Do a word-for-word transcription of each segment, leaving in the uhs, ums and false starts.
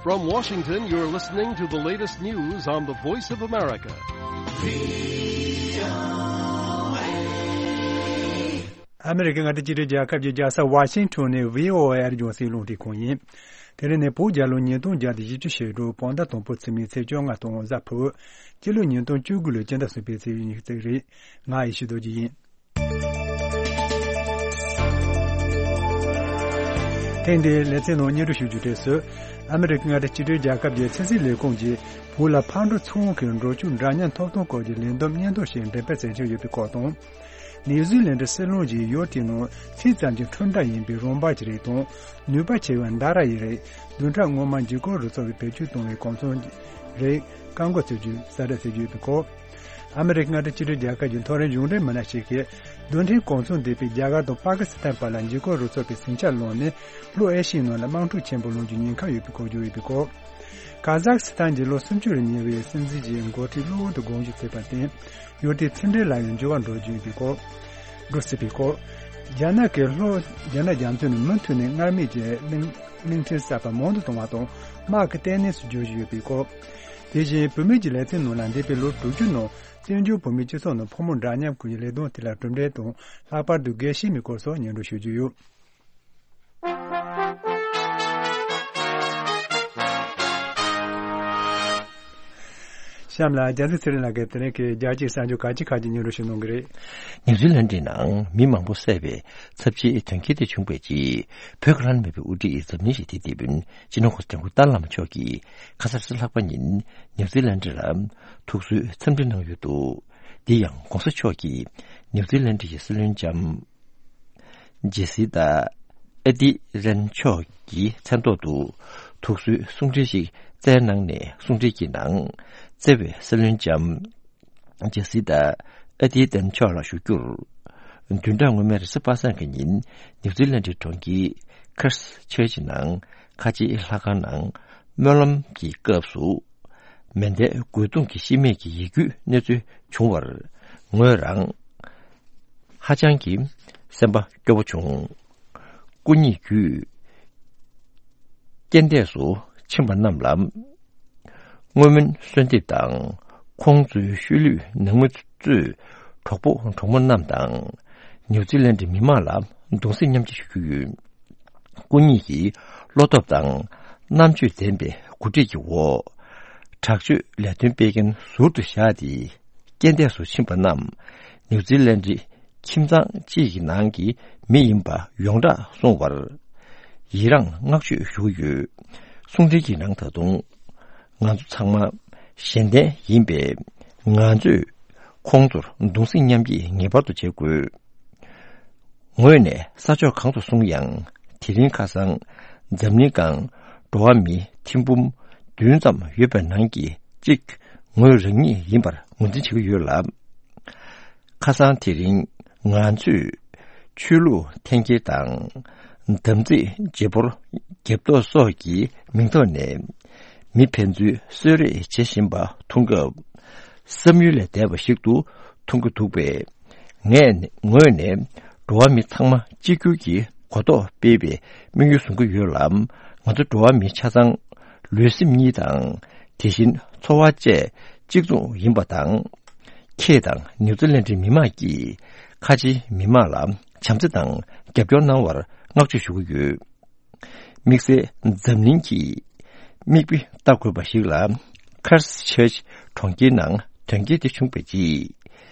From Washington, you're listening to the latest news on the Voice of America. ཨ་མི་རི་ཀའི་མངའ་སྡེ་གཅིག་སྒྲིལ་རྒྱལ་ཁབ་ཀྱི་རྒྱལ་ས་ཝ་ཤིང་ཊོན་ནས་བྷི་ཨོ་ཨེ་རྒྱང་སྲིང་རླུང་འཕྲིན་ཁང་ཡིན། དེ་རིང་ནི་བོད་རྒྱལ་ལོ་ཉིས་སྟོང་བརྒྱ་དང་བཞི་བཅུ་ཞེ་དྲུག་བོད་ཟླ་དང་པོ་ཚེས་མའི་ཚེས་བཅོ་ལྔ་དང་གཟའ་ཕུར་བུ། སྤྱི་ལོ་ཉིས་སྟོང་བཅུ་དགུ་ལོའི་སྤྱི་ཟླ་གསུམ་པའི་ཚེས་ཉི་ཤུ་རྩ་གཅིག་རེད། ང་ཡེ་ཤེས་རྡོ་རྗེ་ཡིན། ཐེངས་འདིའི་ལེ་ཚན་ནང་སྙན་སྒྲོན་ཞུ་རྒྱུ་དེ་ཚོ། ཨ་མི་རི་ཀའི་མངའ་སྡེ་གཅིག་སྒྲིལ་རྒྱལ་ཁབ་ཀྱི་ཚན་རྩལ་ལས་ཁུངས་ཀྱིས་བོད་ལ་ཕར་འགྲོ་ཚུར་འོང་གི་འགྲོ་སྐྱོད་འདྲ་མཉམ་ཐོབ་ཐང་སྐོར་གྱི་ལས་བསྡོམས་སྙན་ཐོ་ཞིག་འགྲེམས་སྤེལ་མཛད་འཆར་ཡོད་པའི་སྐོར་དང་། ནིའུ་ཛི་ལན་ཌི་སྲིད་བློན་གྱིས་ཡུལ་དེའི་ནང་ཚད་ཙམ་གྱི་ཁྲོམ་ར་ཡིན་པའི་རོང་འབབ་ཀྱི་རིགས་དང་། ནུས་པ་ཆེ་བའི་མདའ་ར་ཡི་རིགས། བདུན་ཕྲག་སྔོན་མ་འཇིགས་སྐུལ་རུ་ཚོགས་ཀྱིས་བེད་སྤྱོད་བཏང་བའི་གོ་མཚོན་གྱི་རིགས་བཀག་འགོག་བྱེད་རྒྱུའི་གསལ་བསྒྲགས་བྱེད་ཀྱི་ཡོད་པའི་སྐོར། ཨ་མི་རི་ཀའི་མངའ་སྡེ་གཅིག་སྒྲིལ་རྒྱལ་ཁབ་ཀྱི་མཐོ་རིམ་གཞུང་འབྲེལ་མི་སྣ་ཞིག་གིས། རྡུལ་ཕྲན་གོ་མཚོན་ལྡན་པའི་རྒྱ་གར་དང་པ་ཀི་སི་ཐན་བར་ལ་འཇིགས་སྐུལ་རུ་ཚོགས་ཀྱིས་ཟིང་ཆ་བསླངས་ནས། ལྷོ་ཨེ་ཤི་ཡའི་ནང་ལ་དམག་འཁྲུག་ཆེན་པོ་སློང་རྒྱུའི་ཉེན་ཁ་ཡོད་པའི་སྐོར་བརྗོད་ཡོད་པའི་སྐོར། ཀ་ཟག་སི་ཐན་གྱི་ལོ་སུམ་ཅུ་རུ་ཉེ་བའི་སྲིད་འཛིན་གྱི་འགོ་ཁྲིད་གློ་བུར་དུ་དགོངས་ཞུ་བྱས་པར་བརྟེན། ཡུལ་དེའི་ཕྱི་འབྲེལ་ལ་ཡང་འགྱུར་བ་འགྲོ་རྒྱུ་ཡིན་པའི་སྐོར། འགྲོ་སྲིད་པའི་སྐོར། རྒྱ་ནག་གིས་ལྷོ་རྒྱ་ནག་རྒྱ་མཚོ་ནས་མུ་མཐུད་ནས་སྔར་མེད་ཀྱི་གླིང་གླིང་ཕྲན་གསར་པ་མང་དུ་གཏོང་བ་དང་། དམག་གི་ལྟེ་གནས་སུ་བསྒྱུར་བཞིན་ཡོད་པའི་སྐོར། དེ་བཞིན་བུད་མེད་ཀྱི་ལེ་ཚན་ནང་ལ་འདས་པའི་ལོ་དྲུག་ཅུ་ནང་བཙན་བྱོལ་བོད་མིའི་སྤྱི་ཚོགས་ནང་ཕོ་མོ་འདྲ་མཉམ་སྐོར་གྱི་ལས་དོན་དེ་ལ་གྲུབ་འབྲས་དང་། ལྷག་པར་དུ་དགེ་བཤེས་མའི་སྐོར་སོགས་སྙན་སྒྲོན་ཞུ་རྒྱུ་ཡོད། གཤམ་ལ་རྒྱལ་མཚན་ཚེ་རིང་ལགས་ཀྱིས་དེ་རིང་གི་རྒྱལ་སྤྱིའི་གསར་འགྱུར་གལ་ཆེ་ཁག་ཅིག་སྙན་སྒྲོན་ཞུ་གནང་གི་རེད། ནིའུ་ཛི་ལན་ཌི་ནང་མི་མང་པོ་བསད་པའི་ཚབས་ཆེའི་དོན་རྐྱེན་དེ་བྱུང་བའི་རྗེས། བོད་ཀྱི་བླ་ན་མེད་པའི་དབུ་ཁྲིད་འཛམ་གླིང་ཞི་བདེའི་དེད་དཔོན་སྤྱི་ནོར་གོང་ས་སྐྱབས་མགོན་ཏཱ་ལའི་བླ་མ་མཆོག་གིས་ཁ་ས་རེས་གཟའ་ལྷག་པ་ཉིན་ནིའུ་ཛི་ལན་ཌི་ལ་ཐུགས་གསོའི་འཚམས་འདྲི་གནང་ཡོད་འདུག། འདི་ཡང་གོང་ས་མཆོག་གིས་ནིའུ་ཛི་ལན་ཌི་ཡི་སྲིད་བློན་ལྕམ། ཇེ་སི་ཏཱ་ཨ་ཏི་རན་མཆོག་གི་མཚན་ཐོག་ཏུ་ཐུགས་གསོའི་གསུང་འཕྲིན་ཞིག་བསྩལ་གནང་ནས། གསུང་འཕྲིན་གྱི་ནང་བརྩེ་བའི་སྲིད་བློན་ལྕམ་ཇེ་སི་ཏཱ་ཨ་ཏི་རན་མཆོག་ལ་ཞུ་རྒྱུར། བདུན་ཕྲག་སྔོན་མའི་རེས་གཟའ་པ་སངས་ཀྱི་ཉིན་ནིའུ་ཛི་ལན་ཌི་གྲོང་ཁྱེར་ཁེར་སི་ཆར་ཆི་ནང་ཁ་ཆེའི་ལྷ་ཁང་ནང་སྨོན་ལམ་གྱི་སྐབས་སུ། མེ་མདའི་རྒོལ་རྡུང་གི་ཤི་རྨས་ཀྱི་ཡིད་སྐྱོའི་གནས་ཚུལ་བྱུང་བར་ངོས་རང་ཧ་ཅང་གི་སེམས་པ་སྐྱོ་བོ་བྱུང་། སྐུ་ཉིད་བརྒྱུད་རྐྱེན་འདས་སུ་ཕྱིན་པ་རྣམས་ལ་བསྔོ་སྨོན་གསོལ་འདེབས་དང་། ཁོང་ཚོའི་ཤུལ་ལུས་ནང་མི་གཙོས་གྲོགས་པོ་གྲོགས་མོ་རྣམས་དང་། ནིའུ་ཛི་ལན་ཌི་མི་མང་ལ་གདུང་སེམས་མཉམ་སྐྱེད་ཞུ་རྒྱུ་ཡོད། སྐུ་ཉིད་ཀྱི་བློ་སྟོབས་དང་རྣམ་དཔྱོད་ལྡན་པའི་འགོ་ཁྲིད་ཀྱི་འོག་དྲག་སྤྱོད་ལས་དོན་སྤེལ་མཁན་ཟུར་དུ་བཞག་སྟེ། རྐྱེན་འདས་སུ་ཕྱིན་པ་རྣམས་ནིའུ་ཛི་ལན་ཌི་ཁྱིམ་ཚང་གཅིག་གི་ནང་གི་མི་ཡིན་པ་ཡོངས་གྲགས་སོང་བར་ཡི་རངས་བསྔགས་བརྗོད་ཞུ་གི་ཡོད། གསུང་འཕྲིན་གྱི་ནང་ད་དུང་ང་ཚོ་ཚང་མ་གཞན་བརྟེན་ཡིན་པས། ང་ཚོས་ཁོང་ཚོར་གདུང་སེམས་མཉམ་སྐྱེད་ངེས་པར་དུ་བྱེད་དགོས། ངོས་ནས་ས་ཕྱོགས་གང་དུ་སོང་ཡང་། དེ་རིང་ཁ་སང་འཛམ་གླིང་སྒང་འགྲོ་བ་མིའི་ཐེར་འབུམ་བདུན་ཙམ་ཡོད་པའི་ནང་གི་གཅིག་ངོས་རང་ཉིད་ཡིན་པར་ངོས་འཛིན་བྱེད་ཀྱི་ཡོད་ལ། ཁ་སང་དེ་རིང་ང་ཚོས་ཆོས་ལུགས་འཐེན་འཁྱེར་དང་། དམ་ཚིག་བརྗེ་སྤོར་རྒྱབ་གཏོད་སོགས་ཀྱི་མིང་ཐོག་ནས་མི་ཕན་ཚུན་གསོད་རེས་བྱེད་བཞིན་པ་མཐོང་སྐབས། བསམ་ཡུལ་ལས་འདས་པ་ཞིག་ཏུ་མཐོང་གི་འདུག་པས། ངས་ངོས་ནས་འགྲོ་བ་མི་ཚང་མ་གཅིག་གྱུར་གྱི་གོ་རྟོགས་སྤེལ་བའི་དམིགས་ཡུལ་བཟུང་གི་ཡོད་ལ། ང་ཚོ་འགྲོ་བ་མི་ཆ་ཚང་ལུས་སེམས་གཉིས་དང་། དེ་བཞིན་འཚོ་བ་བཅས་གཅིག་མཚུངས་ཡིན་པ་དང་། ཁྱེད་དང་ནིའུ་ཛི་ལན་ཌིའི་མི་མང་གིས་ཁ་ཆེའི་མི་མང་ལ་བྱམས་བརྩེ་དང་རྒྱབ་སྐྱོར་གནང་བར་བསྔགས་བརྗོད་ཞུ་གི་ཡོད། དམིགས་བསལ་འཛམ་གླིང་གི་མིག་དཔེ་ལྟ་དགོས་པ་ཞིག་ལ། ཁེར་སི་ཆར་ཆི་གྲོང་ཁྱེར་ནང་དོན་རྐྱེན་དེ་བྱུང་བའི་རྗེས།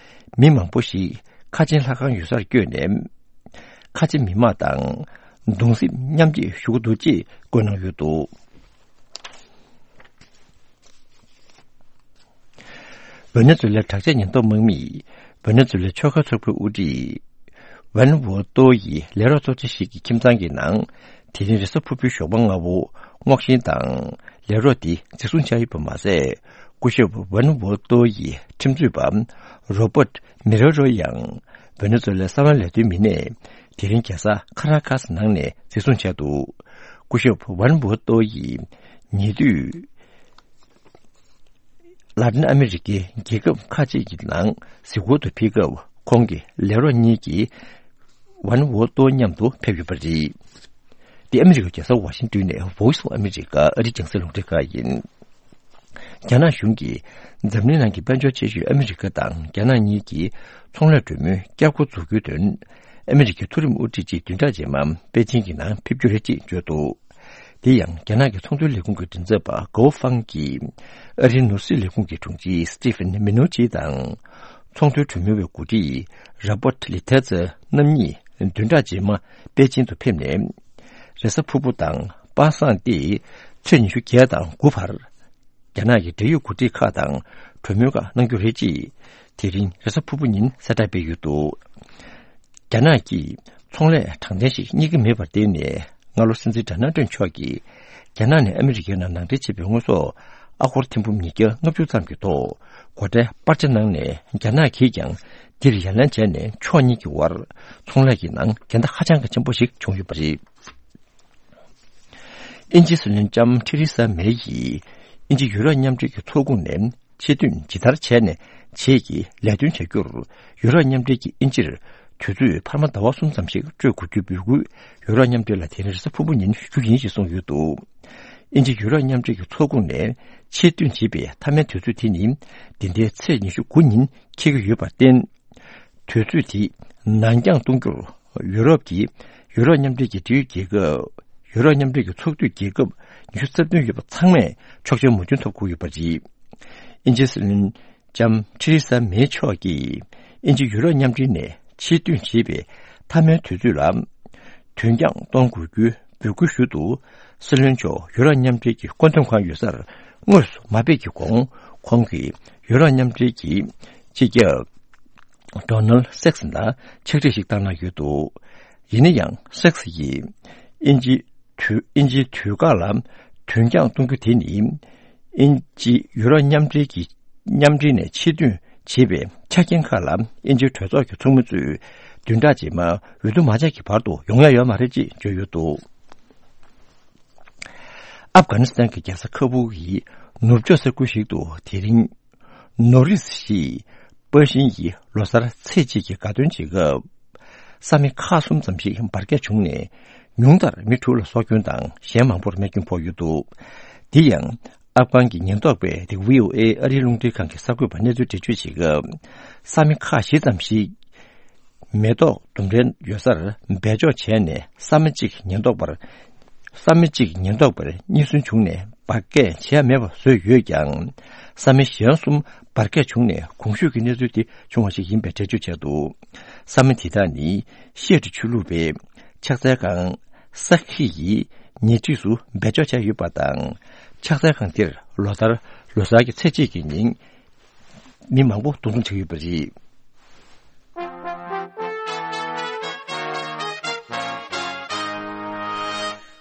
མི་མང་པོ་ཞིག་ཁ་ཆེའི་ལྷ་ཁང་ཡོད་སར་བསྐྱོད་ནས། ཁ་ཆེ་མི་མང་དང་གདུང་སེམས་མཉམ་སྐྱེད་ཞུ་གི་འདུག་ཅེས་བཀོད་གནང་ཡོད་འདུག། ཝེ་ནེ་ཛུ་ལའི་དྲག་ཆས་ཉེན་རྟོག་དམག་མིས་ཝེ་ནེ་ཛུ་ལའི་ཆོལ་ཁ་ཚོགས་པའི་དབུ་ཁྲིད་ཝན་ཝོ་ཏོ་ཡི་ལས་རོགས་ཚོགས་ཆེན་ཞིག་གི་ཁྱིམ་ཚང་གི་ནང་དེ་རིང་རེས་གཟའ་ཕུར་བུའི་ཞོགས་པ་སྔ་པོ་སྔོག་བཤེར་དང་ལས་རོགས་དེ་འཛིན་བཟུང་བྱས་ཡོད་པ་མ་ཟད། སྐུ་ཞབས་ཝན་ཝོ་ཏོ་ཡི་ཁྲིམས་རྩོད་པ་རོ་པར་མི་རེ་རོ་ཡང་ཝེ་ནེ་ཛུ་ལའི་གསང་བའི་ལས་དོན་མི་སྣས་དེ་རིང་རྒྱལ་ས་ཁ་ར་ཁ་སི་ནང་ནས་འཛིན་བཟུང་བྱས་འདུག། སྐུ་ཞབས་ཝན་ཝོ་ཏོ་ཡི་ཉེ་དུས། ལ་ཏིན་ཨ་མི་རི་ཀའི་རྒྱལ་ཁབ་ཁག་ཅིག་གི་ནང་གཟིགས་སྐོར་དུ་ཕེབས་སྐབས། ཁོང་གི་ལས་རོགས་གཉིས་ཀྱིས་ཝན་ཝོ་ཏོ་མཉམ་དུ་ཕེབས་ཡོད་པ་རེད། འདི་ཨ་མི་རི་ཀའི་རྒྱལ་ས་ཝ་ཤིང་ཏོན་ནས་Voice of America ཨ་རིའི་རྒྱང་སྲིང་རླུང་འཕྲིན་ཁང་ཡིན། རྒྱ་ནག་གཞུང་གིས་འཛམ་གླིང་ནང་གི་དཔལ་འབྱོར་ཆེ་ཤོས་ཨ་མི་རི་ཀ་དང་རྒྱ་ནག་གཉིས་ཀྱི་ཚོང་ལས་གྲོས་མོལ་བསྐྱར་འགོ་འཛུགས་རྒྱུའི་དོན། ཨ་མི་རི་ཀའི་མཐོ་རིམ་དབུ་ཁྲིད་ཅིག་བདུན་ཕྲག་རྗེས་མ་པེ་ཅིང་གི་ནང་ཕེབས་རྒྱུ་རེད་ཅེས་བརྗོད་འདུག་དེ་ཡང་རྒྱ་ནག་གི་ཚོང་དོན་ལས་ཁུངས་ཀྱི་མགྲིན་ཚབ་པ་གའོ་ཧྥང་གིས་ཨ་རིའི་ནོར་སྲིད་ལས་ཁུངས་ཀྱི་དྲུང་ཆེ་Steven Mnuchin དང་ཚོང་དོན་གྲོས་མོལ་བའི་འགོ་ཁྲིད་Robert Lighthizer རྣམ་གཉིས་བདུན་ཕྲག་རྗེས་མ་པེ་ཅིང་དུ་ཕེབས་ནས། རེས་གཟའ་ཕུར་བུ་དང་པ་སངས་ཏེ་ཚེས་ཉི་ཤུ་བརྒྱད་དང་དགུ་བར། རྒྱ་ནག་གི་འབྲེལ་ཡོད་འགོ་ཁྲིད་ཁག་དང་གྲོས་མོལ་ཁག་གནང་རྒྱུ་རེད་ཅེས། དེ་རིང་རེས་གཟའ་ཕུར་བུ་ཉིན་གསལ་བསྒྲགས་སྤེལ་ཡོད་འདུག་རྒྱ་ནག་གིས་ཚོང་ལས་དྲང་བདེན་ཞིག་རྙེད་ཀྱི་མེད་པར་བརྟེན་ནས། སྔ་ལོ་སྲིད་འཛིན་ཌོ་ནལ་ཊམ་མཆོག་གིས་རྒྱ་ནག་ནས་ཨ་མི་རི་ཀའི་ནང་ནང་འདྲེན་བྱས་པའི་དངོས་ཟོག་ཨ་སྒོར་ཐེར་འབུམ་ཉིས་བརྒྱ་ལྔ་བཅུ་ཙམ་གྱི་ཐོག་སྒོ་ཁྲལ་སྤར་ཆ་གནང་ནས། རྒྱ་ནག་གིས་ཀྱང་འདིར་ཡ་ལན་བྱས་ནས། ཕྱོགས་གཉིས་ཀྱི་དབར་ཚོང་ལས་ཀྱི་ནང་འགལ་ཟླ་ཧ་ཅང་གི་ཆེན་པོ་ཞིག་བྱུང་ཡོད་པ་རེད། དབྱིན་ཇིའི་སྲིད་བློན་ལྕམ་ཐེ་རེ་ས་མེ་ཡིས་དབྱིན་ཇི་ཡུ་རོབ་མཉམ་འབྲེལ་གྱི་ཚོགས་ཁོངས་ནས་ཕྱིར་ཐོན་ཇི་ལྟར་བྱས་ནས་བྱེད་ཀྱི་ལས་དོན་བྱ་རྒྱུར། ཡུ་རོབ་མཉམ་འབྲེལ་གྱིས་དབྱིན་ཇིར་དུས་ཚོད་འཕར་མ་ཟླ་བ་གསུམ་ཙམ་ཞིག་སྤྲོད་དགོས་རྒྱུའི་འབོད་སྐུལ་ཡུ་རོབ་མཉམ་འབྲེལ་ལ་དེ་རིང་རེས་གཟའ་ཕུར་བུ་ཉིན་ཞུ་རྒྱུ་ཡིན་ཞེས་གསུངས་ཡོད་འདུག་དབྱིན་ཇི་ཡུ་རོབ་མཉམ་འབྲེལ་གྱི་ཚོགས་ཁོངས་ནས་ཕྱིར་ཐོན་བྱེད་པའི་མཐའ་མའི་དུས་ཚོད་དེ་ནི་འདི་ཟླའི་ཚེས་ཉི་ཤུ་དགུ་ཉིན་འཁེལ་གྱི་ཡོད་པར་བརྟེན། དུས་ཚོད་དེ་ནང་འགྱངས་གཏོང་རྒྱུར། ཡུ་རོབ་ཀྱི་ཡུ་རོབ་མཉམ་འབྲེལ་གྱི་འབྲེལ་ཡོད་རྒྱལ་ཁབ། ཡུ་རོབ་མཉམ་འབྲེལ་གྱི་ཚོགས་འཐུས་རྒྱལ་ཁབ་ཉི་ཤུ་རྩ་བདུན་ཡོད་པ་ཚང་མས་ཆོག་མཆན་མོས་མཐུན་ཐོབ་དགོས་ཡོད་པ་རེད། དབྱིན་ཇིའི་སྲིད་བློན་ལྕམ་ཐེ་རེ་ས་མེ་མཆོག་གིས་དབྱིན་ཇི་ཡུ་རོབ་མཉམ་འབྲེལ་ནས་ཕྱིར་ཐོན་བྱེད་པའི་མཐའ་མའི་དུས་ཚོད་ལ་དོན་རྐྱང་གཏོང་དགོས་རྒྱུའི་འབོད་སྐུལ་ཞུ་དུ། སྲིད་བློན་མཆོག་ཡུ་རོབ་མཉམ་འབྲེལ་གྱི་བཀོད་འདོམས་ཁང་ཡོད་སར་དངོས་སུ་མ་ཕེབས་ཀྱི་གོང་། ཁོང་གིས་ཡུ་རོབ་མཉམ་འབྲེལ་གྱི་སྤྱི་ཁྱབ་Donald Sachs ལ་ཕྱག་བྲིས་ཤིག་བཏང་གནང་ཡོད་འདུག་ཡིན་ན་ཡང་Sachs ཡིས་དབྱིན་ཇི་དུས་དབྱིན་ཇིའི་དུས་བཀག་ལ་དོན་རྐྱང་གཏོང་རྒྱུ་དེ་ནི། དབྱིན་ཇི་ཡུ་རོབ་མཉམ་འབྲེལ་གྱི་མཉམ་འབྲེལ་ནས་ཕྱིར་ཐོན་བྱེད་པའི་ཆ་རྐྱེན་ཁག་ལ་དབྱིན་ཇིའི་གྲོས་ཚོགས་ཀྱི་ཚོགས་མི་ཚོས་བདུན་ཕྲག་རྗེས་མ་འོས་བསྡུ་མ་བྱས་ཀྱི་བར་དུ་ཡོང་ཡ་ཡོད་མ་རེད་ཅེས་བརྗོད་ཡོད་འདུག་ཨབ་གྷ་ནི་སི་ཐན་གྱི་རྒྱལ་ས་ཁ་བུ་ཡི་ནུབ་ཕྱོགས་ས་ཁུལ་ཞིག་ཏུ་དེ་རིང་ནོ་རིས་ཞེས་པར་ཤིང་ཡི་ལོ་གསར་ཚེས་གཅིག་གི་དགའ་སྟོན་བྱེད་སྐབས། ས་མི་ཁག་གསུམ་ཙམ་ཞིག་འབར་གས་བྱུང་ནས། ཉུང་མཐར་མི་དྲུག་ལ་སྲོག་སྐྱོན་དང་གཞན་མང་པོར་རྨས་སྐྱོན་ཕོག་ཡོད་འདུག་དེ་ཡང་ཨབ་གྷན་གྱི་ཉེན་རྟོག་པས་དེ་བྷི་ཨོ་ཨེ་ཨ་རིའི་རླུང་འཕྲིན་ཁང་གི་གསར་འགོད་པར་གནས་ཚུལ་འགྲེལ་བརྗོད་བྱེད་སྐབས། ས་མི་ཁག་བཞི་ཙམ་ཞིག་མེ་ཏོག་ལྡུམ་རའི་ཡོད་སར་སྦས་འཇོག་བྱས་ནས། ས་མི་གཅིག་ཉེན་རྟོག་པར། ས་མི་གཅིག་ཉེན་རྟོག་པར་རྙེད་སོན་བྱུང་ནས། འབར་གས་བྱས་མེད་པ་བཟོས་ཡོད་ཀྱང་། ས་མི་གཞན་གསུམ་འབར་གས་བྱུང་ནས་གོང་ཞུས་ཀྱི་གནས་ཚུལ་དེ་བྱུང་བ་ཞིག་ཡིན་པའི་འགྲེལ་བརྗོད་བྱས་འདུག་ས་མི་དེ་དག་ནི་ཤེལ་ཏི་ཆོས་ལུགས་པའི་ཕྱག་འཚལ་ཁང་ས་ཁི་ཡི་ཉེ་འཁྲིས་སུ་སྦས་འཇོག་བྱས་ཡོད་པ་དང་། ཕྱག་འཚལ་ཁང་དེར་ལོ་ལྟར་ལོ་གསར་གྱི་ཚེས་གཅིག་གི་ཉིན་མི་མང་པོ་འདུ་འཛོམས་བྱེད་ཀྱི་ཡོད་པ་རེད།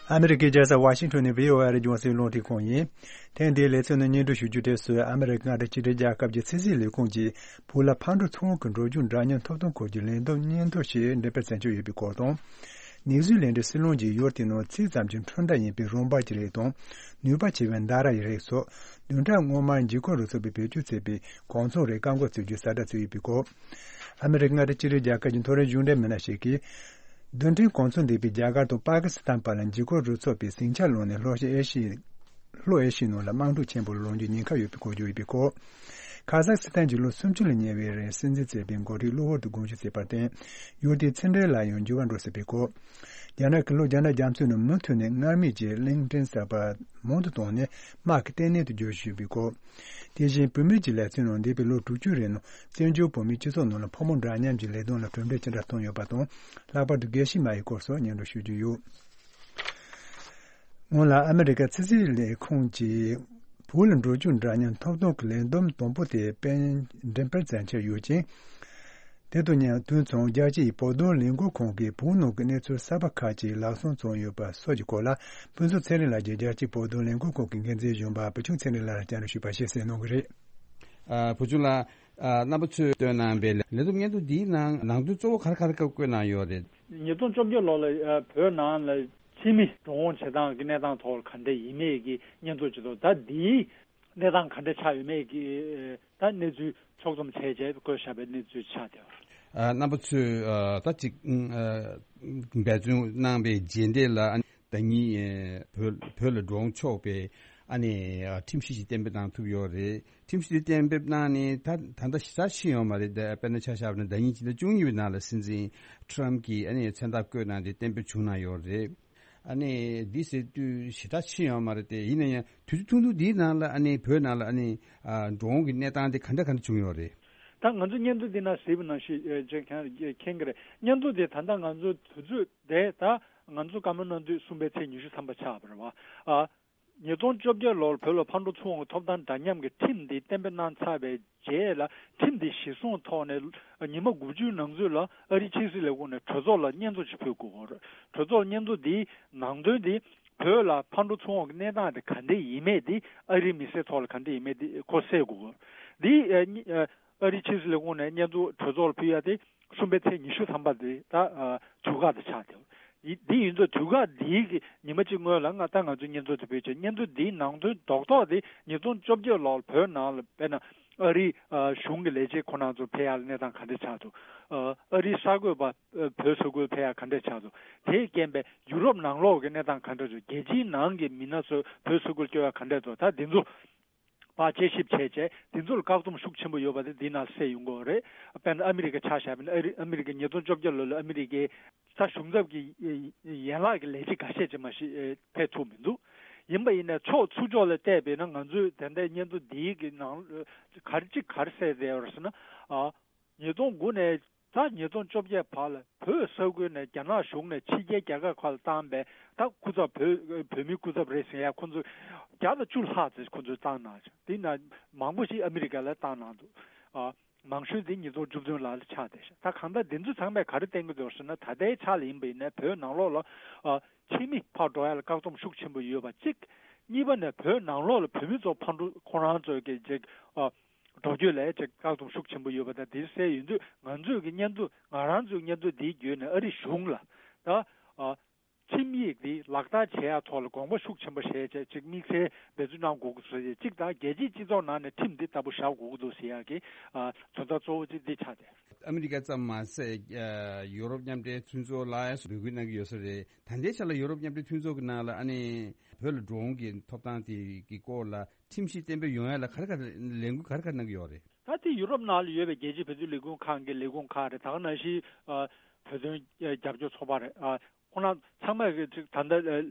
ཨ་མི་རི་ཀའི་རྒྱལ་ས་ཝ་ཤིང་ཊོན་ནས་བྷི་ཨོ་ཨེ་རྒྱང་སྲིང་རླུང་འཕྲིན་ཁང་ཡིན། ཐེངས་འདིའི་ལེ་ཚན་ནི་སྙན་སྒྲོན་ཞུ་རྒྱུའི་གྲས་སུ། ཨ་མི་རི་ཀའི་མངའ་སྡེ་གཅིག་སྒྲིལ་རྒྱལ་ཁབ་ཀྱི་ཕྱི་སྲིད་ལས་ཁུངས་ཀྱིས་བོད་ལ་ཕར་འགྲོ་ཚུར་འོང་གི་འགྲོ་རྒྱུག་འདྲ་མཉམ་ཐོབ་ཐང་སྐོར་གྱི་ལས་བསྡོམས་སྙན་ཐོ་ཞིག་འགྲེམས་སྤེལ་མཚམས་འཇོག་ཡོད་པའི་སྐོར་དང་། ནིའུ་ཟི་ལན་ཌའི་སྲིད་བློན་གྱིས་ཡུལ་དེའི་ནང་ཚད་ཙམ་གྱི་འཕྲུལ་མདའ་ཡིན་པའི་རོ་འབར་གྱི་རིགས་དང་། ནུས་པ་ཆེ་བའི་མདའ་ར་ཡི་རིགས་སོགས་བདུན་ཕྲག་སྔོན་མར་འཇིགས་སྐུལ་རུ་ཚོགས་པས་བེད་སྤྱོད་བྱས་པའི་གོ་མཚོན་རིགས་བཀག་འགོག་བྱེད་རྒྱུའི་གསལ་བསྒྲགས་བྱས་ཡོད་པའི་སྐོར། ཨ་མི་རི་ཀའི་མངའ་སྡེ་གཅིག་སྒྲིལ་རྒྱལ་ཁབ་ཀྱི་མཐོ་རིམ་གཞུང་འབྲེལ་མི་སྣ་ཞིག་གིས། རྡུལ་ཕྲན་གོ་མཚོན་ལྡན་པའི་རྒྱ་གར་དང་པ་ཀི་སི་ཐན་བར་ལ་འཇིགས་སྐུལ་རུ་ཚོགས་པས་ཟིང་ཆ་སློང་ནས། ལྷོ་ཨེ་ཤི་ཡའི་ལྷོ་ཨེ་ཤི་ཡའི་ནང་ལ་དམག་འཁྲུག་ཆེན་པོ་ལངས་རྒྱུའི་ཉེན་ཁ་ཡོད་པའི་སྐོར་བརྗོད་ཡོད་པའི་སྐོར། ཁ་ཟག་སི་ཐན་གྱིས་ལོ་སུམ་ཅུ་ལ་ཉེ་བའི་རིང་སྲིད་འཛིན་བྱས་པའི་འགོ་ཁྲིད་གློ་བུར་དུ་དགོངས་ཞུ་བྱས་པར་བརྟེན། ཡུལ་དེའི་ཕྱི་འབྲེལ་ལ་ཡང་འགྱུར་བ་འགྲོ་སྲིད་པའི་སྐོར། རྒྱ་ནག་གིས་ལོ་བརྒྱ་ནང་རྒྱ་མཚོའི་ནང་མུ་མཐུད་ནས་སྔར་མེད་ཀྱི་གླིང་ཕྲན་གསར་པ་མང་དུ་བཏང་ནས། དམག་གི་ལྟེ་གནས་དུ་བསྒྱུར་བཞིན་ཡོད་པའི་སྐོར། དེ་བཞིན་བུད་མེད་ཀྱི་ལས་ཚན་ནང་འདས་པའི་ལོ་དྲུག་ཅུ་རིང་ནང་བཙན་བྱོལ་བོད་མིའི་སྤྱི་ཚོགས་ནང་ལ་ཕོ་མོ་འདྲ་མཉམ་གྱི་ལས་དོན་ལ་གྲུབ་འབྲས་ཅི་འདྲ་ཐོན་ཡོད་པ་དང་། ལྷག་པར་དུ་དགེ་བཤེས་མ་ཡི་སྐོར་སོགས་སྙན་སྒྲོན་ཞུ་རྒྱུ་ཡོད། སྔོན་ལ་ཨ་མི་རི་ཀའི་ཕྱི་སྲིད་ལས་ཁུངས་ཀྱིས་བོད་ལ་འགྲོ་རྒྱུག་འདྲ་མཉམ་ཐོབ་ཐང་གི་ལས་བསྡོམས་དང་པོ་དེ་སྤེལ་འགྲེམས་སྤེལ་མཚམས་འཇོག་ཡོད་ཅིང་། དེ་དང་མཉམ་དུས་མཚུངས་རྒྱལ་སྤྱིའི་བོད་དོན་ལས་འགུལ་ཁང་གིས་བོད་ནང་གི་གནས་ཚུལ་གསར་པ་ཁག་ཅིག་ལག་སོན་བཙོང་ཡོད་པ་སོགས་ཀྱི་སྐོར་ལ། ཕུན་ཚོགས་ཚེ་རིང་ལགས་ཀྱིས་རྒྱལ་སྤྱིའི་བོད་དོན་ལས་འགུལ་ཁང་གི་འགན་འཛིན་གཞོན་པ་བུ་ཆུང་ཚེ་རིང་ལགས་ལ་བཅར་འདྲི་ཞུས་པ་ཞིག་གསན་གནང་གི་རེད། ཨ། བུ་ཆུང་ལགས། ཨ། རྣམ་པ་ཚོས་བཏོན་གནང་བའི་ལས་བསྡོམས་སྙན་ཐོ་འདིའི་ནང་ནང་དོན་གཙོ་བོ་ག་རེ་ག་རེ་བཀོད་གནང་ཡོད་རེད། ཉིས་སྟོང་བཅོ་བརྒྱད་ལོ་ལ། ཨ། བོད་ནང་ལ་ཕྱི་མི་འགྲོ་འོང་བྱེད་སྟངས་ཀྱི་གནས་སྟངས་ཐོག་ག་འདྲ་ཡིན་མིན་གྱི་སྙན་ཐོ་ཅིག་འདུག་ད་འདིའི་གནས་སྟངས་ག་འདྲ་ཆགས་ཡོད་མེད་ཀྱི། ཨ། ད་གནས་ཚུལ་ཕྱོགས་བསྡོམས་བྱས་རྗེས་བཀོད་བཞག་པའི་གནས་ཚུལ་ཆགས་བསྡད་པ་རེད། ཨ། རྣམ་པ་ཚོས། ཨ། ད་ཅིག་ཨ། འབད་བརྩོན་གནང་བའི་རྗེས་འདེད་ལ། ཨ། ཟླ་ཉིན་བོད་བོད་ལ་འགྲོ་འོང་ཆོག་པའི་ཨ་ནི་ཁྲིམས་གཞི་ཞིག་གཏན་འབེབས་གནང་ཐུབ་ཡོད་རེད། ཁྲིམས་གཞི་གཏན་འབེབས་གནང་ནས་ད་ད་ལྟ་ཞེ་དྲག་ཕྱིན་ཡོད་མ་རེད། དཔེར་ན་ཆ་བཞག་པ་ན་ཟླ་ཉིན་ཕྱི་ཟླ་བཅུ་གཉིས་པའི་ནང་ལ་སྲིད་འཛིན་ཊམ་གྱིས་ཨ་ནི་མཚན་རྟགས་བཀོད་གནང་སྟེ་གཏན་འབེབས་བྱུང་གནང་ཡོད་རེད། ཨ་ནི་འདི་ཟེར་དུས་ཞེ་དྲག་ཕྱིན་ཡོད་མ་རེད་དེ། ཡིན་ན་ཡང་དུས་ཚོད་ཐུང་ཐུང་འདིའི་ནང་ལ་ཨ་ནི་བོད་ནང་ལ་ཨ་ནི་འགྲོ་འོང་གི་གནས་སྟངས་དེ་ག་འདྲ་ག་འདྲ་བྱུང་ཡོད་རེད། ད་ང་ཚོ་སྙན་ཐོ་འདི་ནང་གཟིགས་པ་ནང་བཞིན་ཅེས་ཁྱེད་མཁྱེན་གྱི་རེད། སྙན་ཐོ་དེ་ད་ལྟ་ང་ཚོ་དུས་ཚོད་དེ་ད་ང་ཚོ་བཀའ་མོལ་གནང་དུས་གསུམ་པའི་ཚེས་ཉི་ཤུ་ཐམ་པ་ཆགས་པ་རེད་བ། ཨ། ཉིས་སྟོང་བཅོ་བརྒྱད་ལོར་བོད་ལ་ཕར་འགྲོ་ཚུར་འོང་གི་ཐོབ་ཐང་འདྲ་མཉམ་གྱི་ཁྲིམས་འདི་གཏན་འབེབས་གནང་ཚར་བའི་རྗེས་ལ། ཁྲིམས་འདི་གཞིར་བཟུང་ཐོག་ནས་ཉི་མ་དགུ་བཅུའི་ནང་ཚུད་ལ་ཨ་རིའི་ཕྱི་སྲིད་ལས་ཁུངས་ནས་གྲོས་ཚོགས་ལ་སྙན་ཐོ་ཞིག་ཕུལ་དགོས་ཀྱི་རེད། གྲོས་ཚོགས་ལ་སྙན་ཐོ་འདིའི་ནང་དོན་འདི་བོད་ལ་ཕར་འགྲོ་ཚུར་འོང་གི་གནས་སྟངས་དེ་ག་འདྲས་ཡིན་མེད་འདི། ཨ་རིའི་མི་སེར་ཐོག་ལ་ག་འདྲས་ཡིན་མེད་འདི་ཁོ་གསལ་དགོས་ཀྱི་རེད། འདི་ཨ་ཨ་རིའི་ཕྱི་སྲིད་ལས་ཁུངས་ནས་སྙན་ཐོ་གྲོས་ཚོགས་ལ་ཕུལ་ཡ་དེ་གསུམ་པའི་ཚེས་ཉི་ཤུ་ཐམ་པ་དེ་ད་ཨ་དུས་བཀག་དེ་ཆགས་བསྡད་ཡོད། འདི་ཡིན་ཙང་དུས་བཀག་འདིའི་གི་ཉི་མ་གཅིག་སྔོན་ལ་ང་ད་ང་ཚོས་སྙན་ཐོ་དེ་ཕུལ་བྱས། སྙན་ཐོ་འདིའི་ནང་དོན་རྡོག་རྡོག་དེ་ཉིས་སྟོང་བཅོ་བརྒྱད་ལོར་བོད་ནང་ལ་དཔེར་ན་ཨ་རིའི་ཨ་གཞུང་གི་ལས་བྱེད་ཁོ་རང་ཚོ་ཕེབས་ཡག་ལ་གནས་སྟངས་ག་འདྲ་ཆགས་འདུག་ཨ་ཨ་རིའི་གསར་འགོད་པ་ཨ་བོད་ས་ཁུལ་ཕེབས་ཡག་ག་འདྲ་ཆགས་འདུག་དེས་རྐྱེན་པས་ཡུ་རོབ་ནང་ལོགས་ཀྱི་གནས་སྟངས་ག་འདྲ་འདུག་རྒྱལ་སྤྱིའི་ནང་གི་མི་སྣ་ཚོ་བོད་ས་ཁུལ་སྐྱོད་ཡག་ག་འདྲ་འདུག་ད་འདི་ཚོ་ཕར་དཔྱད་ཞིབ་བྱས་བྱས། དེ་ཚོ་ལ་བཀག་སྡོམ་ཤུགས་ཆེན་པོ་ཡོད་པ་དེ་འདི་ནང་གསལ་ཡོང་གི་ཡོད་རེད། དཔེར་ན་ཨ་མི་རི་ཀ་ཆ་བཞག་པ་ན་ཨ་རི་ཨ་མི་རི་ཀའི་ཉིས་སྟོང་བཅོ་བརྒྱད་ལོ་ལ་ཨ་མི་རི་ཀའི་ད་གཞུང་ཚབ་ཀྱི་ཡན་ལག་གི་ལས་བྱེད་ཁ་ཤས་ཅིག་མ་གཞི་ཕེབས་ཐུབ་མི་འདུག་ཡིན་པ་ཡིན་ན་ཕྱོགས་ཚུར་ཕྱོགས་ལ་བལྟས་པས་ན་ང་ཚོས་དེ་འདྲའི་སྙན་ཐོ་འདིའི་གི་ནང་ག་རེ་གཅིག་ག་རེ་གསལ་བསྡད་ཡོད་རེད་ཟེར་ན། ཉིས་སྟོང་དགུ་ནས་ད་ཉིས་སྟོང་བཅོ་བརྒྱད་བར་ལ་བོད་ས་ཁུལ་ནས་རྒྱ་ནག་གཞུང་ནས་ཕྱི་རྒྱལ་རྒྱལ་ཁབ་ཁག་ལ་བཏང་པའི་ད་སྐུ་ཚབ་བོད་བོད་མིའི་སྐུ་ཚབ་རེད་ཟེར་ཡ་ཁོ་ཚོ་བརྒྱ་དང་བཅུ་ལྷག་ཙམ་ཁོ་ཚོས་བཏང་གནང་། དེ་ན་མང་པོ་ཞིག་ཨ་མི་རི་ཀ་ལ་བཏང་གནང་འདུག་ཨ། མང་ཤོས་དེ་ཉིས་སྟོང་བཅུ་བདུན་ལ་ཆགས་བསྡད་ཤག་ད་གང་ལྟར་འདི་ཚོ་ཚང་མས་ག་རེ་བསྟན་གྱི་འདུག་ཟེར་ན། ད་ལྟའི་ཆ་ལ་ཡིན་པ་ཡིན་ན་བོད་ནང་ལོགས་ལ་ཨ་ཕྱི་མི་ཕར་འགྲོ་ཡ་ལ་བཀག་སྡོམ་ཤུགས་ཆེན་པོ་ཡོད་པ་གཅིག་གཉིས་པ་ནས་བོད་ནང་ལོགས་ལ་བོད་མི་ཚོ་ཕར་འགྲོ་ཁོ་རང་ཚོའི་གི་ཅིག་ཨ། འགྲོ་སྐྱོད་ལ་ཅིག་བཀག་སྡོམ་ཤུགས་ཆེན་པོ་ཡོད་པ་དང་། དེ་གསལ་ཡོང་དུས་ང་ཚོས་ཀྱི་སྙན་ཐོ་ང་རང་ཚོའི་སྙན་ཐོ་འདིའི་བརྒྱུད་ནས་ཨ་རི་གཞུང་ལ་ད་ཨ་ཁྲིམས་ཡིག་འདི་ལག་བསྟར་བྱེད་ཡག་ཐོག་ལ་དགོངས་པ་ཤུགས་ཆེན་པོ་བཞེས་བྱས་ཅིག་དམིགས་བསལ་འབད་བརྩོན་གནང་དགོས་ཀྱི་བཟོ་ཡས་གཅིག་དང་། རྒྱལ་སྤྱིའི་སྤྱི་ཚོགས་ནང་ནས་ཁྲིམས་འདི་ལྟ་བུ་བཞག་དགོས་ཀྱི་འདུག་ཟེར་ཡག་གི་ཨ་དོན་དག་གཙོ་བོ་གཅིག་འདི་ཆགས་ཏེ། ཨ་མི་རི་ཀ་ཙམ་མ་ཟད་ཡུ་རོབ་མཉམ་འབྲེལ་མཐུན་ཚོགས་ལ་ཡང་འབོད་སྐུལ་གནང་གི་ཡོད་ས་རེད། ད་ལྟའི་ཆ་ལ་ཡུ་རོབ་མཉམ་འབྲེལ་མཐུན་ཚོགས་ཀྱི་ནང་ལ་ཨ་ནི་བོད་ལ་འགྲོ་འོང་གི་ཐོབ་ཐང་དེ་གི་སྐོར་ལ་ཁྲིམས་གཞི་གཏན་འབེབས་ཡོང་ཡ་ལ་ག་རེ་ག་རེ་ལས་འགུལ་ག་རེ་ག་རེ་གནང་གི་ཡོད་རེད། ད་ལྟའི་ཡུ་རོབ་ནང་ལ་ཡོད་པའི་རྒྱལ་སྤྱིའི་བོད་དོན་ལས་ཁུངས་ཁག་གི་ལས་ཁུངས་ཁག་རེད། ད་ག་ནང་བཞིན་ཨ་བོད་དོན་རྒྱབ་སྐྱོར་ཚོགས་པ་རེད། ཨ་ཁོང་རྣམ་ཚང་མས་ཀྱི་ཅིག་ད་ལྟ་ཨ་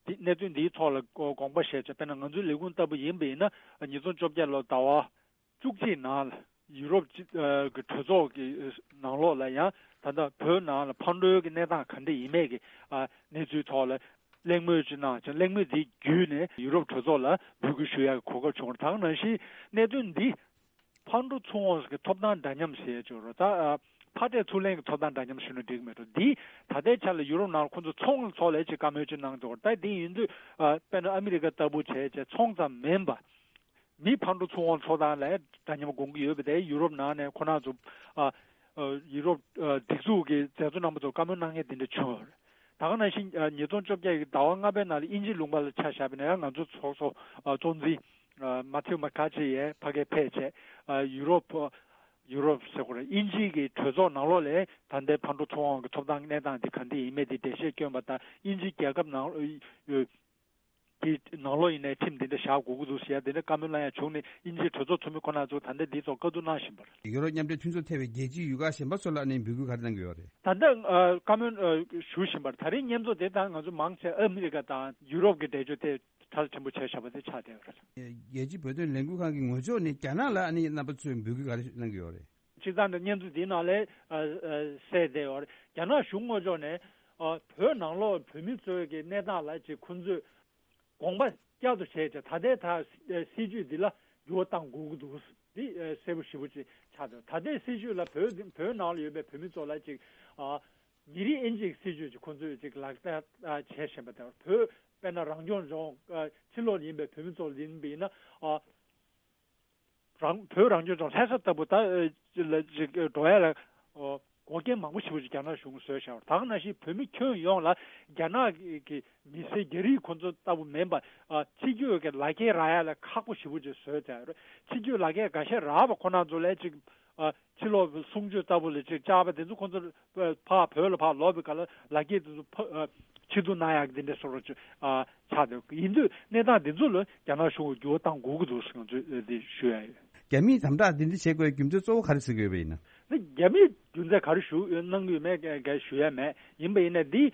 འདི་གནད་དོན་འདིའི་ཐོག་ལ་དགོངས་པ་བཞེས་བྱས། དཔེར་ན་ང་ཚོའི་ལས་ཁུངས་ལྟ་བུ་ཡིན་པ་ཡིན་ན་ཉིས་སྟོང་བཅོ་བརྒྱད་ལོ་ཟླ་བ་བཅུ་གཅིག་ནང་ལ་ཡུ་རོབ་སྤྱི་ཨ་གི་གྲོས་ཚོགས་ཀྱི་ནང་ལོགས་ལ་ཡང་ད་ལྟ་བོད་ནང་ལ་ཕར་འགྲོའི་གི་གནས་སྟངས་ག་འདྲ་ཡིན་མེད་ཀྱི་ཨ་གནས་ཚུལ་ཐོག་ལ་གླེང་མོལ་ཅིག་གནང་བྱས། གླེང་མོལ་འདི་བརྒྱུད་ནས་ཡུ་རོབ་གྲོས་ཚོགས་ལ་འབོད་སྐུལ་ཞུ་ཡག་གི་གོ་སྐབས་བྱུང་བ་རེད། ད་ག་ནང་བཞིན་གནད་དོན་འདི་ཕར་འགྲོ་ཚུར་འོང་གི་ཐོབ་ཐང་འདྲ་མཉམ་ཟེར་ཡ་ཅིག་ཡོད་རེད། ད་ཨ་ཕར་སྤྲད་ཚུར་ལེན་གྱི་ཐོབ་ཐང་འདྲ་མཉམ་ཞུས་ན་འགྲིག་གི་མེད་འགྲོ། འདི་ད་ལྟའི་ཆ་ལ་ཡུ་རོབ་ནང་ལ་ཁོང་ཚོ་ཚོང་ལ་ཚོགས་ལས་ཅིག་བཀའ་མོལ་ཅིག་གནང་འདུག་ད་འདི་ཡིན་དུས་ཨ་དཔེར་ན་ཨ་མི་རི་ཀ་ལྟ་བུ་བྱས་བྱས་ཚོང་ཙམ་མིན་པ། མི་ཕར་འགྲོ་ཚུར་འོང་ཚོགས་སྟངས་ལ་འདྲ་མཉམ་དགོངས་ཀྱི་ཡོད་པ་དེ་ཡུ་རོབ་ནང་ནས་ཁོ་རང་ཚོ་ཨ་ཨ་ཡུ་རོབ་ཨ་སྒྲིག་འཛུགས་ཀྱི་མཛད་གཙོ་རྣམ་པ་ཚོ་བཀའ་མོལ་གནང་མཁན་དེ་འདྲ་བྱུང་ཡོད་རེད། ད་ག་ནང་བཞིན་ཨ་ཉིས་སྟོང་བཅོ་བརྒྱད་ཀྱི་ཟླ་བ་ལྔ་པའི་ནང་ལ་དབྱིན་ཇིའི་ལུང་པ་ལ་ཆ་བཞག་པ་ན་ཡང་ང་ཚོ་ཚོགས་གཙོ་ཨ་གཙོ་འཛིན་ཨ་མ་ཐེའུ་མ་ཁ་ཆེ་ཡས་ཕ་གིར་ཕེབས་བྱས། ཨ་ཡུ་རོབ་ཨ་ཡུ་རོབ་ཟེར་དགོས་རེད། དབྱིན་ཇིའི་གི་གྲོས་ཚོགས་ནང་ལོགས་ལ་ད་ལྟའི་ཕར་འགྲོ་ཚུར་འོང་གི་ཐོབ་ཐང་གནས་སྟངས་འདི་ག་འདྲ་ཡིན་མིན་དེ་འགྲེལ་བཤད་བསྐྱོན་པ་དང་། དབྱིན་ཇི་རྒྱལ་ཁབ་ནང་ཨ་གི་ནང་ལོགས་ཡིན་ནའི་ཁྲིམས་འདི་འདྲ་བཞག་དགོས་ཀྱི་འདུག་ཟེར་ཡ་དེ་འདྲ་བཀའ་མོལ་གནང་ཡ་བྱུང་ནས། དབྱིན་ཇིའི་གྲོས་ཚོགས་འཐུས་མི་ཁོ་ན་ཚོ་ད་ལྟ་འདིའི་ཐོག་བཀའ་བསྡུར་གནང་བཞིན་པ་རེད། ཡུ་རོབ་མཉམ་འབྲེལ་མཐུན་ཚོགས་ཐེ་བའི་རྒྱལ་སྤྱིའི་ཡུལ་ཁག་གཞན་པ་ཚོ་ལ་ཨ་ནི་འབོད་སྐུལ་ག་རེ་གནང་གི་ཡོད་རེད། ད་ལྟ་ཨ་བཀའ་མོལ་ཨ་ཞུ་བཞིན་པ་རེད། ད་རེས་མཉམ་ཚོགས་དེ་དང་ང་ཚོ་མང་ཆེ་ཨ་མི་རི་ཀ་དང་ཡུ་རོབ་ཀྱི་འགྲེལ་བརྗོད་དེ་གྲ་ཕྲན་བུ་བྱས་བཞག་པ་དེ་ཆགས་བསྡད་ཡོད་རེད། རྒྱལ་སྤྱིའི་བོད་དོན་ལས་འགུལ་ཁང་གི་ངོས་ཕྱོགས་ནས་རྒྱ་ནག་ལ་ཨ་ནི་རྣམ་པ་ཚོས་འབོད་སྐུལ་ག་རེ་གནང་གི་ཡོད་རེད། སྤྱིར་བཏང་དུ་མཉམ་ཚོགས་འདིའི་ནང་ལ་ཨ་ཨ་གསལ་བསྡད་ཡོད་རེད། རྒྱ་ནག་གཞུང་ངོས་ཕྱོགས་ནས་ཨ་བོད་ནང་ལོགས་བོད་མི་ཚོའི་གི་གནས་སྟངས་ལ་ཅིག་ཁོང་ཚོས་དགོངས་པ་བསྐྱར་དུ་བཞེས་བྱས། ད་ལྟའི་ད་སྲིད་ཇུས་འདི་ལ་འགྱུར་བ་གཏང་དགོས་ཀྱི་འདུག་འདི་ཨ་གསལ་པོ་ཞེ་པོ་ཅིག་ཆགས་འདུག་ད་ལྟའི་སྲིད་ཇུས་ལ་བོད་བོད་ནང་ལ་ཡོད་པའི་བོད་མི་ཚོ་ལ་ཅིག་ཨ་ཉིན་རེའི་དབྱིན་ཇིའི་སྲིད་ཇུས་ཅིག་ཁོང་ཚོས་ཅིག་ལག་བསྟར་ཨ་བྱས་བཞིན་པ་དང་། བོད་དཔེར་ན་རང་སྐྱོང་ལྗོངས་ཨ་ཕྱི་ལོགས་ཡིན་པའི་བོད་མི་ཚོ་ཡིན་པ་ཡིན་ན་ཨ། རང་བོད་རང་སྐྱོང་ལྗོངས་ལྷ་ས་ལྟ་བུ་ད་ལ་ཅིག་འགྲོ་ཡ་ལ་འགོག་རྐྱེན་མང་པོ་ཞེ་པོ་ཅིག་རྒྱ་ནག་གཞུང་གིས་བཟོས་བཞག་པ་རེད། ད་ག་ནང་བཞིན་བོད་མི་ཁྱོན་ཡོངས་ལ་རྒྱ་ནག་གི་མི་སེར་རྒྱ་རིགས་ཁོ་ཚོ་ལྟ་བུ་མིན་པ་ཕྱི་སྐྱོད་ཀྱི་ལག་འཁྱེར་རག་ཡ་ལ་ཁག་པོ་ཞེ་པོ་ཅིག་བཟོས་བསྡད་ཡོད་རེད། ཕྱི་སྐྱོད་ལག་འཁྱེར་འགའ་ཤས་རག་པ་ཁོ་ན་ཚོ་ལ་ཅིག་ཕྱི་ལོགས་གསུང་ཆོས་ལྟ་བུ་ལ་ཅིག་བཅར་བ་དེ་ཚོ་ཁོ་ཚོ་ཕར་བོད་ལ་ཕར་ལོག་པའི་སྐབས་ལ་ལག་འཁྱེར་དེ་ཚོ་ཕ་ ཕྱིར་བསྡུ་གནང་ཡག་འདི་འདྲ་བཟོ་འདྲ་ཅིག་ཨ་ཆགས་འདུག་ཡིན་དུས་གནས་སྟངས་འདི་ཚོ་ལ་རྒྱ་ནག་གཞུང་གིས་འགྱུར་བ་གཏང་དགོས་ཀྱི་འདུག་ཟེར་ང་ཚོས་འདི་ཞུ་ཡ་ཡོད། རྒྱ་མིས་དམ་དྲག་འདི་འདྲ་བྱེད་དགོས་རྒྱུ་མཚན་གཙོ་བོ་ག་རེ་ཟེར་དགོས་པ་ཡིན་ན། ནི་རྒྱ་མིས་རྒྱུ་མཚན་ག་རེ་ཞུ་གནང་གི་ཡོད་མེད་ག་ཞུ་ཡ་མེད། ཡིན་པ་ཡིན་ན་འདི་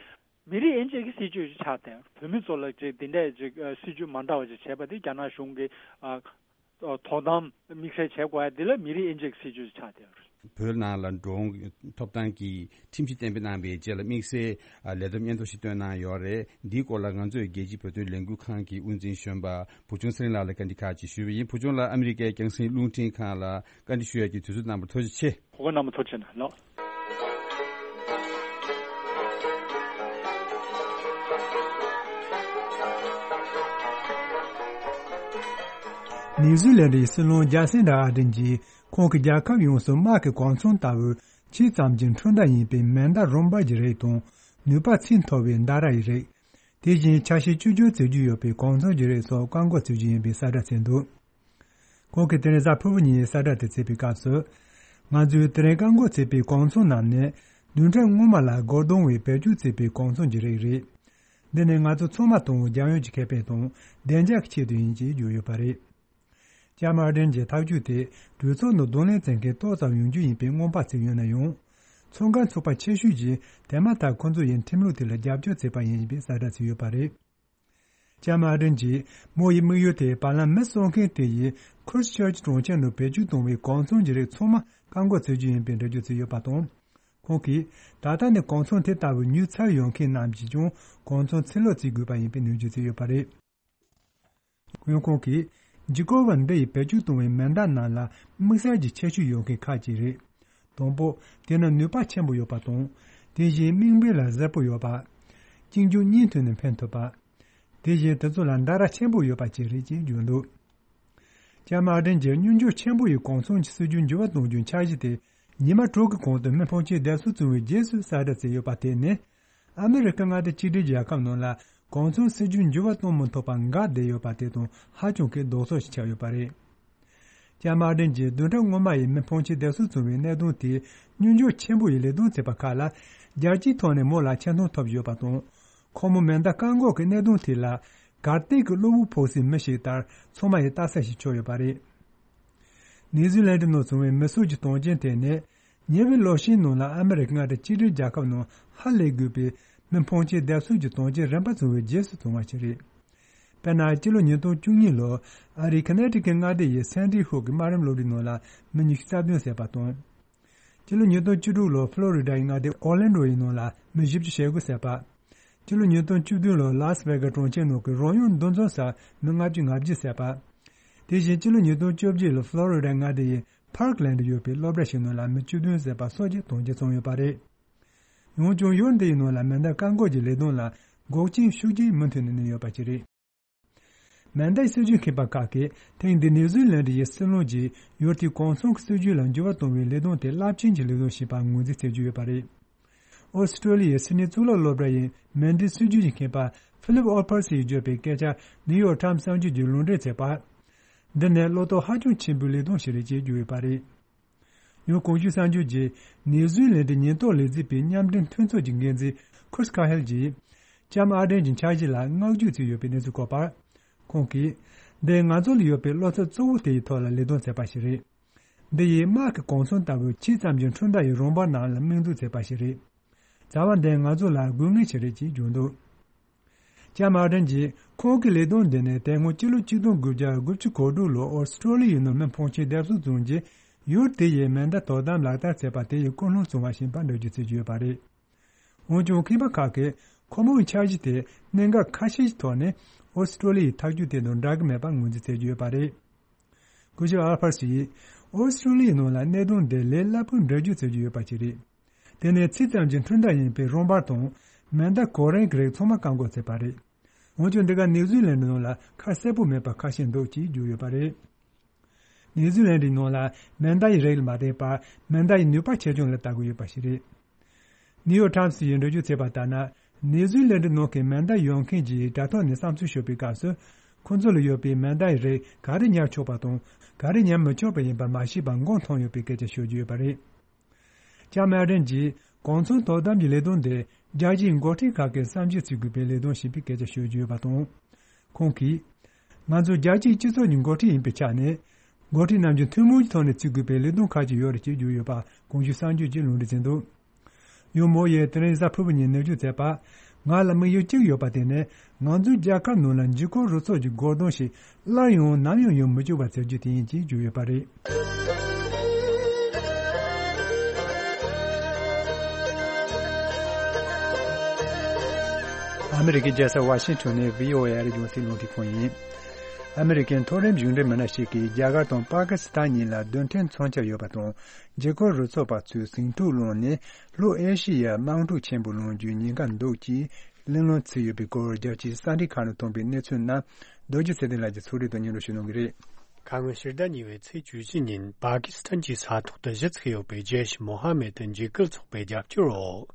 མི་རིགས་དབྱེ་འབྱེད་ཀྱི་སྲིད་ཇུས་ཤིག་ཆགས་ཏེ་བོད་མི་ཚོ་ལ་ཅིག་འདི་འདྲས་ཅིག་སྲིད་ཇུས་མ་འདྲ་བ་ཅིག་བྱས་པ་དེ་རྒྱ་ནག་གཞུང་གིས་དོ་དམ་དམིགས་བསལ་བྱེད་དགོས་ཡ་འདི་ལ་མི་རིགས་དབྱེ་འབྱེད་ཀྱི་སྲིད་ཇུས་ཤིག་ཆགས་ཏེ། བོད་ནང་ལ་འགྲོ་འོང་ཐོབ་ཐང་གི་ཁྲིམས་གཞི་གཏན་འབེབས་གནང་བའི་རྗེས་ལ་དམིགས་བསལ་ལས་བསྡོམས་སྙན་ཐོ་ཞིག་བཏོན་གནང་ཡོད་རེད། འདིའི་སྐོར་ལ་ང་ཚོས་རྒྱལ་སྤྱིའི་བོད་དོན་ལས་འགུལ་ཁང་གི་དབུ་འཛིན་གཞོན་པ་བུ་ཆུང་ཚེ་རིང་ལགས་ལ་བཀའ་འདྲི་ཁག་ཅིག་ཞུས་པ་ཡིན། བུ་ཆུང་ལགས་ཨ་མི་རི་ཀའི་རྒྱང་སྲིང་རླུང་འཕྲིན་ཁང་ལ་བཀའ་འདྲི་ཞུ་ཡ་གི་དུས་ཚོད་གནང་བར་ཐུགས་རྗེ་ཆེ། གོ་སྐབས་གནང་བར་ཐུགས་རྗེ་ཆེ་གནང་ལགས། ནེའུ་ཛི་ལན་ཌའི་སྲིད་བློན་ཇ་སིན་ཌ་ཨར་ཌེན་གྱིས་ཁོང་གི་རྒྱལ་ཁབ་ཡོངས་སུ་དམག་གི་གོ་མཚོན་ལྟ་བུ་ཆེ་ཙམ་གྱི་འཕྲུལ་མདའ་ཡིན་པའི་མེ་མདའ་རོ་འབར་གྱི་རིགས་དང་ནུས་པ་ཆེས་མཐོ་བའི་མདའ་ར་ཡི་རིགས། དེ་བཞིན་ཆ་ཤས་བཅུ་བཅུ་བརྩི་རྒྱུ་ཡོད་པའི་གོ་མཚོན་གྱི་རིགས་སོགས་བཀག་འགོག་བྱེད་རྒྱུ་ཡིན་པའི་གསལ་བསྒྲགས་བྱས་འདུག་ཁོང་གིས་དེ་རིང་གཟའ་ཕུར་བུ་ཉིན་གསལ་བསྒྲགས་དེ་བྱས་པའི་སྐབས་སུ། ང་ཚོས་དེ་རིང་བཀག་འགོག་བྱས་པའི་གོ་མཚོན་རྣམས་ནི་བདུན་ཕྲག་སྔོན་མ་ལ་སྒོ་རྡུང་བས་བེད་སྤྱོད་བྱས་པའི་གོ་མཚོན་གྱི་རིགས་རེད། འདི་ནི་ང་ཚོ་ཚང་མ་དང་རྒྱལ་ཡོངས་ཀྱི་ཁེ་ཕན་དང་བདེ་འཇགས་ཀྱི་ཆེད་དུ་ཡིན་ཅེས་བརྗོད་ཡོད་པ་རེད། ལྕམ་ཨར་ཌེན་གྱི་ཐག་གཅོད་དེ་གྲོས་ཚོགས་ནང་གདོང་ལེན་བྱེད་མཁན་ཏོག་ཙམ་ཡོང་རྒྱུ་ཡིན་པའི་སྔོན་དཔག་བྱས་ཡོད་ན་ཡང་། ཚོགས་ཁང་ཚོགས་པ་ཆེ་ཤོས་ཀྱིས་དེ་མ་ཐག་ཁོ་ཚོ་ཡི་ཁྲིམས་ལུགས་དེ་ལ་རྒྱབ་སྐྱོར་བྱས་པ་ཡིན་པའི་གསལ་བསྒྲགས་བྱས་ཡོད་པ་རེད། ལྕམ་ཨར་ཌེན་གྱིས་མོ་ཡི་དམིགས་ཡུལ་དེ་བར་ལམ་མི་གསོད་མཁན་དེ་ཡིས་ཁུར་སི་ཆར་ཅི་གྲོང་ཁྱེར་ནང་བེད་སྤྱོད་གཏོང་བའི་གོ་མཚོན་གྱི་རིགས་ཚང་མ་བཀག་འགོག་བྱེད་རྒྱུ་ཡིན་པའི་འགྲེལ་བརྗོད་བྱས་ཡོད་པ་དང་། ཁོང་གིས་ད་ལྟ་ནས་གོ་མཚོན་དེ་ལྟ་བུ་ཉོས་ཚར་ཡོད་མཁན་རྣམས་ཀྱིས་ཀྱང་གོ་མཚོན་ཕྱིར་སློག་བྱེད་དགོས་པ་ཡིན་པའི་ནན་བརྗོད་བྱས་ཡོད་པ་རེད། ཡང་ཁོང་གིས་ཇི་ཀོ་བ་འདི་ཡིས་བེད་སྤྱོད་གཏོང་བའི་མེ་མདའ་རྣམས་ལ་དམིགས་བསལ་གྱི་ཁྱད་ཆོས་ཡོད་མཁན་ཁག་ཅིག་རེད། དང་པོ། དེ་ནི་ནུས་པ་ཆེན་པོ་ཡོད་པ་དང་། དེ་བཞིན་དམིགས་འབེན་ལ་གཟབ་པོ་ཡོད་པ། གཅིག་མཇུག་གཉིས་མཐུད་ནས་འཕེན་ཐུབ་པ། དེ་བཞིན་དེ་ཚོ་ལ་མདའ་ར་ཆེན་པོ་ཡོད་པ་བཅས་རེད་ཅེས་བརྗོད་འདུག་ལྕམ་ཨར་ཌེན་གྱིས་མྱུར་མགྱོགས་ཆེན་པོ་ཡི་གོ་མཚོན་གྱི་སྲིད་ཇུས་འགྱུར་བ་གཏོང་རྒྱུའི་འཆར་གཞི་དེ་ཉི་མ་དྲུག་གི་གོང་དུ་མི་ཕོན་ཆེན་བསྡད་གསོལ་བྱུང་བའི་རྗེས་སུ་གསལ་བསྒྲགས་བྱས་ཡོད་པ་དེ་ནི། ཨ་མི་རི་ཀ་མངའ་སྡེ་གཅིག་སྒྲིལ་རྒྱལ་ཁབ་ནང་ལ་གོ་མཚོན་སྲིད་ཇུས་འགྱུར་བ་གཏོང་མི་ཐུབ་པར་འགག་བསྡད་ཡོད་པ་དེ་དང་ཧ་ཅང་གི་ལྡོག་ཕྱོགས་ཤིག་ཆགས་ཡོད་པ་རེད། ལྕམ་ཨར་ཌེན་གྱིས་བདུན་ཕྲག་སྔོན་མ་ཡི་མི་ཕོན་ཆེན་བསྡད་གསོལ་བྱུང་བའི་གནད་དོན་དེ་མྱུར་མགྱོགས་ཆེན་པོ་ཡི་ལས་དོན་བྱས་པ་ཁག་ལ་རྒྱལ་སྤྱིའི་ཐོག་ནས་མོ་ལ་ཆེ་མཐོང་ཐོབ་ཡོད་པ་དང་། ཁོ་མོ་མེ་མདའ་བཀག་འགོག་གི་གནད་དོན་དེ་ལ་གར་སྟེགས་ཀྱི་གློ་བུར་ཕོག་སའི་མི་ཞིག་ལྟར་ཚང་མ་ཡི་ལྟ་ས་ཞིག་ཆགས་ཡོད་པ་རེད། ནེའུ་ཛི་ལན་ཌི་ནང་བྱུང་བའི་མི་གསོད་ཀྱི་དོན་རྐྱེན་དེ་ནི་ཉེ་བའི་ལོ་ཤས་ནང་ལ་ཨ་མི་རི་ཀ་མངའ་སྡེ་གཅིག་སྒྲིལ་རྒྱལ་ཁབ་ནང་ཧ་ལས་དགོས་པའི་མི་ཕོན་ཆེན་བསྡད་གསོལ་གྱི་དོན་རྐྱེན་རིམ་པ་བྱུང་བའི་རྗེས་སུ་བྱུང་བ་ཞིག་རེད། དཔེར་ན་སྤྱི་ལོ་ཉིས་སྟོང་བཅུ་གཉིས་ལོར་ཨ་རིའི་ཁ་ནེ་ཊི་ཀེ་མངའ་སྡེ་ཡི་སན་ཏི་ཧུག་གི་དམའ་རིམ་སློབ་གྲྭའི་ནང་ལ་མི་ཉི་ཤུ་རྩ་བདུན་བསད་པ་དང་། སྤྱི་ལོ་ཉིས་སྟོང་བཅུ་དྲུག་ལོར་ཕློ་རི་ཌ་ཡི་མངའ་སྡེ་ཨོར་ལན་ཌོ་ཡི་ནང་ལ་མི་བཞི་བཅུ་ཞེ་དགུ་བསད་པ། སྤྱི་ལོ་ཉིས་སྟོང་བཅུ་བདུན་ལོར་ལཱ་སི་ཝེ་གྷ་གྲོང་ཁྱེར་ནང་གི་རོལ་དབྱངས་འདུ་འཛོམས་སར་མི་ལྔ་བཅུ་ང་བརྒྱད་བསད་པ། དེ་བཞིན་སྤྱི་ལོ་ཉིས་སྟོང་བཅོ་བརྒྱད་ལོར་ཕློ་རི་ཌ་མངའ་སྡེ་ཡི་པར་ཀ་ལན་ཌི་ཡོད་པའི་སློབ་གྲྭ་ཞིག་ནང་ལ་མི་བཅུ་བདུན་བསད་པ་སོགས་ཀྱི་དོན་རྐྱེན་བྱུང་ཡོད་པ་རེད། འོན་ཀྱང་ཡུལ་འདི་ཡི་ནང་ལ་མེ་མདའ་བཀག་འགོག་གི་ལས་དོན་ལ་འགོག་རྐྱེན་ཤུགས་ཆེན་མུ་མཐུད་ནས་གནས་ཡོད་པ་ཞིག་རེད། མེ་མདའི་སྲིད་ཇུས་མཁས་པ་ཁག་གིས་ཐེངས་འདིའི་ནེའུ་ཛི་ལན་ཌི་ཡི་སྲིད་བློན་གྱིས་ཡུལ་དེའི་གོང་གསུམ་གྱི་སྲིད་ཇུས་ལ་འགྱུར་བ་གཏོང་བའི་ལས་དོན་དེ་རླབས་ཆེན་གྱི་ལས་དོན་ཞིག་པར་ངོས་འཛིན་བྱེད་ཀྱི་ཡོད་པ་རེད། ཨོ་སི་ཀྲོ་ལི་ཡའི་སི་ཌི་ནི་གཙུག་ལག་སློབ་གྲྭ་ཡི་མེ་མདའི་སྲིད་ཇུས་ཀྱི་མཁས་པ་ཕི་ལིབ་ཨོ་ཕར་སི་ཡིས་བརྗོད་པའི་སྐད་ཆ་ནིའུ་ཡོག་ཊའིམ་གསར་འགྱུར་གྱིས་ལུང་འདྲེན་བྱས་པར། འདི་ནི་བློ་དོགས་ཧ་ཅང་ཆེན་པོའི་ལས་དོན་ཞིག་རེད་ཅེས་བརྗོད་ཡོད་པ་རེད། ཡང་གོང་ཞུས་གསར་འགྱུར་གྱིས་ནེའུ་ཛི་ལན་ཌི་ཉེན་རྟོག་ལས་འཛིན་པའི་མཉམ་འབྲེལ་མཐུན་ཚོགས་ཀྱི་འགན་འཛིན་ཁུར་སི་ཁ་ཧེལ་གྱིས། ལྕམ་ཨར་ཌེན་གྱི་འཆར་གཞི་ལ་བསྔགས་བརྗོད་བྱས་ཡོད་པའི་གནས་ཚུལ་བཀོད་པར། ཁོང་གིས། འདི་ང་ཚོ་ལ་ཡོད་པའི་བློ་འཚབ་གཙོ་བོ་དེ་ཡི་ཐོག་ལ་ལས་དོན་བྱས་པ་ཞིག་རེད། འདི་ཡིས་དམག་གི་གོ་མཚོན་ལྟ་བུའི་ཆེ་ཙམ་གྱི་འཕྲུལ་མདའ་ཡི་རོ་འབར་རྣམས་ལ་དམིགས་འཛུགས་བྱས་པ་ཞིག་རེད། བྱ་བ་འདི་ང་ཚོ་ལ་དགོས་ངེས་ཤིག་རེད་ཅེས་བརྗོད་འདུག་ལྕམ་ཨར་ཌེན་གྱིས་ཁོང་གི་ལས་དོན་འདི་ནི་དེ་སྔོན་སྤྱི་ལོ་ཆིག་སྟོང་དགུ་བརྒྱ་དགུ་བཅུ་གོ་དྲུག་ལོར་ཨོ་སི་ཀྲོ་ལི་ཡའི་ནང་མི་ཕོན་ཆེན་བསྡད་གསོལ་བྱུང་རྗེས་ཡུལ་དེ་ཡིས་མེ་མདའ་དོ་དམ་ལག་བསྟར་བྱས་པ་དེ་ཡི་ཀུན་སློང་བྱུང་བ་ཞིག་ཡིན་པར་འགྲེལ་བརྗོད་བྱེད་ཀྱི་ཡོད་པ་རེད། འོན་ཀྱང་མཁས་པ་ཁག་གིས་ཁོ་མོའི་འཆར་གཞི་དེ་གནད་འགག་ཁ་ཤས་ཀྱི་ཐོག་ནས་ཨོ་སི་ཀྲོ་ལི་ཡའི་ཐག་གཅོད་དེ་དང་འདྲ་གི་མེད་པར་ངོས་འཛིན་བྱེད་ཀྱི་ཡོད་པ་རེད། སྐུ་ཞབས་ཨལ་ཕར་སི་ཡིས་ཨོ་སི་ཀྲོ་ལི་ཡའི་ནང་ལ་གནད་དོན་འདི་ལས་སླ་པོའི་འགྲེལ་བརྗོད་བྱེད་ཀྱི་ཡོད་པ་ཞིག་རེད། དེ་ནི་ཚིག་ཙམ་གྱི་འཕྲུལ་མདའ་ཡིན་པའི་རོ་འབར་དང་མེ་མདའ་གོ་རིམ་གྱི་རིགས་ཚང་མ་བཀག་འགོག་བྱས་པ་རེད། འོན་ཀྱང་འདི་ག་ནིའུ་ཛི་ལན་ཌི་ནང་ལ་ཁ་གསལ་པོ་མེད་པ་ཁ་ཤས་འདུག་ཅེས་བརྗོད་ཡོད་པ་རེད། ནིའུ་ཛི་ལན་ཌིའི་ནང་ལ་མེ་མདའ་ཡི་རིགས་ལ་མ་བརྟེན་པར་མེ་མདའ་ཡི་ནུས་པ་ཆེ་ཆུང་ལ་ལྟ་དགོས་ཡོད་པ་ཞིག་རེད། ནིའུ་ཡོག་ཊའིམ་སི་ཡིས་འགྲེལ་བརྗོད་བྱས་པ་ལྟར་ན། ནིའུ་ཛི་ལན་ཌི་ནང་གི་མེ་མདའ་ཡོད་མཁན་གྱི་དྲ་ཐོག་ནས་བསམ་ཚུལ་ཤོད་པའི་སྐབས་སུ། ཁོ་ཚོ་ལ་ཡོད་པའི་མེ་མདའ་ཡི་རིགས་ག་རེ་ཉར་ཆོག་པ་དང་ག་རེ་ཉར་མི་ཆོག་པ་ཡིན་པ་མ་ཤེས་པར་མགོ་འཐོམས་ཡོད་པའི་སྐད་ཆ་ཤོད་ཀྱི་ཡོད་པ་རེད། ལྕམ་ཨར་ཌེན་གྱིས་གོ་མཚོན་དོ་དམ་གྱི་ལས་དོན་དེ་ རྒྱལ་སྤྱིའི་འགོ་ཁྲིད་ཁག་གི་བསམ་ཤེས་བརྩི་དགོས་པའི་ལས་དོན་ཞེས་པའི་སྐད་ཆ་ཤོད་རྒྱུ་ཡོད་པ་དང་། ཁོང་གིས། ང་ཚོ་རྒྱལ་སྤྱིའི་སྤྱི་ཚོགས་ཀྱི་འགོ་ཁྲིད་ཡིན་པའི་ཆ་ནས། འགོ་ཁྲིད་རྣམས་ཀྱིས་ཐུན་མོང་གི་ཐོག་ནས་བརྩི་དགོས་པའི་ལས་དོན་ཁག་ཅིག་ཡོད་རེད་ཅེས་བརྗོད་ཡོད་པ་གོང་ཞུས་གསར་འགྱུར་གྱིས་ལུང་འདྲེན་མཛད་འདུག་ཡུ་མོ་ཡིས་དེ་རིང་གཟའ་ཕུར་བུ་ཉིན་ནས་བརྗོད་མཛད་པ། ང་ལ་དམིགས་ཡུལ་གཅིག་ཡོད་པ་དེ་ནི། ང་ཚོའི་རྒྱལ་ཁབ་ནང་ལ་འཇིགས་སྐུལ་རུ་ཚོགས་ཀྱི་འགོག་སྡོམ་ཞིག་སླར་ཡང་ནམ་ཡང་ཡོང་མི་བཅུག་པ་བྱ་རྒྱུ་དེ་ཡིན་ཅེས་བརྗོད་ཡོད་པ་རེད། ཨ་མི་རི་ཀའི་རྒྱལ་ས་ཝ་ཤིང་ཊོན་ནས་བྷི་ཨོ་ཨེ་རྒྱང་སྲིང་རླུང་འཕྲིན་ཁང་ཡིན། ཨ་མི་རི་ཀའི་མཐོ་རིམ་གཞུང་འབྲེལ་མི་སྣ་ཞིག་གིས་རྒྱ་གར་དང་པ་ཀི་སི་ཐན་གཉིས་ལ་རྡུལ་ཕྲན་མཚོན་ཆ་ཡོད་པ་དང་། འཇིགས་སྐུལ་རུ་ཚོགས་པ་ཚོས་ཟིང་འཁྲུག་བསླངས་ནས་ལྷོ་ཨེ་ཤི་ཡར་དམག་འཁྲུག་ཆེན་པོ་སློང་རྒྱུའི་ཉེན་ཁ་འདུག་ཅེས་གླེང་སློང་བྱས་ཡོད་པའི་སྐོར། རྒྱལ་སྤྱིའི་གསར་འགྱུར་ཁག་ནས་ཐོན་པའི་གནས་ཚུལ་རྣམས་རྡོ་རྗེ་ཚེ་བརྟན་ལགས་ཀྱིས་ཚོགས་སྒྲིག་དང་སྙན་སྒྲོན་ཞུ་གནང་གི་རེད། ཁ་སྔོན་ཕྱི་ཟླ་གཉིས་པའི་ཚེས་བཅུ་བཞི་ཉིན་པ་ཀི་སི་ཐན་གྱི་ས་ཐོག་ཏུ་གཞི་བཙུགས་ཡོད་པའི་ཇེ་ཤི་མོ་ཧ་མེད་འཇིགས་སྐུལ་ཚོགས་པའི་རྒྱབ་སྐྱོར་འོག་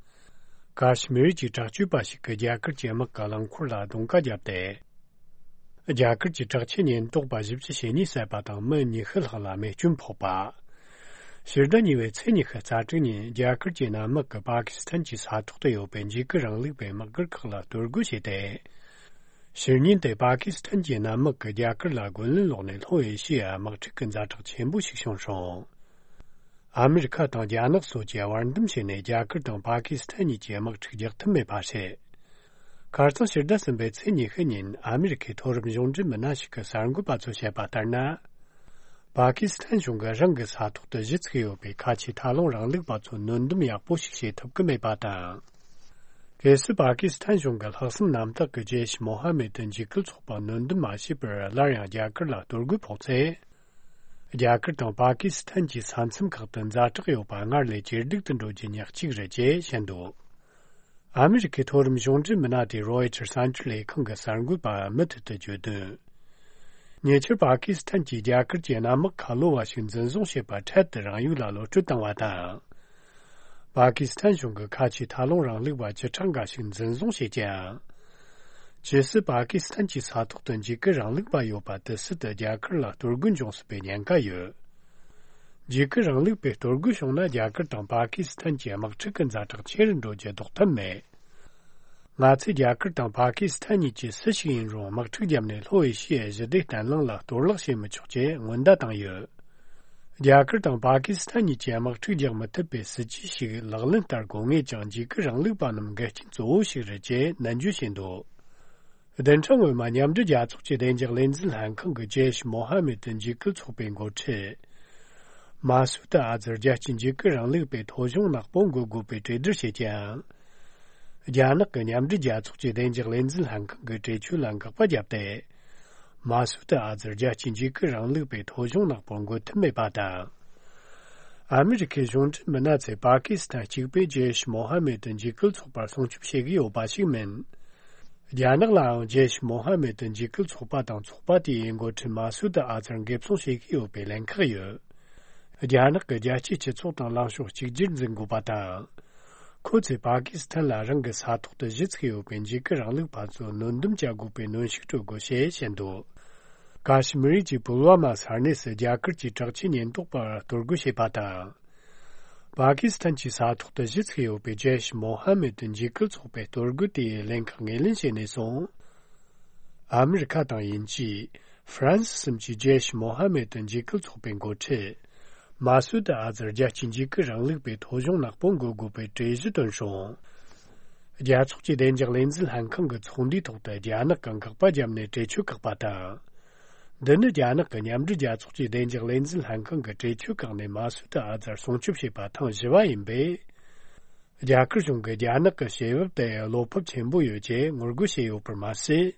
ཀ་ཤི་མིར་གྱི་དྲག་སྤྱོད་པ་ཞིག་གིས་རྒྱ་གར་གྱི་དམག་གི་རླངས་འཁོར་ལ་རྡུང་ཀ་བརྒྱབ་སྟེ། རྒྱ་གར་གྱི་དྲག་ཆས་ཉེན་རྟོག་པ་བཞི་བཅུ་ཞེ་གཉིས་བསད་པ་དང་མི་ཉི་ཤུ་ལྷག་ལ་རྨས་སྐྱོན་ཕོག་པ། ཕྱི་ཟླ་གཉིས་པའི་ཚེས་ཉི་ཤུ་རྩ་དྲུག་ཉིན་རྒྱ་གར་གྱི་གནམ་དམག་གིས་པ་ཀི་སི་ཐན་གྱི་ས་ཐོག་ཏུ་ཡོད་པའི་འཇིགས་སྐུལ་རིང་ལུགས་པའི་དམག་སྒར་ཁག་ལ་གཏོར་རྒོལ་བྱས་ཏེ། ཕྱི་ཉིན་དེ་པ་ཀི་སི་ཐན་གྱི་གནམ་དམག་གིས་རྒྱ་གར་ལ་རྒོལ་ལན་སློག་ནས་ལྷོ་ཨེ་ཤི་ཡ་དམག་འཁྲུག་གི་ཛ་དྲག་ཆེན་པོ་ཞིག་བྱུང་སོང་། ཨ་མི་རི་ཁ་དང་རྒྱ་ནག་སོགས་ཀྱིས་བར་འདུམ་བྱས་ནས་རྒྱ་གར་དང་པ་ཀི་སི་ཐན་གཉིས་ཀྱི་དམག་འཁྲུག་རྒྱག་ཐུབ་མེད་པ་རེད། ཁ་རྩང་ཕྱི་ཟླ་གསུམ་པའི་ཚེས་ཉི་ཤུ་ཉིན་ཨ་མི་རི་ཁའི་མཐོ་རིམ་གཞུང་འབྲེལ་མི་སྣ་ཞིག་གིས་གསར་འགོད་པ་ཚོར་བཤད་པ་ལྟར་ན། པ་ཀི་སི་ཐན་གཞུང་གིས་རང་གི་ས་ཐོག་ཏུ་གཞི་བཙུགས་ཡོད་པའི་ཁ་ཆེའི་ཐབས་ལམ་རིང་ལུགས་པ་ཚོར་སྣོན་སྡོམ་ཡག་པོ་ཞིག་བྱེད་ཐུབ་ཀྱི་མེད་པ་དང་། གལ་སྲིད་པ་ཀི་སི་ཐན་གཞུང་གིས་ལྷག་བསམ་རྣམ་དག་གིས་ཇེ་ཤི་མོ་ཧ་མེད་འཇིགས་སྐུལ་ཚོགས་པར་སྣོན་སྡོམ་མ་བྱས་པར་སླར་ཡང་རྒྱ་གར་ལ་གཏོར་རྒོལ་ཕོག་ཚེ། རྒྱ་གར་དང་པ་ཀི་སི་ཐན་གྱི་ས་མཚམས་ཁག་ཏུ་ཛ་དྲག་ཡོད་པ་སྔར་ལས་ཇེ་སྡུག་ཏུ་འགྲོ་རྒྱུ་ཉག་གཅིག་རེད་ཅེས་བཤད་འདུག་ཨ་མི་རི་ཁའི་མཐོ་རིམ་གཞུང་འབྲེལ་མི་སྣ་དེས་རོའི་ཊར་གསར་འགྱུར་ལས་ཁང་གི་གསར་འགོད་པར་མུ་མཐུད་དུ་བརྗོད་དོན། ཉེ་ཆར་པ་ཀི་སི་ཐན་གྱིས་རྒྱ་གར་གྱི་གནམ་དམག་ཁ་ལོ་བ་ཞིག་འཛིན་བཟུང་བྱས་པ་འཕྲལ་དུ་རང་ཡུལ་ལ་གློད་གྲོལ་བཏང་བ་དང་། པ་ཀི་སི་ཐན་གཞུང་གིས་ཁ་ཆེའི་ཐབས་ལམ་རིང་ལུགས་པ་བཅུ་ཕྲག་འགའ་ཞིག་འཛིན་བཟུང་བྱས་ཀྱང་། ཇི་སྲིད་པ་ཀི་སི་ཐན་གྱི་ས་ཐོག་ཏུ་འཇིགས་སྐུལ་རིང་ལུགས་པ་ཡོད་པ་དེ་སྲིད་དུ་རྒྱ་གར་ལ་གཏོར་རྒོལ་འབྱུང་སྲིད་པའི་ཉེན་ཁ་ཡོད། འཇིགས་སྐུལ་རིང་ལུགས་པས་གཏོར་རྒོལ་བྱུང་ན་རྒྱ་གར་དང་པ་ཀི་སི་ཐན་གྱི་དམག་འཁྲུག་གི་ཛ་དྲག་ཆེ་རུ་འགྲོ་རྒྱུ་ལྡོག་ཐབས་མེད། ང་ཚོས་རྒྱ་གར་དང་པ་ཀི་སི་ཐན་གཉིས་ཀྱིས་སུ་ཞིག་ཡིན་རུང་དམག་འཁྲུག་བརྒྱབ་ནས་ལྷོ་ཨེ་ཤི་ཡའི་ཞི་བདེ་བརྟན་ལྷིང་ལ་གཏོར་བརླག་བྱེད་མི་ཆོག་ཅེས་སྔོན་བརྡ་བཏང་ཡོད། རྒྱ་གར་དང་པ་ཀི་སི་ཐན་གཉིས་ཀྱིས་དམག་འཁྲུག་རྒྱག་མི་ཐུབ་པའི་སྲིད་ཇུས་ཤིག་ལག་ལེན་བསྟར་དགོས་ངེས་ཀྱང་འཇིགས་སྐུལ་རིང་ལུགས་པ་རྣམས་འགལ་རྐྱེན་གཙོ་བོ་ཞིག་རེད་ཅེས་ནན་བརྗོད་བྱས་འདུག་བདུན་ཕྲག་སྔོན་མ་མཉམ་འབྲེལ་རྒྱལ་ཚོགས་ཀྱི་བདེ་འཇགས་ལས་འཛིན་ལྷན་ཁང་གིས་ཇེ་ཤི་མོ་ཧ་མེད་འཇིགས་སྐུལ་ཚོགས་པའི་འགོ་ཁྲིད་མ་སུད་ཨ་ཛར་རྒྱལ་སྤྱིའི་འཇིགས་སྐུལ་རིང་ལུགས་པའི་ཐོ་གཞུང་ནག་པོ་འགོད་དགོས་པའི་གྲོས་བསྡུར་བྱས་ཀྱང་། རྒྱ་ནག་གི་མཉམ་འབྲེལ་རྒྱལ་ཚོགས་ཀྱི་བདེ་འཇགས་ལས་འཛིན་ལྷན་ཁང་གི་གྲོས་ཆོད་ལ་འགག་པ་བརྒྱབ་སྟེ། མ་སུད་ཨ་ཛར་རྒྱལ་སྤྱིའི་འཇིགས་སྐུལ་རིང་ལུགས་པའི་ཐོ་གཞུང་ནག་པོ་འགོད་ཐུབ་མེད་པ་དང་། ཨ་མི་རི་ཁའི་གཞུང་འབྲེལ་མི་སྣ་ཚོས་པ་ཀི་སི་ཐན་གཅིག་པས་ཇེ་ཤི་མོ་ཧ་མེད་འཇིགས་སྐུལ་ཚོགས་པར་སྲུང་སྐྱོབ་བྱེད་ཀྱི་ཡོད་པ་ཞིག་མིན། རྒྱ་ནག་ལའང་ཇེ་ཤི་མོ་ཧ་མེད་འཇིགས་སྐུལ་ཚོགས་པ་དང་ཚོགས་པ་དེའི་འགོ་ཁྲིད་མ་སུད་ཨ་ཛར་འགེབས་སྲུང་བྱེད་ཀྱི་ཡོད་པའི་ལན་ཁག་ཡོད། རྒྱ་ནག་གིས་རྒྱལ་སྤྱིའི་སྤྱི་ཚོགས་དང་ལངས་ཕྱོགས་གཅིག་གྱུར་འཛིན་དགོས་པ་དང་། ཁོ་ཚོས་པ་ཀི་སི་ཐན་ལ་རང་གི་ས་ཐོག་ཏུ་གཞི་བཙུགས་ཡོད་པའི་འཇིགས་སྐུལ་རིང་ལུགས་པ་ཚོར་སྣོན་སྡོམ་བྱ་དགོས་པའི་གནོན་ཤུགས་སྤྲོད་དགོས་ཞེས་བཤད་འདུག་ཀ་ཤི་མིར་གྱི་པུལ་ཝ་མ་ས་གནས་སུ་རྒྱ་གར་གྱི་དྲག་ཆས་ཉེན་རྟོག་པར་གཏོར་རྒོལ་བྱས་པ་དང་། པ་ཀི་སི་ཐན་གྱི་ས་ཐོག་ཏུ་གཞི་བཙུགས་ཡོད་པའི་ཇེ་ཤི་མོ་ཧ་མེད་འཇིགས་སྐུལ་ཚོགས་པའི་གཏོར་རྒོལ་དེའི་ལན་ཁག་ངོས་ལེན་བྱས་ནས་བཟུང་། ཨ་མི་རི་ཁ་དང་དབྱིན་ཇི། ཧྥ་རན་སི་གསུམ་གྱིས་ཇེ་ཤི་མོ་ཧ་མེད་འཇིགས་སྐུལ་ཚོགས་པའི་འགོ་ཁྲིད། མ་སུད་ཨ་ཛར་རྒྱལ་སྤྱིའི་འཇིགས་སྐུལ་རིང་ལུགས་པའི་ཐོ་གཞུང་ནག་པོ་འགོད་དགོས་པའི་གྲོས་གཞི་བཏོན་སོང་། རྒྱལ་ཚོགས་ཀྱི་བདེ་འཇགས་ལས་འཛིན་ལྷན་ཁང་གི་ཚོགས་འདུའི་ཐོག་ཏུ་རྒྱ་ནག་གིས་འགག་པ་བརྒྱབ་ནས་གྲོས་ཆོད་བཀག་པ་དང་། འདི་ནི་རྒྱ་ནག་གི་མཉམ་འབྲེལ་རྒྱལ་ཚོགས་ཀྱི་བདེ་འཇགས་ལས་འཛིན་ལྷན་ཁང་གི་གྲོས་ཆོད་བཀག་ནས་མ་སུད་ཨ་ཛར་སྲུང་སྐྱོབ་བྱས་པ་ཐེངས་བཞི་བ་ཡིན་པས། རྒྱ་གར་གཞུང་གིས་རྒྱ་ནག་གི་བྱེད་བབ་དེ་བློ་ཕམ་ཆེན་པོ་ཡོད་ཅེས་ངོ་རྒོལ་བྱས་ཡོད་པར་མ་ཟད།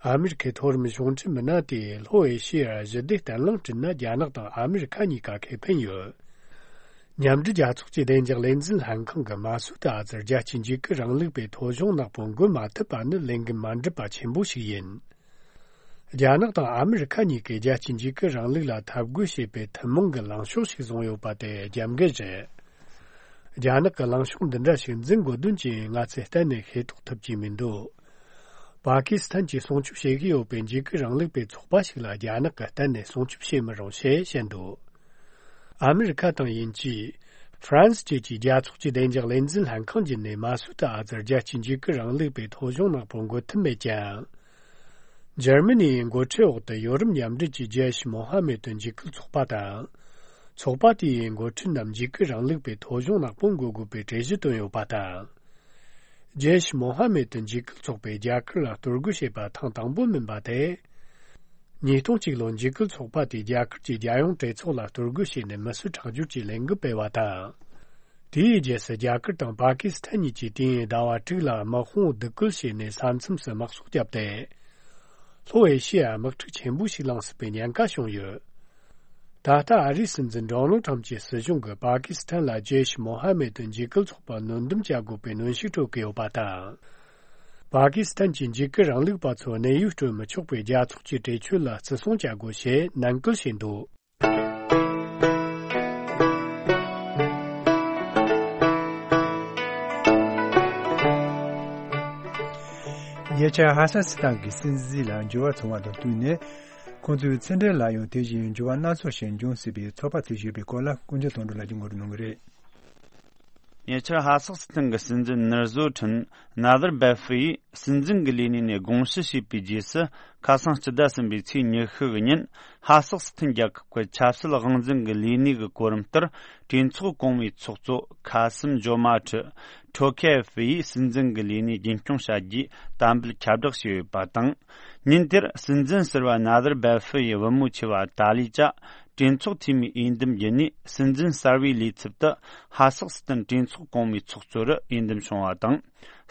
ཨ་མི་རི་ཁའི་མཐོ་རིམ་གཞུང་འབྲེལ་མི་སྣ་དེས་ལྷོ་ཨེ་ཤི་ཡར་ཞི་བདེ་བརྟན་ལྷིང་བསྐྲུན་ན་རྒྱ་ནག་དང་ཨ་མི་རི་ཁ་གཉིས་ཀ་ཁེ་ཕན་ཡོད། མཉམ་འབྲེལ་རྒྱལ་ཚོགས་ཀྱི་བདེ་འཇགས་ལས་འཛིན་ལྷན་ཁང་གིས་མ་སུད་ཨ་ཛར་རྒྱལ་སྤྱིའི་འཇིགས་སྐུལ་རིང་ལུགས་པའི་ཐོ་གཞུང་ནག་པོ་འགོད་མ་ཐུབ་པ་ནི་ལས་འགན་མ་འགྲུབ་པ་ཆེན་པོ་ཞིག་ཡིན། རྒྱ་ནག་དང་ཨ་མི་རི་ཁ་གཉིས་ཀས་རྒྱལ་སྤྱིའི་འཇིགས་སྐུལ་རིང་ལུགས་ལ་འཐབ་རྒོལ་བྱེད་པའི་ཐུན་མོང་གི་ལངས་ཕྱོགས་ཤིག་བཟུང་ཡོད་པ་དེ་རྒྱབ་འགལ་རེད། རྒྱ་ནག་གིས་ལངས་ཕྱོགས་འདི་འདྲ་ཞིག་འཛིན་དགོས་དོན་ཅི་ཡིན་ང་ཚོས་གཏན་ནས་ཤེས་རྟོགས་ཐུབ་ཀྱི་མི་འདུག་པ་ཀི་སི་ཐན་གྱིས་སྲུང་སྐྱོབ་བྱེད་ཀྱི་ཡོད་པའི་འཇིགས་སྐུལ་རིང་ལུགས་པའི་ཚོགས་པ་ཞིག་ལ་རྒྱ་ནག་གིས་གཏན་ནས་སྲུང་སྐྱོབ་བྱེད་མི་རུང་ཞེས་བཤད་འདུག་ཨ་མི་རི་ཁ་དང་དབྱིན་ཇི། ཧྥ་རན་སི་བཅས་ཀྱི་རྒྱལ་ཚོགས་ཀྱི་བདེ་འཇགས་ལས་འཛིན་ལྷན་ཁང་བརྒྱུད་ནས་མ་སུད་ཨ་ཛར་རྒྱལ་སྤྱིའི་འཇིགས་སྐུལ་རིང་ལུགས་པའི་ཐོ་གཞུང་ནག་པོར་འགོད་ཐུབ་མེད་ཀྱང་། འཇར་མ་ནིའི་འགོ་ཁྲིད་འོག་ཏུ་ཡོ་རོབ་མཉམ་འབྲེལ་གྱི་ཇེ་ཤ་མོ་ཧ་མེད་དུ་འཇིགས་སྐུལ་ཚོགས་པ་དང་། ཚོགས་པ་དེའི་འགོ་ཁྲིད་རྣམས་འཇིགས་སྐུལ་རིང་ལུགས་པའི་ཐོ་གཞུང་ནག་པོ་འགོད་དགོས་པའི་གྲོས་གཞི་བཏོན་ཡོད་པ་དང་། ཇེ་ཤ་མོ་ཧ་མེད་དུ་འཇིགས་སྐུལ་ཚོགས་པས་རྒྱ་གར་ལ་གཏོར་རྒོལ་བྱས་པ་ཐེངས་དང་པོ་མིན་པ་དེ། ཉིས་སྟོང་གཅིག་ལོར་འཇིགས་སྐུལ་ཚོགས་པ་དེས་རྒྱ་གར་གྱི་རྒྱལ་ཡོངས་གྲོས་ཚོགས་ལ་གཏོར་རྒོལ་བྱས་ནས་མི་གསོད་ཁྲག་སྦྱོར་གྱི་ལས་འགུལ་སྤེལ་བ་དང་། དེའི་རྗེས་སུ་རྒྱ་གར་དང་པ་ཀི་སི་ཐན་གཉིས་ཀྱིས་དུས་ཡུན་ཟླ་བ་དྲུག་ལ་དམག་དཔུང་སྡུག་སྐུལ་བྱས་ནས་ས་མཚམས་སུ་དམག་སོགས་བརྒྱབ་སྟེ། ལྷོ་ཨེ་ཤི་ཡ་དམག་འཁྲུག་ཆེན་པོ་ཞིག་ལངས་སྲིད་པའི་ཉེན་ཁ་བྱུང་ཡོད། ད་ལྟ་ཨ་རིའི་སྲིད་འཛིན་ཌོ་ནལ་ཁྲམ་གྱི་སྲིད་གཞུང་གིས་པ་ཀི་སི་ཐན་ལ་ཇེ་ཤ་མོ་ཧ་མེད་དུ་འཇིགས་སྐུལ་ཚོགས་པར་གནོན་སྡོམ་བྱ་དགོས་པའི་གནོན་ཤུགས་སྤྲོད་ཀྱི་ཡོད་པ་དང་། པ་ཀི་སི་ཐན་གྱི་འཇིགས་སྐུལ་རིང་ལུགས་པ་ཚོར་གནས་ཡུལ་སྤྲོད་མི་ཆོག་པའི་རྒྱལ་ཚོགས་ཀྱི་གྲོས་ཆོད་ལ་བརྩི་སྲུང་བྱ་དགོས་ཞེས་ནན་སྐུལ་བྱས་འདུག། ཉེ་ཆར་ཧ་སག་སི་ཐན་གྱི་སྲིད་འཛིན་ལ་འགྱུར་བ་སོང་བ་དང་བསྟུན་ནས། ཁོང་ཚོའི་ཕྱི་འབྲེལ་ལ་ཡང་དེ་བཞིན་འགྱུར་བ་སྣ་ཚོགས་ཤིག་འབྱུང་སྲིད་པའི་ཚོད་དཔག་བྱེད་བཞིན་ཡོད་པའི་སྐོར་ལ་ཀུན་མཁྱེན་དོན་གྲུབ་ལགས་ཀྱིས་ངོ་སྤྲོད་གནང་གི་རེད། ཉེ་ཆར་ཧ་སག་སི་ཐན་གྱི་སྲིད་འཛིན་ནུར་བཟོ་ཁྲིན་ནཱ་དར་བེ་ཧྥི་ཡིས་སྲིད་འཛིན་གྱི་ལས་གནས་ནས་དགོངས་ཞུ་བྱས་པའི་རྗེས་སུ། ཁ་སང་སྤྱི་ཟླ་གསུམ་པའི་ཚེས་ཉི་ཤུ་གི་ཉིན། ཧ་སག་སི་ཐན་རྒྱལ་ཁབ་ཀྱི་ཆབ་སྲིད་དབང་འཛིན་གྱི་ལས་གནས་ཀྱི་གོ་རིམ་ལྟར། གྲོས་ཚོགས་གོང་མའི་ཚོགས་གཙོ་ཁ་སིམ་ཇོ་མ་ཁྲི་ཁྲོ་ཁེ་ཧྥི་ཡིས་སྲིད་འཛིན་གྱི་ལས་གནས་རྒྱུན་སྐྱོང་བྱ་རྒྱུའི་དམ་འབུལ་ཁྱབ་བསྒྲགས་བྱས་ཡོད་པ་དང་། ཉིན་དེར་སྲིད་འཛིན་ཟུར་པ་ནཱ་དར་བེ་ཧྥི་ཡི་བུ་མོ་ཆེ་བ་ཏཱ་ལི་ཅཱ། གྲོས་ཚོགས་འཐུས་མིའི་འོས་འདེམས་བརྒྱུད་ནས་སྲིད་འཛིན་གསར་པའི་ལས་ཚབ་ཏུ་ཧ་སག་སི་ཐན་གྲོས་ཚོགས་གོང་མའི་ཚོགས་གཙོ་རུ་འོས་འདེམས་བྱུང་བ་དང་།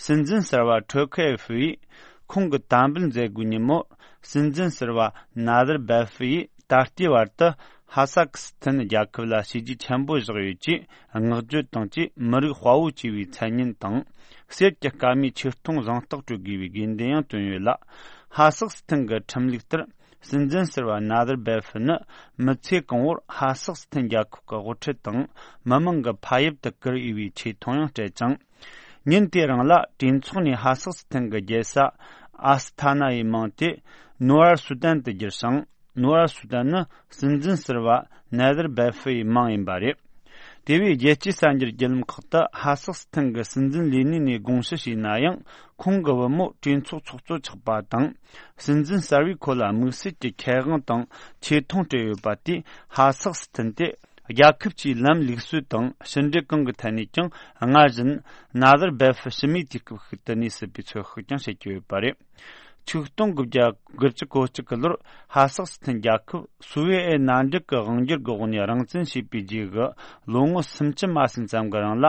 སྲིད་འཛིན་གསར་པ་ཁྲོ་ཁེ་ཧྥི་ཡིས་ཁོང་གི་དམ་འབུལ་མཛད་སྒོའི་ཉིན་མོར། སྲིད་འཛིན་གསར་པ་ནཱ་དར་བེ་ཧྥི་ཡིས་ད་ལྟའི་བར་དུ་ཧ་སག་སི་ཐན་རྒྱལ་ཁབ་ལ་བྱས་རྗེས་ཆེན་པོ་བཞག་ཡོད་ཅེས་བསྔགས་བརྗོད་དང་བཅས། མི་རིགས་དཔའ་བོ་ཅེས་པའི་མཚན་སྙན་དང་། གསེར་གྱི་སྐར་མའི་ཆེ་མཐོང་གཟེངས་རྟགས་སྤྲོད་དགོས་པའི་དགོས་འདུན་ཡང་བཏོན་ཡོད་ལ། ཧ་སག་སི་ཐན་གྱི་ཁྲིམས་ལུགས་ལྟར། སྲིད་འཛིན་ཟུར་པ་ནཱ་དར་བེ་ཧྥི་ནི་མི་ཚེ་གང་བོར་ཧ་སག་སི་ཐན་རྒྱལ་ཁབ་ཀྱི་དབུ་ཁྲིད་དང་མི་མང་གི་ཕ་ཡུལ་དུ་བཀུར་འོས་པའི་ཆེ་མཐོང་ཡང་སྤྲད་ཅིང་། ཉིན་དེ་རིང་ལ་གྲོས་ཚོགས་ནས་ཧ་སག་སི་ཐན་གྱི་རྒྱལ་ས་ཨ་སི་ཐ་ན་ཡི་མིང་དེ་ནུ་ཨར་སུ་ཏན་དུ་བསྒྱུར་ཞིང་། ནུ་ཨར་སུ་ཏན་ནི་སྲིད་འཛིན་ཟུར་པ་ནཱ་དར་བེ་ཧྥི་ཡི་མིང་ཡིན་པ་རེད། དེ་བས་རྒྱལ་སྤྱིའི་གསར་འགྱུར་བརྒྱུད་ལམ་ཁག་ཏུ་ཧ་སག་སི་ཐན་གྱི་སྲིད་འཛིན་ལས་གནས་ནས་དགོངས་ཞུ་བྱས་ན་ཡང་། ཁོང་གི་བུ་མོ་གྲོས་ཚོགས་ཚོགས་གཙོ་ཆགས་པ་དང་། སྲིད་འཛིན་གསར་པས་ཁོ་ལ་དམིགས་བསལ་གྱི་ཁེ་དབང་དང་ཆེ་མཐོང་སྤྲད་ཡོད་པ་དེས། ཧ་སག་སི་ཐན་དེ་རྒྱལ་ཁབ་ཀྱི་ལམ་ལུགས་སྲོལ་དང་ཕྱི་འབྲེལ་གང་གི་ཐད་ནས་ཀྱང་། སྔར་བཞིན་ནཱ་དར་བེ་ཧྥི་ཕྱི་མིའི་དུས་སྐབས་ཤིག་ཏུ་གནས་སྲིད་པའི་ཚོད་དཔག་ཀྱང་བྱེད་ཀྱི་ཡོད་པ་རེད། ཆིག་སྟོང་དགུ་བརྒྱ་དགུ་བཅུ་གོ་གཅིག་གི་ལོར་ཧ་སག་སི་ཐན་རྒྱལ་ཁབ་སུའེ་ཨེ་མནའ་འབྲེལ་གྱི་དབང་སྒྱུར་གྱི་འོག་ནས་རང་བཙན་ཞེས་པའི་རྗེས་ཀྱི་ལོ་ངོ་སུམ་ཅུ་མ་ཟིན་ཙམ་གྱི་རིང་ལ།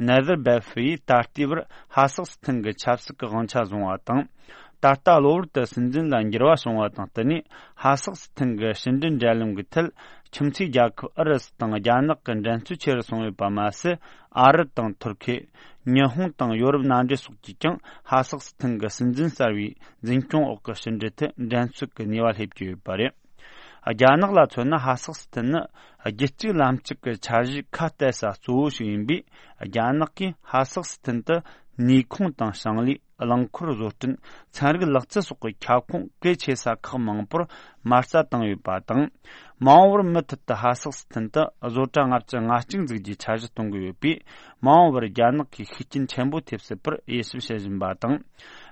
ནཱ་དར་བེ་ཧྥི་ཡིས་ད་ལྟའི་བར་ཧ་སག་སི་ཐན་གྱི་ཆབ་སྲིད་ཀྱི་དབང་ཆ་བཟུང་བ་དང་། ད་ལྟ་གློ་བུར་དུ་སྲིད་འཛིན་ལ་འགྱུར་བ་བྱུང་བ་དང་བསྟུན་ནས། ཧ་སག་སི་ཐན་གྱི་ཕྱི་འབྲེལ་འབྲེལ་ལམ་གྱི་ཐད། ཁྱིམ་མཚེས་རྒྱལ་ཁབ་ཨུ་རུ་སུ་དང་རྒྱ་ནག་གི་འགྲན་རྩོད་ཆེ་རུ་སོང་ཡོད་པ་མ་ཟད། ཨ་རི་དང་ཐུར་ཁེ། ཉི་ཧོང་དང་ཡོ་རོབ་མནའ་འབྲེལ་སོགས་ཀྱིས་ཀྱང་ཧ་སག་སི་ཐན་གྱི་སྲིད་འཛིན་གསར་པའི་འཛིན་སྐྱོང་འོག་གི་ཕྱི་འབྲེལ་ཐད་འགྲན་རྩོད་ཀྱི་ནུས་པ་སླེབས་ཀྱི་ཡོད་པ་རེད། རྒྱ་ནག་ལ་མཚོན་ན། ཧ་སག་སི་ཐན་ནི་རྒྱུད་གཅིག་ལམ་གཅིག་གི་འཆར་གཞིའི་ཁ་གཏད་ས་གཙོ་བོ་ཞིག་ཡིན་པས། རྒྱ་ནག་གིས་ཧ་སག་སི་ཐན་དུ་ནུས་ཁུངས་དང་ཞིང་ལས། རླངས་འཁོར་བཟོ་སྐྲུན། ཚན་རིག་ལག་རྩལ་སོགས་ཀྱི་ཁྱབ་ཁོངས་གལ་ཆེ་ས་ཁག་མང་པོར་མ་རྩ་བཏང་ཡོད་པ་དང་། མ་འོངས་པར་མུ་མཐུད་དུ་ཧ་སག་སི་ཐན་དུ་བཟོ་གྲྭ་ལྔ་བཅུ་ང་གཅིག་འཛུགས་རྒྱུའི་འཆར་གཞི་གཏོང་གི་ཡོད་པས། མ་འོངས་པར་རྒྱ་ནག་གིས་ཤུགས་རྐྱེན་ཆེན་པོ་ཐེབས་སྲིད་པར་དབྱེ་ཞིབ་བྱེད་བཞིན་པ་དང་།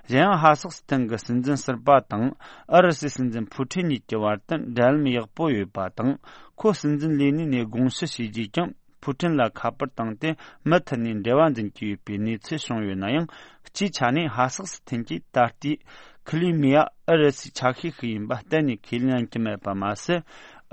གཞན་ཡང་། ཧ་སག་སི་ཐན་གྱི་སྲིད་འཛིན་ཟུར་པ་དང་ཨུ་རུ་སུའི་སྲིད་འཛིན་ཕུའུ་ཁྲིན་གཉིས་ཀྱི་བར་དུ་འབྲེལ་ལམ་ཡག་པོ་ཡོད་པ་དང་། ཁོ་སྲིད་འཛིན་ལས་གནས་ནས་དགོངས་ཞུ་བྱས་རྗེས་ཀྱང་། ཕུའུ་ཁྲིན་ལ་ཁ་པར་བཏང་སྟེ་མུ་མཐུད་ནས་འབྲེལ་བ་འཛིན་གྱི་ཡོད་པའི་གནས་ཚུལ་བྱུང་ཡོད་ན་ཡང་། སྤྱིའི་ཆ་ནས་ཧ་སག་སི་ཐན་གྱིས་ད་ལྟའི་ཁི་ལི་མི་ཡ་ཨུ་རུ་སུའི་ཆ་ཤས་ཤིག་ཡིན་པ་གཏན་ནས་ཁས་ལེན་གྱི་མེད་པ་མ་ཟད།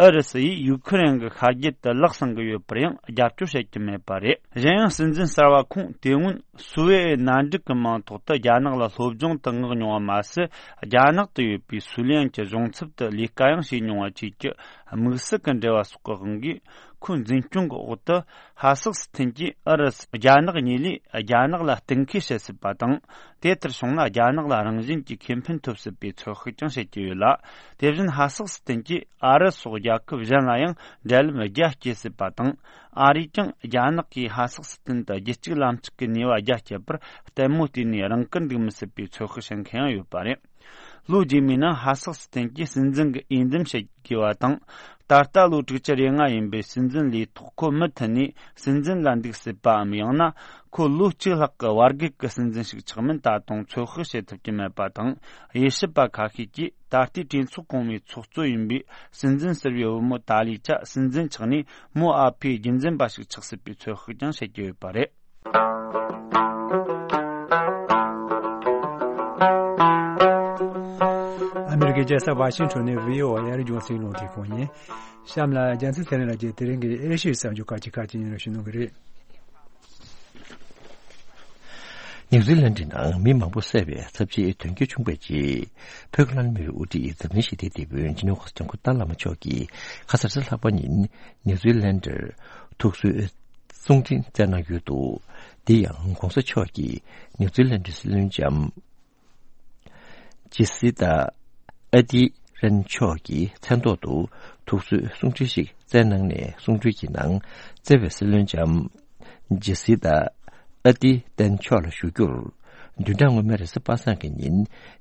ཨུ་རུ་སུ་ཡིས་ཡུ་ཁུ་རེན་གྱི་ཤར་རྒྱུད་དུ་ལག་བསང་གི་ཡོད་པར་ཡང་རྒྱབ་སྐྱོར་བྱེད་ཀྱི་མེད་པ་རེད། གཞན་ཡང་། སྲིད་འཛིན་གསར་པ་ཁོང་དེ་སྔོན་སུའེ་ཨེ་མནའ་འབྲེལ་གྱི་མིང་ཐོག་ཏུ་རྒྱ་ནག་ལ་སློབ་སྦྱོང་དུ་མངགས་མྱོང་བ་མ་ཟད། རྒྱ་ནག་ཏུ་ཡོད་པའི་སུའུ་ལེན་གྱི་གཞུང་ཚབ་ཏུ་ལས་ཀ་ཡང་བྱས་མྱོང་བ་བཅས་ཀྱི་དམིགས་བསལ་གྱི་འབྲེལ་བ་སོགས་ཀྱི་དབང་གིས། ཁོའི་འཛིན་སྐྱོང་གི་འོག་ཏུ་ཧ་སག་སི་ཐན་གྱིས་ཨུ་རུ་སུ་རྒྱ་ནག་གཉིས་ལས་རྒྱ་ནག་ལ་གཏན་འཁེལ་བྱེད་སྲིད་པ་དང་། དེ་ལྟར་བྱུང་ན་རྒྱ་ནག་ལ་རང་བཞིན་གྱིས་ཁེ་ཕན་ཐོབ་སྲིད་པའི་ཚོད་དཔག་ཀྱང་བྱེད་ཀྱི་ཡོད་ལ། དེ་བཞིན་ཧ་སག་སི་ཐན་གྱིས་ཨ་རི་སོགས་རྒྱལ་ཁབ་གཞན་ལ་ཡང་འབྲེལ་ལམ་རྒྱ་སྐྱེད་སྲིད་པ་དང་། ཨ་རིས་ཀྱང་རྒྱ་ནག་གིས་ཧ་སག་སི་ཐན་དུ་རྒྱུད་གཅིག་ལམ་གཅིག་གི་ནུས་པ་རྒྱ་སྐྱེད་པར་ལྟད་མོ་བལྟས་ནས་རང་བཀུར་འདུག་མི་སྲིད་པའི་ཚོད་དཔག་བྱེད་མཁན་ཡང་ཡོད་པ་རེད། ལོ་རྗེས་མའི་ནང་ཧ་སག་སི་ཐན་གྱིས་སྲིད་འཛིན་གྱི་འོས་འདེམས་བྱེད་དགོས་པ་དང་། ད་ལྟ་ལོ་དྲུག་ཅུ་རེ་ལྔ་ཡིན་པའི་སྲིད་འཛིན་ལས་ཐོག་ཁོ་མུ་མཐུད་ནས་སྲིད་འཛིན་ལ་འདུག་སྲིད་པའམ། ཡང་ན་ཁོ་ལོ་གཅིག་ལྷག་གི་བར་བརྒལ་གྱི་སྲིད་འཛིན་ཞིག་ཆགས་མིན་ད་དུང་ཚོད་དཔག་བྱེད་ཐུབ་ཀྱི་མེད་པ་དང་། དབྱེ་ཞིབ་པ་ཁ་ཤས་ཀྱིས་ད་ལྟའི་གྲོས་ཚོགས་གོང་མའི་ཚོགས་གཙོ་ཡིན་པའི་སྲིད་འཛིན་ཟུར་པའི་བུ་མོ་ཏཱ་ལི་ཆ་སྲིད་འཛིན་ཆགས་ནས་མོ་ཨ་ཕའི་རྒྱུན་འཛིན་པ་ཞིག་ཆགས་སྲིད་པའི་ཚོད་དཔག་ཀྱང་བྱེད་ཀྱི་ཡོད་པ་རེད། ཨ་མེ་རི་ཀའི་རྒྱལ་ས་ཝ་ཤིང་ཊོན་ནས་བྷི་ཨོ་ཨེ་རྒྱང་སྲིང་རླུང་འཕྲིན་ཁང་ཡིན། གཤམ་ལ་རྒྱལ་མཚན་ཚེ་རིང་ལགས་ཀྱིས་དེ་རིང་གི་ཨེ་ཤི་ཡའི་གསར་འགྱུར་ཁག་ཅིག་ཁག་ཅིག་སྙན་སྒྲོན་ཞུ་གནང་གི་རེད། ནིའུ་ཛི་ལན་ཌི་ནང་མི་མང་པོ་བསད་པའི་ཚབས་ཆེའི་དོན་རྐྱེན་བྱུང་བའི་རྗེས། ཕོ་ཁ་ལན་མི་རིགས་དབུ་ཁྲིད་འཛམ་གླིང་ཞི་བདེའི་དེད་དཔོན་ཇི་ནི་ཝ་ཇང་གུ་ཏཱ་བླ་མ་མཆོག་གིས་ཁ་སང་རེས་གཟའ་ལྷག་པ་ཉིན་ནིའུ་ཛི་ལན་ཌར་ཐུགས་གསོའི་གསུང་འཕྲིན་བསྩལ་གནང་ཡོད་འདུག་དེ་ཡང་༧གོང་ས་མཆོག་གིས་ནིའུ་ཛི་ལན་ཌའི་སྲིད་བློན་ལྕམ་ཇི་སི་ཏཱ་ཨ་ཏི་རན་མཆོག་གི་མཚན་ཐོག་ཏུ་ཐུགས་གསོའི་གསུང་འཕྲིན་ཞིག་བསྩལ་གནང་ནས། གསུང་འཕྲིན་གྱི་ནང་བརྩེ་བའི་སྲིད་བློན་ལྕམ་ཇི་སི་ཏཱ་ཨ་ཏི་རན་མཆོག་ལ་ཞུ་རྒྱུར། བདུན་ཕྲག་སྔོན་མའི་རེས་གཟའ་པ་སངས་ཀྱི་ཉིན་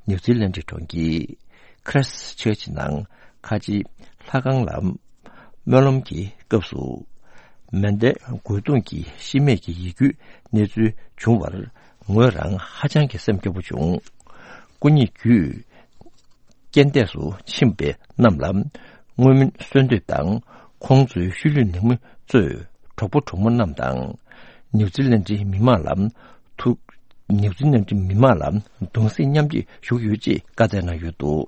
ནིའུ་ཛི་ལན་ཌི་གྲོང་ཁྱེར་ཁྲེས་ཆར་ཆི་ནང་ཁ་ཆེའི་ལྷ་ཁང་ལ་སྨོན་ལམ་གྱི་སྐབས་སུ། མན་ཌའི་རྒོལ་རྡུང་གི་ཤི་རྨས་ཀྱི་ཡིད་སྐྱོའི་གནས་ཚུལ་བྱུང་བར། ངོས་རང་ཧ་ཅང་གི་སེམས་སྐྱོ་པོ་བྱུང་། སྐུ་ཉིད་བརྒྱུད་རྐྱེན་འདས་སུ་ཕྱིན་པའི་རྣམས་ལ་བསྔོ་སྨོན་གསོལ་འདེབས་དང་། ཁོང་ཚོའི་ཤུལ་ལུས་ནང་མི་གཙོས་གྲོགས་པོ་གྲོགས་མོ་རྣམས་དང་། ནིའུ་ཛི་ལན་ཌིའི་མི་མང་ལ་ཐུགས། ནིའུ་ཛི་ལན་ཌིའི་མི་མང་ལ་གདུང་སེམས་མཉམ་སྐྱེད་ཞུ་གི་ཡོད་ཅེས་བཀའ་སྩལ་གནང་ཡོད་འདུག་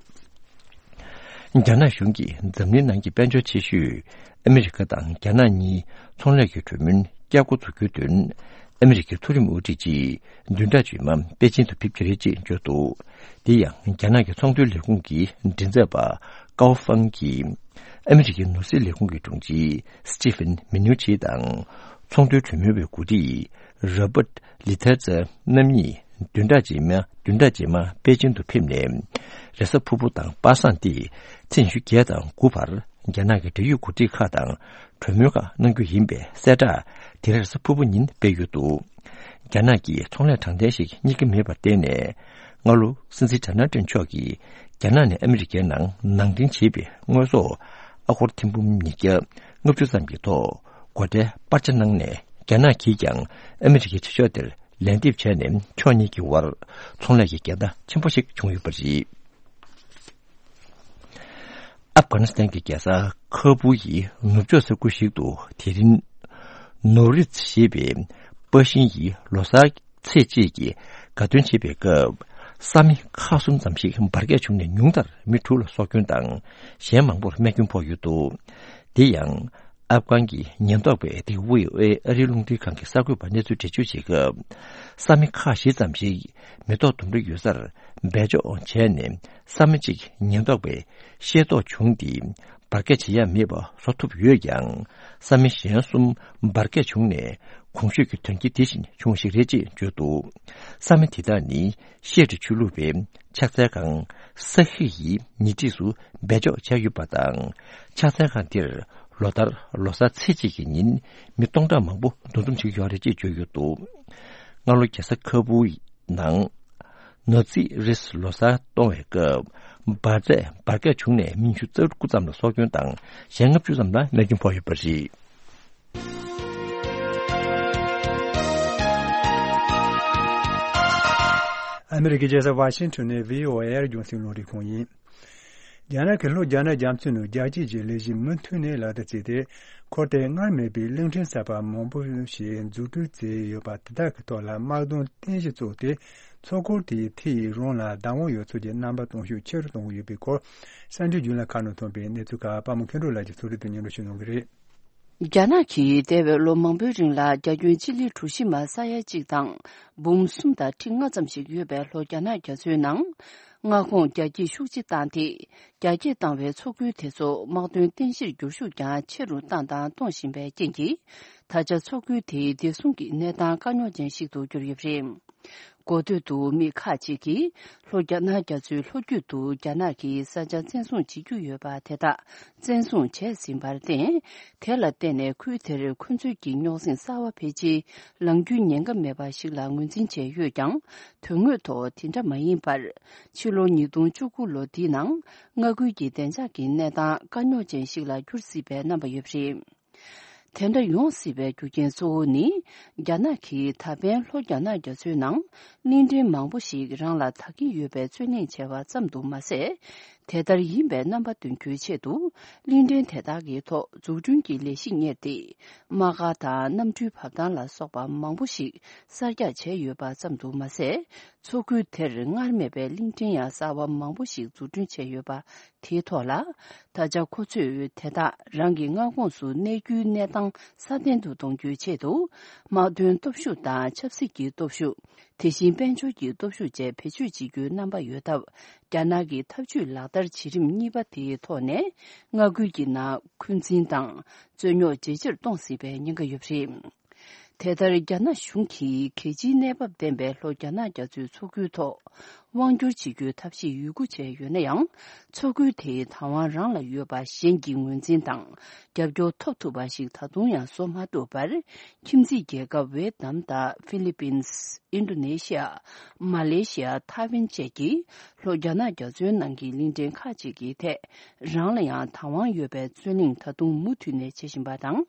རྒྱ་ནག་གཞུང་གིས་འཛམ་གླིང་ནང་གི་དཔལ་འབྱོར་ཆེ་ཤོས་ཨ་མི་རི་ཀ་དང་རྒྱ་ནག་གཉིས་ཚོང་ལས་ཀྱི་གྲོས་མོལ་བསྐྱར་འགོ་འཛུགས་རྒྱུའི་དོན། ཨ་མི་རི་ཀའི་མཐོ་རིམ་དབུ་ཁྲིད་ཅིག་བདུན་ཕྲག་རྗེས་མ་པེ་ཅིན་དུ་ཕེབས་ཀྱི་རེད་ཅེས་བརྗོད་འདུག་དེ་ཡང་རྒྱ་ནག་གི་ཚོང་དོན་ལས་ཁུངས་ཀྱི་མགྲིན་ཚབ་པ་ཀའོ་ཧྥང་གིས། ཨ་མི་རི་ཀའི་ནོར་སྲིད་ལས་ཁུངས་ཀྱི་དྲུང་ཆེ་སི་ཊི་ཕན་མི་ནུ་ཆི་དང་། ཚོང་དོན་གྲོས་མོལ་བའི་འགོ་ཁྲིད་རོ་པར་ལི་ཐེ་ཙེ་རྣམ་གཉིས་བདུན་ཕྲག་རྗེས་མ། བདུན་ཕྲག་རྗེས་མ་པེ་ཅིན་དུ་ཕེབས་ནས། རེས་གཟའ་ཕུར་བུ་དང་པ་སངས་ཏེ་ཚེས་ཉི་ཤུ་བརྒྱད་དང་དགུ་བར་རྒྱ་ནག་གི་འབྲེལ་ཡོད་འགོ་ཁྲིད་ཁག་དང་གྲོས་མོལ་ཁག་གནང་རྒྱུ་ཡིན་པའི་གསལ་བསྒྲགས་དེ་རེས་གཟའ་ཕུར་བུ་ཉིན་སྤེལ་ཡོད་འདུག་རྒྱ་ནག་གིས་ཚོང་ལས་དྲང་བདེན་ཞིག་རྙེད་ཀྱི་མེད་པར་བརྟེན་ནས། སྔ་ལོ་སྲིད་འཛིན་ཌོ་ནལ་ཊམ་མཆོག་གིས་རྒྱ་ནག་ནས་ཨ་མི་རི་ཀའི་ནང་ནང་འདྲེན་བྱས་པའི་དངོས་ཟོག་ཨ་སྒོར་ཐེར་འབུམ་ཉིས་བརྒྱ་ལྔ་བཅུ་ཙམ་གྱི་ཐོག་སྒོ་ཁྲལ་སྤར་ཆ་གནང་ནས། རྒྱ་ནག་གིས་ཀྱང་ཨ་མི་རི་ཀའི་ཕྱི་ཕྱོགས་དེར་ལན་འདེབས་བྱས་ནས། ཕྱོགས་གཉིས་ཀྱི་དབར་ཚོང་ལས་ཀྱི་འགལ་ཟླ་ཆེན་པོ་ཞིག་བྱུང་ཡོད་པ་རེད། ཨབ་གྷ་ནི་སི་ཐན་གྱི་རྒྱལ་ས་ཁ་བུ་ཡི་ནུབ་ཕྱོགས་ས་ཁུལ་ཞིག་ཏུ། དེ་རིང་ནོ་རིཛ་ཞེས་པའི་པར་ཤིང་ཡི་ལོ་གསར་ཚེས་གཅིག་གི་དགའ་སྟོན་བྱེད་པའི་སྐབས། ས་མི་ཁག་གསུམ་ཙམ་ཞིག་འབར་གས་བྱུང་ནས། ཉུང་མཐར་མི་དྲུག་ལ་སྲོག་སྐྱོན་དང་། གཞན་མང་པོར་རྨས་སྐྱོན་ཕོག་ཡོད་འདུག་དེ་ཡང་། ཨབ་གྷན་གྱི་ཉེན་རྟོག་པས། དེ་བྷི་ཨོ་ཨེ་ཨ་རིའི་རླུང་འཕྲིན་ཁང་གི་གསར་འགོད་པར་གནས་ཚུལ་འགྲེལ་བརྗོད་བྱེད་སྐབས། ས་མི་ཁག་བཞི་ཙམ་ཞིག་མེ་ཏོག་ལྡུམ་ར་ཡོད་སར་སྦས་འཇོག་བྱས་ནས། ས་མི་གཅིག་ཉེན་རྟོག་པས་ཤེས་རྟོགས་བྱུང་སྟེ། འབར་གས་བྱེད་ཡ་མེད་པ་བཟོ་ཐུབ་ཡོད་ཀྱང་། ས་མི་གཞན་གསུམ་འབར་གས་བྱུང་ནས། གོང་ཞུས་ཀྱི་དོན་རྐྱེན་དེ་བཞིན་བྱུང་བ་ཞིག་རེད་ཅེས་བརྗོད་འདུག་ས་མི་དེ་དག་ནི་ཤེ་ཀྲི་ཆོས་ལུགས་པའི་ཕྱག་འཚལ་ཁང་ས་ཧི་ཡི་ཉེ་འཁྲིས་སུ་སྦས་འཇོག་བྱས་ཡོད་པ་དང་། ཕྱག་འཚལ་ཁང་དེར་ལོ་ལྟར་ལོ་གསར་ཚེས་གཅིག་གི་ཉིན་མི་སྟོང་ཕྲག་མང་པོ་འདུ་འཛོམས་བྱེད་ཀྱི་ཡོད་རེད་ཅེས་བརྗོད་ཡོད་འདུག་སྔ་ལོ་རྒྱལ་ས་ཁ་བུ་ནང་ནོ་ཙི་རིས་ལོ་གསར་གཏོང་བའི་སྐབས། འབར་རྫས་འབར་གས་བྱུང་ནས་མི་ཉི་ཤུ་རྩ་དགུ་ཙམ་ལ་སྲོག་སྐྱོན་དང་། གཞན་ལྔ་བཅུ་ཙམ་ལ་རྨས་སྐྱོན་ཕོག་ཡོད་པ་རེད། ཨ་མི་རི་ཀའི་རྒྱལ་ས་ཝ་ཤིང་ཊོན་ནས་བྷི་ཨོ་ཨེ་རྒྱང་སྲིང་རླུང་འཕྲིན་ཁང་ཡིན། རྒྱ་ནག་གི་ལྷོ་རྒྱ་ནག་རྒྱ་མཚོའི་ནང་རྒྱ་སྐྱེད་ཀྱི་ལས་གཞི་མུ་མཐུད་ནས་ལག་བསྟར་བྱས་ཏེ། འཁོར་དེ་སྔར་མེད་པའི་གླིང་ཕྲན་གསར་པ་མང་པོ་ཞིག་འཛུགས་སྐྲུན་བྱས་ཡོད་པ་དེ་དག་གི་ཐོག་ལ་དམག་དོན་རྟེན་གཞི་བཙུགས་ཏེ། མཚོ་འཁོར་དེའི་མཐིལ་ཡི་རོང་ལ་བདག་དབང་ཡོད་ཚད་ཀྱི་རྣམ་པ་སྟོན་ཤུགས་ཆེ་རུ་གཏོང་གི་ཡོད་པའི་སྐོར། གསར་འགྱུར་བརྒྱུད་ལམ་ཁག་ནང་ཐོན་པའི་གནས་ཚུལ་ཁག་པད་མ་མཁྱེན་གྲོལ་ལགས་ཀྱིས་ཕྱོགས་སྒྲིག་ཏུ་སྙན་སྒྲོན་ཞུ་གནང་གི་རེད། རྒྱ་ནག་གིས་འདས་པའི་ལོ་མང་པོའི་རིང་ལ་རྒྱ་ཁྱོན་སྤྱི་ལེ་གྲུ་བཞི་མ་ས་ཡ་གཅིག་དང་འབུམ་གསུམ་དང་ཁྲི་ལྔ་ཙམ་ཞིག་ཡོད་པའི་ལྷོ་རྒྱ་ནག་རྒྱ་མཚོའི་ནང་མངའ་ཁོངས་རྒྱ་སྐྱེད་ཤུགས་ཆེ་བཏང་སྟེ། རྒྱ་སྐྱེད་བཏང་བའི་མཚོ་ཁུལ་དེ་ཚོ་དམག་དོན་རྟེན་གཞིར་འགྱུར་ཤུགས་ཀྱང་ཆེ་རུ་བཏང་དང་གཏོང་བཞིན་པའི་རྐྱེན་གྱིས། ད་ཆ་མཚོ་ཁུལ་དེའི་བདེ་སྲུང་གི་གནས་སྟངས་དཀའ་རྙོག་ཅན་ཞིག་ཏུ་གྱུར་ཡོད་པ་རེད། འགོ་སྟོད་དུ་མི་ཁག་ཅིག་གིས་ལྷོ་རྒྱ་ནག་རྒྱ་མཚོའི་ལྷོ་རྒྱུད་དུ་རྒྱ་ནག་གིས་ས་ཆ་བཙན་བཟུང་བྱེད་ཀྱི་ཡོད་པ་དེ་དག་བཙན་བཟུང་བྱས་ཟིན་པར་བརྟེན། དེ་ལ་བརྟེན་ནས་ཁུལ་དེར་ཁོ་ཚོའི་གི་རྙོག་ཟིང་གསར་བ་འཕེལ་རྒྱས་ལངས་རྒྱུའི་ཉེན་ཁ་མེད་པ་ཞིག་ལ་ངོས་འཛིན་བྱས་ཡོད་ཀྱང་། དོན་དངོས་ཐོག་དེ་འདྲ་མ་ཡིན་པར། ཕྱི་ལོ་ཉིས་སྟོང་བཅུ་དགུ་ལོ་འདིའི་ནང་མངའ་ཁུལ་གྱི་བདེ་འཇགས་ཀྱི་གནས་སྟངས་དཀའ་རྙོག་ཅན་ཞིག་ལ་འགྱུར་སྲིད་པའི་རྣམ་པ་ཡོད་པ་རེད། དེ་འདྲ་ཡོང་སྲིད་པའི་རྒྱུ་རྐྱེན་གཙོ་བོ་ནི། རྒྱ་ནག་གིས་ད་ཕན་ལྷོ་རྒྱ་ནག་རྒྱ་མཚོའི་ནང་གླིང་ཕྲན་མང་པོ་ཞིག་རང་ལ་དག་གི་ཡོད་པའི་རྩོད་གླེང་བྱས་པ་ཙམ་དུ་མ་ཟད། དེ་ལྟར་ཡིན་པའི་རྣམ་པ་སྟོན་རྒྱུའི་ཆེད་དུ། གླིང་ཕྲན་དེ་དག་གི་ཐོག་འཛུགས་སྐྲུན་གྱི་ལས་གཞི་གཉེར་ཏེ། དམག་སྒར་དང་གནམ་གྲུའི་བབས་ཐང་ལ་སོགས་པ་མང་པོ་ཞིག་གསར་རྒྱག་བྱས་ཡོད་པ་ཙམ་དུ་མ་ཟད། མཚོ་ཁུལ་དེར་སྔར་མེད་པའི་གླིང་ཕྲན་ཡང་གསར་པ་མང་པོ་ཞིག་འཛུགས་སྐྲུན་བྱས་ཡོད་པ། དེའི་ཐོག་ལ། ད་ཆ་ཁོ་ཚོས་དེ་དག་རང་གི་མངའ་ཁོངས་སུ་གནས་རྒྱུའི་གནས་སྟངས་སྲ་བརྟན་དུ་གཏོང་རྒྱུའི་ཆེད་དུ། དམག་དོན་སྟོབས་ཤུགས་དང་ཆབ་སྲིད་ཀྱི་སྟོབས་ཤུགས། དེ་བཞིན་དཔལ་འབྱོར་གྱི་སྟོབས་ཤུགས་བཅས་བེད་སྤྱོད་བྱེད་རྒྱུའི་རྣམ་པ་ཡོད་སྟབས། རྒྱ་ནག་གི་འཐབ་ཇུས་ལག་བསྟར་བྱེད་རིམ་གཉིས་པ་དེའི་ཐོག་ནས། མངའ་ཁུལ་གྱི་ནང་འཁོན་འཛིན་དང་རྩོད་རྙོག་ཇེ་ཆེར་གཏོང་སྲིད་པའི་ཉེན་ཁ་ཡོད་པ་རེད། དེ་ལྟར་རྒྱ་ནག་གཞུང་གིས་གལ་ཆེའི་གནས་བབ་ལྡན་པའི་ལྷོ་རྒྱ་ནག་རྒྱ་མཚོའི་མཚོ་ཁུལ་ཐོག་དབང་སྒྱུར་བྱེད་རྒྱུའི་ཐབས་ཤེས་ཡོད་རྒུ་བྱས་ཡོད་ན་ཡང་། མཚོ་ཁུལ་དེའི་བདག་དབང་རང་ལ་ཡོད་པ་གཞན་གྱི་ངོས་འཛིན་དང་རྒྱབ་སྐྱོར་ཐོབ་ཐུབ་པ་ཞིག་ད་དུང་ཡང་བཟོ་མ་ཐུབ་པར། ཁྱིམ་མཚེས་རྒྱལ་ཁབ་ཝེ་ཏི་ནམ་དང་ཧྥི་ལི་པིན། ཨིན་ཌོ་ནེ་ཤི་ཡ། མ་ལེ་ཤི་ཡ། ཐའེ་ཝན་བཅས་ཀྱིས་ལྷོ་རྒྱ་ནག་རྒྱ་མཚོའི་ནང་གི་གླིང་ཕྲན་ཁག་ཅིག་གི་ཐད་རང་ལ་ཡང་བདག་དབང་ཡོད་པའི་རྩོད་གླེང་ད་དུང་མུ་མཐུད་ནས་བྱེད་བཞིན་པ་དང་།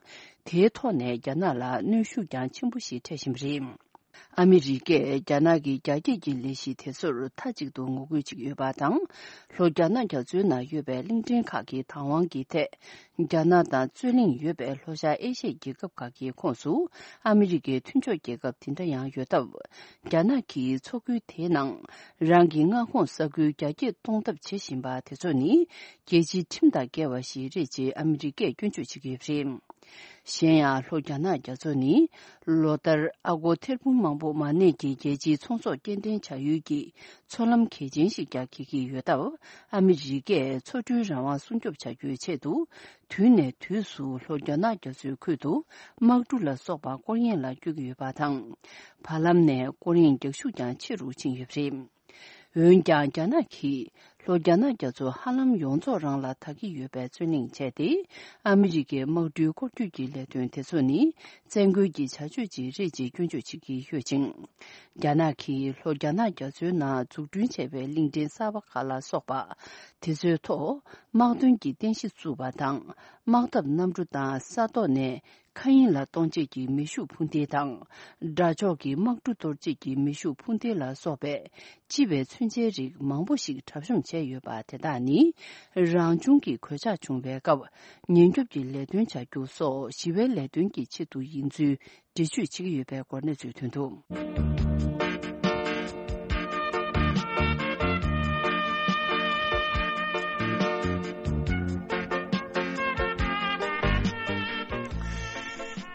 དེའི་ཐོག་ནས་རྒྱ་ནག་ལ་གནོན་ཤུགས་ཀྱང་ཆེན་པོ་ཞིག་འཕྲད་བཞིན་པ་རེད། ཨ་མི་རི་ཀས་རྒྱ་ནག་གི་རྒྱ་སྐྱེད་ཀྱི་ལས་གཞི་དེ་ཚོར་མཐའ་གཅིག་ཏུ་ངོ་རྒོལ་བྱེད་ཀྱི་ཡོད་པ་དང་། ལྷོ་རྒྱ་ནག་རྒྱ་མཚོའི་ནང་ཡོད་པའི་གླིང་ཕྲན་ཁག་གི་བདག་དབང་གི་ཐད། རྒྱ་ནག་དང་རྩོད་གླེང་ཡོད་པའི་ལྷོ་ཤར་ཨེ་ཤི་ཡའི་རྒྱལ་ཁབ་ཁག་གི་ཁོངས་སུ་ཨ་མི་རི་ཀའི་མཐུན་ཕྱོགས་རྒྱལ་ཁབ་དེ་འདྲ་ཡང་ཡོད་སྟབས། རྒྱ་ནག་གིས་མཚོ་ཁུལ་དེའི་ནང་རང་གི་མངའ་ཁོངས་ས་ཁུལ་རྒྱ་སྐྱེད་གཏོང་ཐབས་བྱེད་བཞིན་པ་དེ་ཚོ་ནི་རྒྱལ་སྤྱིའི་ཁྲིམས་དང་འགལ་བ་ཞིག་རེད་ཅེས་ཨ་མི་རི་ཀས་སྐྱོན་བརྗོད་བྱེད་ཀྱི་ཡོད་པ་རེད། གཞན་ཡང་ལྷོ་རྒྱ་ནག་རྒྱ་མཚོ་ནི་ལོ་ལྟར་ཨ་སྒོར་ཐེར་འབུམ་མང་པོ་མ་གནས་ཀྱི་རྒྱལ་སྤྱིའི་ཚོང་ཟོག་སྐྱེལ་འདྲེན་བྱ་ཡུལ་གྱི་མཚོ་ལམ་གལ་ཆེན་ཞིག་ཀྱང་འཁེལ་གྱི་ཡོད་སྟབས། ཨ་མི་རི་ཀས་མཚོ་གྲུའི་རང་དབང་སྲུང་སྐྱོབ་བྱ་རྒྱུའི་ཆེད་དུ། དུས་ནས་དུས་སུ་ལྷོ་རྒྱ་ནག་རྒྱ་མཚོའི་ཁུལ་དུ་དམག་གྲུ་ལ་སོགས་པ་སྐོར་གཡེང་ལ་བསྐྱོད་ཀྱི་ཡོད་པ་དང་། བར་ལམ་ནས་སྐོར་གཡེང་རྒྱག་ཤུགས་ཀྱང་ཆེ་རུ་ཕྱིན་ཡོད་པ་རེད། འོན་ཀྱང་རྒྱ་ནག་གིས་ལྷོ་རྒྱ་ནག་རྒྱ་མཚོ་ཧ་ལམ་ཡོངས་རྫོགས་རང་ལ་དག་གི་ཡོད་པའི་རྩོད་གླེང་བྱས་ཏེ། ཨ་མི་རི་ཀའི་དམག་གྲུའི་སྐོར་སྐྱོད་ཀྱི་ལས་དོན་དེ་ཚོ་ནི་བཙན་རྒོལ་གྱི་བྱ་སྤྱོད་ཅིག་རེད་ཅེས་སྐྱོན་བརྗོད་བྱེད་ཀྱི་ཡོད་ཅིང་། རྒྱ་ནག་གིས་ལྷོ་རྒྱ་ནག་རྒྱ་མཚོའི་ནང་འཛུགས་སྐྲུན་བྱས་པའི་གླིང་ཕྲན་གསར་པ་ཁག་ལ་སོགས་པ་དེ་ཚོའི་ཐོག་དམག་དོན་གྱི་རྟེན་གཞི་བཙུགས་པ་དང་། དམག་འཐབ་གནམ་གྲུ་དང་ས་ཐོག་ནས་མཁའ་དབྱིངས་ལ་གཏོང་བྱེད་ཀྱི་མེ་ཤུགས་འཕུར་མདེལ་དང་། དགྲ་ཕྱོགས་ཀྱི་དམག་གྲུ་གཏོར་བྱེད་ཀྱི་མེ་ཤུགས་འཕུར་མདེལ་ལ་སོགས་པའི་ལྕི་བའི་མཚོན་ཆའི་རིགས་མང་པོ་ཞིག་གྲབས་གཤོམ་བྱས་ཡོད་པ་དེ་དག་ནི། རང་བྱུང་གི་གོད་ཆག་བྱུང་བའི་སྐབས་ཉེན་སྐྱོབ་ཀྱི་ལས་དོན་བྱ་རྒྱུ་སོགས་ཞི་བའི་ལས་དོན་གྱི་ཆེད་དུ་ཡིན་ཚུལ། འགྲེལ་བརྗོད་བྱེད་ཀྱི་ཡོད་པའི་སྐོར་གནས་ཚུལ་ཐོན་འདུག།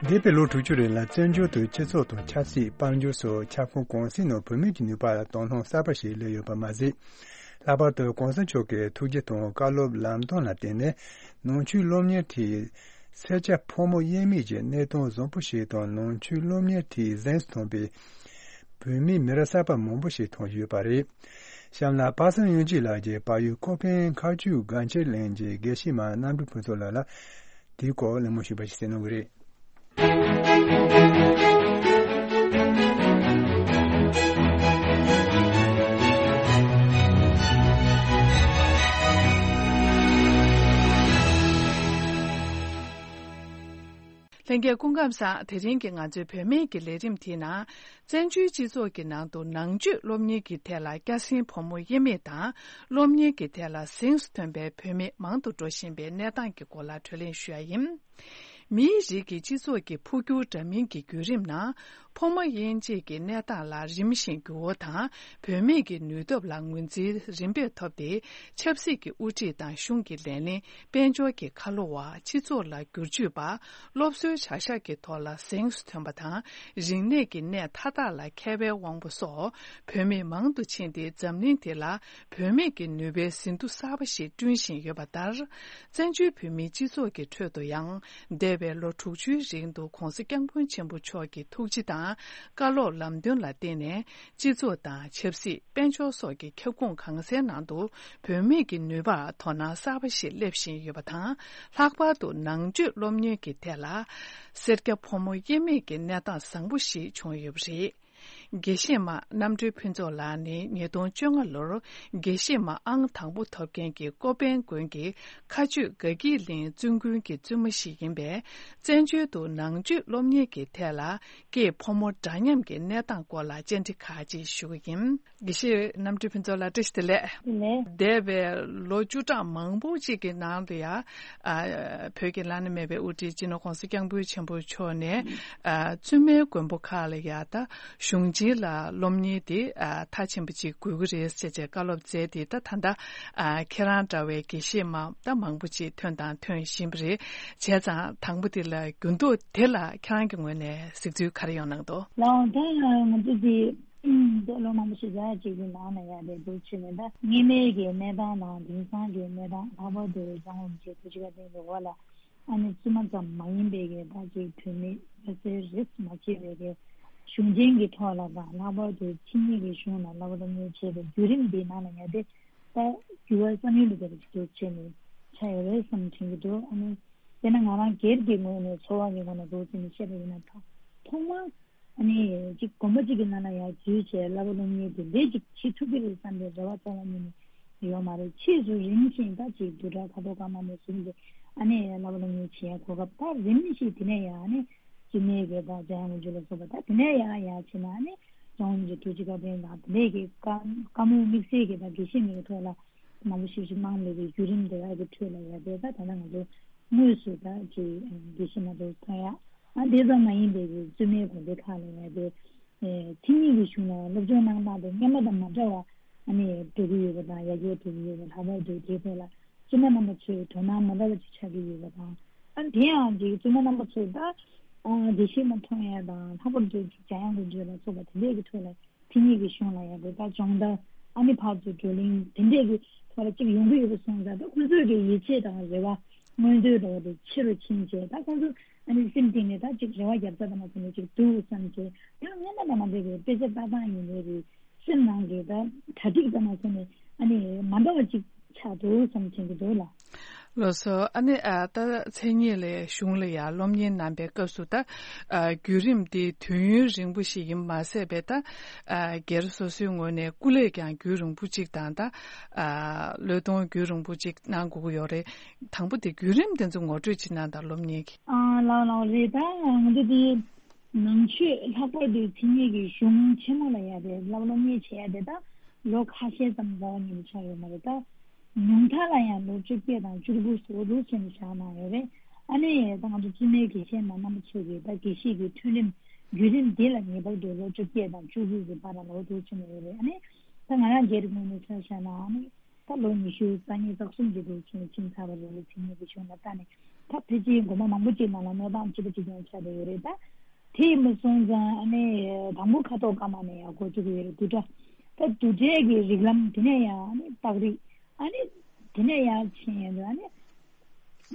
འདས་པའི་ལོ་དྲུག་ཅུ་རིང་ལ་བཙན་བྱོལ་དུ་སྤྱི་ཚོགས་དང་ཆབ་སྲིད། དཔལ་འབྱོར་སོགས་ཁྱབ་ཁོངས་གང་ཅིའི་ནང་བོད་མིའི་ནུས་པ་ལ་དོ་སྣང་གསར་པ་ཞིག་སླེབས་ཡོད་པ་མ་ཟད། ལྷག་པར་དུ་གོང་ས་མཆོག་གི་ཐུགས་རྗེ་དང་བཀའ་སློབ་ལམ་སྟོན་ལ་བརྟེན་ནས་ནང་ཆོས་སློབ་གཉེར་ཐད། སེར་སྐྱ་ཕོ་མོ་དབྱེར་མེད་ཀྱི་གནས་སྟངས་བཟང་པོ་ཞིག་དང་། ནང་ཆོས་སློབ་གཉེར་ཐད་གཟེངས་སུ་ཐོན་པའི་བོད་མི་མི་རབས་གསར་པ་མང་པོ་ཞིག་མཐོང་ཡོད་པ་རེད། གཤམ་ལ་པ་སངས་དབྱངས་སྐྱིད་ལགས་ཀྱིས་བལ་ཡུལ་ཀོ་ཕན་མཁར་ཆུ་སྒང་ཁྱིར་གླིང་གི་དགེ་བཤེས་མ་རྣམ་གྲོལ་ཕུན་ཚོགས་ལགས་ལ་དེའི་སྐོར་གླེང་མོལ་ཞུས་པ་ཞིག་གསན་གནང་གི་རེད། ལྷན་རྒྱས་སྐུ་ཁམས་བཟང་། དེ་རིང་གི་ང་ཚོའི་བུད་མེད་ཀྱི་ལས་རིམ་དེའི་ནང་། བཙན་བྱོལ་སྤྱི་ཚོགས་ཀྱི་ནང་དུ་ནང་ཆོས་སློབ་གཉེར་གྱི་ཐད་ལ་སྐྱ་སེང་ཕོ་མོ་དབྱེར་མེད་དང་། སློབ་གཉེར་གྱི་ཐད་ལ་གཟེངས་སུ་ཐོན་པའི་བུད་མེད་མང་དུ་འགྲོ་བཞིན་པའི་གནས་སྟངས་ཀྱི་སྐོར་ལ་གྲོས་གླེང་ཞུ་ཡ་ཡིན། མིའི་རིགས་ཀྱི་སྤྱི་ཚོགས་ཀྱི་འཕོ་འགྱུར་འདྲ་མིན་གྱི་བརྒྱུད་རིམ་ནང་། ཕོ་མོ་དབྱེ་འབྱེད་ཀྱི་གནས་སྟངས་ལ་རིམ་བཞིན་འགྱུར་བ་དང་། བུད་མེད་ཀྱི་ནུས་སྟོབས་ལ་ངོས་འཛིན་རིམ་པས་ཐོབ་སྟེ། ཆབ་སྲིད་ཀྱི་དབུ་ཁྲིད་དང་གཞུང་གི་ལས་བློན། དཔལ་འབྱོར་གྱི་ཁ་ལོ་བ། སྤྱི་ཚོགས་ལ་བསྒྱུར་བཅོས་པ། སློབ་གསོའི་བྱ་གཞག་གི་ཐོག་ལ་གཟེངས་སུ་ཐོན་པ་དང་། རིག་གནས་ཀྱི་གནས་མཐའ་དག་ལ་མཁས་པའི་དབང་པོ་སོགས་བུད་མེད་མང་དུ་ཕྱིན་ཏེ། འཛམ་གླིང་འདི་ལ་བུད་མེད་ཀྱི་ནུས་པའི་ཟིན་ཐོ་གསར་པ་ཞིག་བསྐྲུན་བཞིན་ཡོད་པ་ལྟར། བཙན་བྱོལ་བོད་མིའི་སྤྱི་ཚོགས་ཀྱི་ཁྲོད་དུ་ཡང་འདས་ བའི་ལོ་དྲུག་ཅུའི་རིང་དུ་༧གོང་ས་༧སྐྱབས་མགོན་ཆེན་པོ་མཆོག་གི་ཐུགས་རྗེ་དང་བཀའ་སློབ་ལམ་སྟོན་ལ་བརྟེན་ནས། སྤྱི་ཚོགས་དང་ཆབ་སྲིད། དཔལ་འབྱོར་སོགས་ཀྱི་ཁྱབ་ཁོངས་གང་སའི་ནང་དུ་བུད་མེད་ཀྱི་ནུས་པར་དོ་སྣང་གསར་པ་ཞིག་སླེབས་བཞིན་ཡོད་པ་དང་། ལྷག་པར་དུ་ནང་ཆོས་སློབ་གཉེར་གྱི་ཐད་ལ་སེར་སྐྱ་ཕོ་མོ་དབྱེར་མེད་ཀྱི་གནས་སྟངས་བཟང་པོ་ཞིག་བྱུང་ཡོད་པ་རེད། དགེ་བཤེས་མ་རྣམ་གྲོལ་ཕུན་ཚོགས་ལགས་ནི་ཉིས་སྟོང་བཅོ་ལྔ་ལོར་དགེ་བཤེས་མ་ཨང་དང་པོ་ཐོབ་མཁན་གྱི་ཀོ་པན་དགོན་གྱི་མཁའ་སྤྱོད་དགའ་སྐྱིད་གླིང་བཙུན་དགོན་གྱི་བཙུན་མ་ཞིག་ཡིན་པས། བཙན་བྱོལ་དུ་ནང་ཆོས་སློབ་གཉེར་གྱི་ཐད་ལ་སྐྱེས་ཕོ་མོ་འདྲ་མཉམ་གྱི་གནས་སྟངས་སྐོར་ལ་བཅར་འདྲི་ཁག་ཅིག་ཞུ་གི་ཡིན། དགེ་བཤེས་རྣམ་གྲོལ་ཕུན་ཚོགས་ལགས། བཀྲ་ཤིས་བདེ་ལེགས། ལགས། འདས་པའི་ལོ་བཅུ་ཕྲག་མང་པོ་ཅིག་གི་ནང་དུ་ཡང་། ཨ། བོད་ཀྱི་བླ་ན་མེད་པའི་དབུ་ཁྲིད་སྤྱི་ནོར་༧གོང་ས་༧སྐྱབས་མགོན་ཆེན་པོ་མཆོག་ནས། ཨ། བཙུན་མའི་མགོན་པོ་ཁག་ལ་ཡང་ད་གཞུང་ཆེན་ལ་སློབ་གཉེར་དེ། ཨ། མཐའ་ཕྱིན་པ་ཅིག་དགོས་ཀྱི་རེད་ཟེར་བྱས་བཀའ་སློབ་སྩལ་ཏེ། ད་ད་ལྟ། ཨ། ཁྱེད་རང་འདྲ་བའི་དགེ་བཤེས་མ་ད་མང་པོ་ཅིག་ཐོན་དང་ཐོན་བཞིན་པ་རེད། བྱས་ཙང་དང་པོ་དེ་ལ་འགྱུར་ལྡོག་དེ་ལ་ཁྱེད་རང་གི་ངོས་ནས་གཟིགས་ཚུལ་ག་རེ་ཡོང་གནང་འདུག་ལགས། ད་ང་ཚོ་དེ། ཨུམ། ད་ལོ་མང་པོ་ཞིག་རྒྱ་ཡག་ཅིག་གི་ནང་ལ་ཡ་དེ་འདུག་བྱས་ནས། ད་སྔོན་མའི་གི་གནས་སྟངས་དང་དེང་སང་གི་གནས་སྟངས། ལྷག་པར་དུ་འཇམ་དབྱངས་རིན་པོ་ཆེ་ཐུགས་རྗེ་བཀའ་དྲིན་གྱི་འོག་ལ། ཨ་ནི་བཙུན་མ་ཙམ་མ་ཡིན་པའི་གི་ད་ཅིག་བུད་མེད་ལྷ་སའི་རིས་མ་ཕྱེ་བའི་གི་གཞུང་ཆེན་གྱི་ཐོག་ལ་དང་། ལྷག་པར་དུ་ཕྱི་ཉིན་གྱི་གཞུང་ལ་བསླབ་པ་སློབ་གཉེར་བྱེད་པའི་བརྒྱུད་རིམ་འདིའི་ནང་ལ་ཡ་དེ། ད་འགྱུར་བ་བསམ་ཡུལ་ལས་འདས་པ་ཅིག་འདུག་བྱས་ནས་ཆགས་ཡོད་རེད་བསམ་དྲན་གྱི་འདུག་ཨ་ནི་དཔེར་ན་ང་རང་སྒེར་གྱི་ངོས་ནས། ཚོར་བ་གི་ངོས་ནས་འདུག་བྱས་ནས་བཤད་པ་ཡིན་ན། ཐོག་ཐོག་མར། ཨ་ནི་ཅིག་དགོན་པ་གཅིག་གི་ནང་ལ་ཡར་འཛུལ་བྱས་བསླབ་པ་སློབ་གཉེར་དེ་འདྲས་ཅིག་བྱེད་ཐུབ་ཀྱི་རེད་བསམ་པའི་རེ་བ་རྩ་བ་ཉིད་ནས་ཡོད་མ་རེད། ཕྱིས་སུ་རིམ་བཞིན་ད་ཅིག་བསྡུས་གྲྭ་ཁ་ཐོག་ཀརྨ་ནས་བཟུང་སྟེ། ཨ་ནི་བསླབ་པ་སློབ་གཉེར་བྱེད་ཡ་གོ་སྐབས། ད་རིམ་བཞིན་དེ་ནས་ཡང་ཨ་ནི་སྐྱེ་དམན་གྱི་ད་འཇམ་དབྱངས་དབང་ཕྱུག་ལ་སོགས་པ། ད་དེ་ནས་ཡང་ཡར་བྱས་ན་ཨ་ནི་འཇམ་དབྱངས་རིན་པོ་ཆེ་ཐུགས་རྗེ་བཀའ་དྲིན་དང་། དེ་ནས་ཀྱི་བཀའ་བཀའ་མོལ་དམིགས་བསལ་གྱི་ད་དགེ་བཤེས་མའི་ཐོག་ལ་མང་པོ་ཞིག་ཞིག་གནང་བའི་གི་བརྒྱུད་རིམ་དེ་དག་གི་ཁྲོད་ལ་ཡ་དེ། ད་ད་ལྟ་ང་ཚོ་དངོས་སུ་ད་ཅིག་དགེ་བཤེས་མ་ཚོ་མཐོང་ཡ། ཨ། དེ་ཙམ་མ་ཡིན་པའི་གི་བཙུན་མའི་དགོན་སྡེ་ཁག་ལ་ཡ་དེ། ཨེ། མཚན་ཉིད་ཀྱི་གཞུང་ལ་སློབ་སྦྱོང་གནང་སྟངས་དེ་སྔོན་མ་དང་མ་འདྲ་བ། ཨ་ནི་འགྲོ་གི་ཡོད་པ་དང་། ཡར་རྒྱས་འགྲོ་གི་ཡོད་པ། ལྷག་པར་དུ་དེའི་ཐད་ལ་བཙུན་མ་རྣམ་པ་ཚོས་དོ་སྣང་མ་འདྲ་བ་ཅིག་ཆགས་ཀྱི་ཡོད་པ་དང་། ཨ། དེ་ཡང་ཅིག་བཙུན་མ་རྣམ་པ་ཚོས་ད། ཨ། དགེ་བཤེས་མ་མཐོང་ཡ་དང་། ལྷག་པར་དུ་ཅིག་འཇམ་དབྱངས་དབང་ཕྱུག་ལ་སོགས་པ་དེ་འདྲས་ཀྱི་ཁྲོད་ལ། མཚན་ཉིད་ཀྱི་གཞུང་ལ་ཡ་དེ། ད་སྦྱོང་བརྡར། ཨ་ནི་ཕར་ཚུར་བགྲོ་གླེང་དེ་འདྲས་ཀྱི་ཐོག་ལ་ཅིག་ཡོང་གི་ཡོད་པ་སོང་ཙང་། ད་ཁོང་ཚོའི་གི་ཡིད་ཆེས་དང་རེ་བ། མངོན་འདོད་འདྲ་བོ་དེ་ཆེ་རུ་ཕྱིན་བྱས། ད་ཁོང་ཚོ་ཨ་ནི་སེམས་གཏིང་ནས་ད་ཅིག་རེ་བ་རྒྱབ་ས་དང་མ་སོང་ནས་ཅིག་འདུག་བསམ་བྱས། ཡང་སྔོན་མ་དང་མ་འདྲ་བའི་དཔེ་ཆ་ལྟ་སྟངས་ཡིན་ནའི་རེད། སེམས་ནང་གི་ད་གྲ་སྒྲིག་དང་མ་སོང་ནས་ཨ་ནི་མ་འདྲ་བ་ཅིག་ཆགས་འདུག་བསམ་བྱེད་ཀྱི་འདུག་ལགས། ལགས་སོ། ཨ་ནི། ཨ། ད་མཚན་ཉིད་ལ་གཞུང་ལ་ཡ་སློབ་གཉེར་གནང་པའི་སྐབས་སུ། ད། ཨ། བརྒྱུད་རིམ་འདི་དུས་ཡུན་རིང་པོ་ཞིག་ཡིན་མ་ཟད་པའི། ད། ཨ། སྒེར་སོ་སོའི་ངོས་ནས་སྐུ་ལས་ཀྱང་རྒྱུན་རིང་པོ་ཅིག་དང་། ད། ཨ། བློས་གཏོང་རྒྱུན་རིང་པོ་ཅིག་གནང་དགོས་ཀྱི་ཡོད་རེད། དང་པོ་དེ་བརྒྱུད་རིམ་དེ་ཚོ་ངོ་སྤྲོད་ཅིག་གནང་དང་། སློབ་གཉེར་གྱི། ཨ། ལགས་ལགས་རེད། ད་ང་ཚོ་དེ་ནང་ཆོས། ལྷག་པར་དུ་མཚན་ཉིད་ཀྱི་གཞུང་ཆེན་མོ་ལ་ཡ་དེ་བསླབ་སློབ་གཉེར་བྱེད་ཡ་དེ་ད་ལོ་ཁ་ཤས་ཙམ་རྩ་བ་ཉིད་ནས་ཆགས་ཡོད་མ་རེད། ད་ཉུང་མཐའ་ལ་ཡང་ལོ་བཅོ་བརྒྱད་དང་བཅུ་དགུ་སོགས་འདུག་བྱས་ནས་བཞག་གནང་ཡོད་རེད། ཨ་ནི་ད་ང་ཚོ་བཙུན་མའི་དགེ་བཤེས་མ་རྣམ་པ་ཚོ་གིས་ད་དགེ་བཤེས་ཀྱི་ཐོན་རིམ་བརྒྱུད་རིམ་འདི་ལ་ངེས་པར་དུ་ལོ་བཅོ་བརྒྱད་དང་བཅུ་དགུ་གི་བར་ལ་འདུག་བྱས་ནས་ཡོད་རེད། ཨ་ནི་ད་ང་རང་སྒེར་གྱི་ངོས་ནས་ཆ་བཞག་ན། ཨ་ནི། ད་ལོ་ཉི་ཤུ་རྩ་གཉིས་རྩ་གསུམ་ཅིག་འདུག་བྱས་ནས་ཕྱིན་ཚར་བ་རེད། མཚན་ཉིད་ཀྱི་གཞུང་ལ་བལྟས་ནས། ད་ཕལ་ཆེར་དགོན་པ་མང་པོ་ཅིག་ནང་ལ་གནས་སྟངས་གཅིག་པ་གཅིག་རྐྱང་ཆགས་བསྡད་ཡོད་རེད། ད་དེ་ཡིན་པ་སོང་ཙང་། ཨ་ནི་དང་པོ་ཁ་ཐོག་ཀརྨ་ནས་ཡར་འགོ་བཙུགས་ཀྱི་ཡོད་རེད། བསྡུས་གྲྭ། ད་བསྡུས་གྲྭའི་གི་རིགས་ལམ། དེ་ནས་ཡང་ཨ་ནི་རྟགས་རིགས། ཨ་ནི་དེ་ནས་ཡར་ཕྱིན་ཡོང་དུས། ཨ་ནི་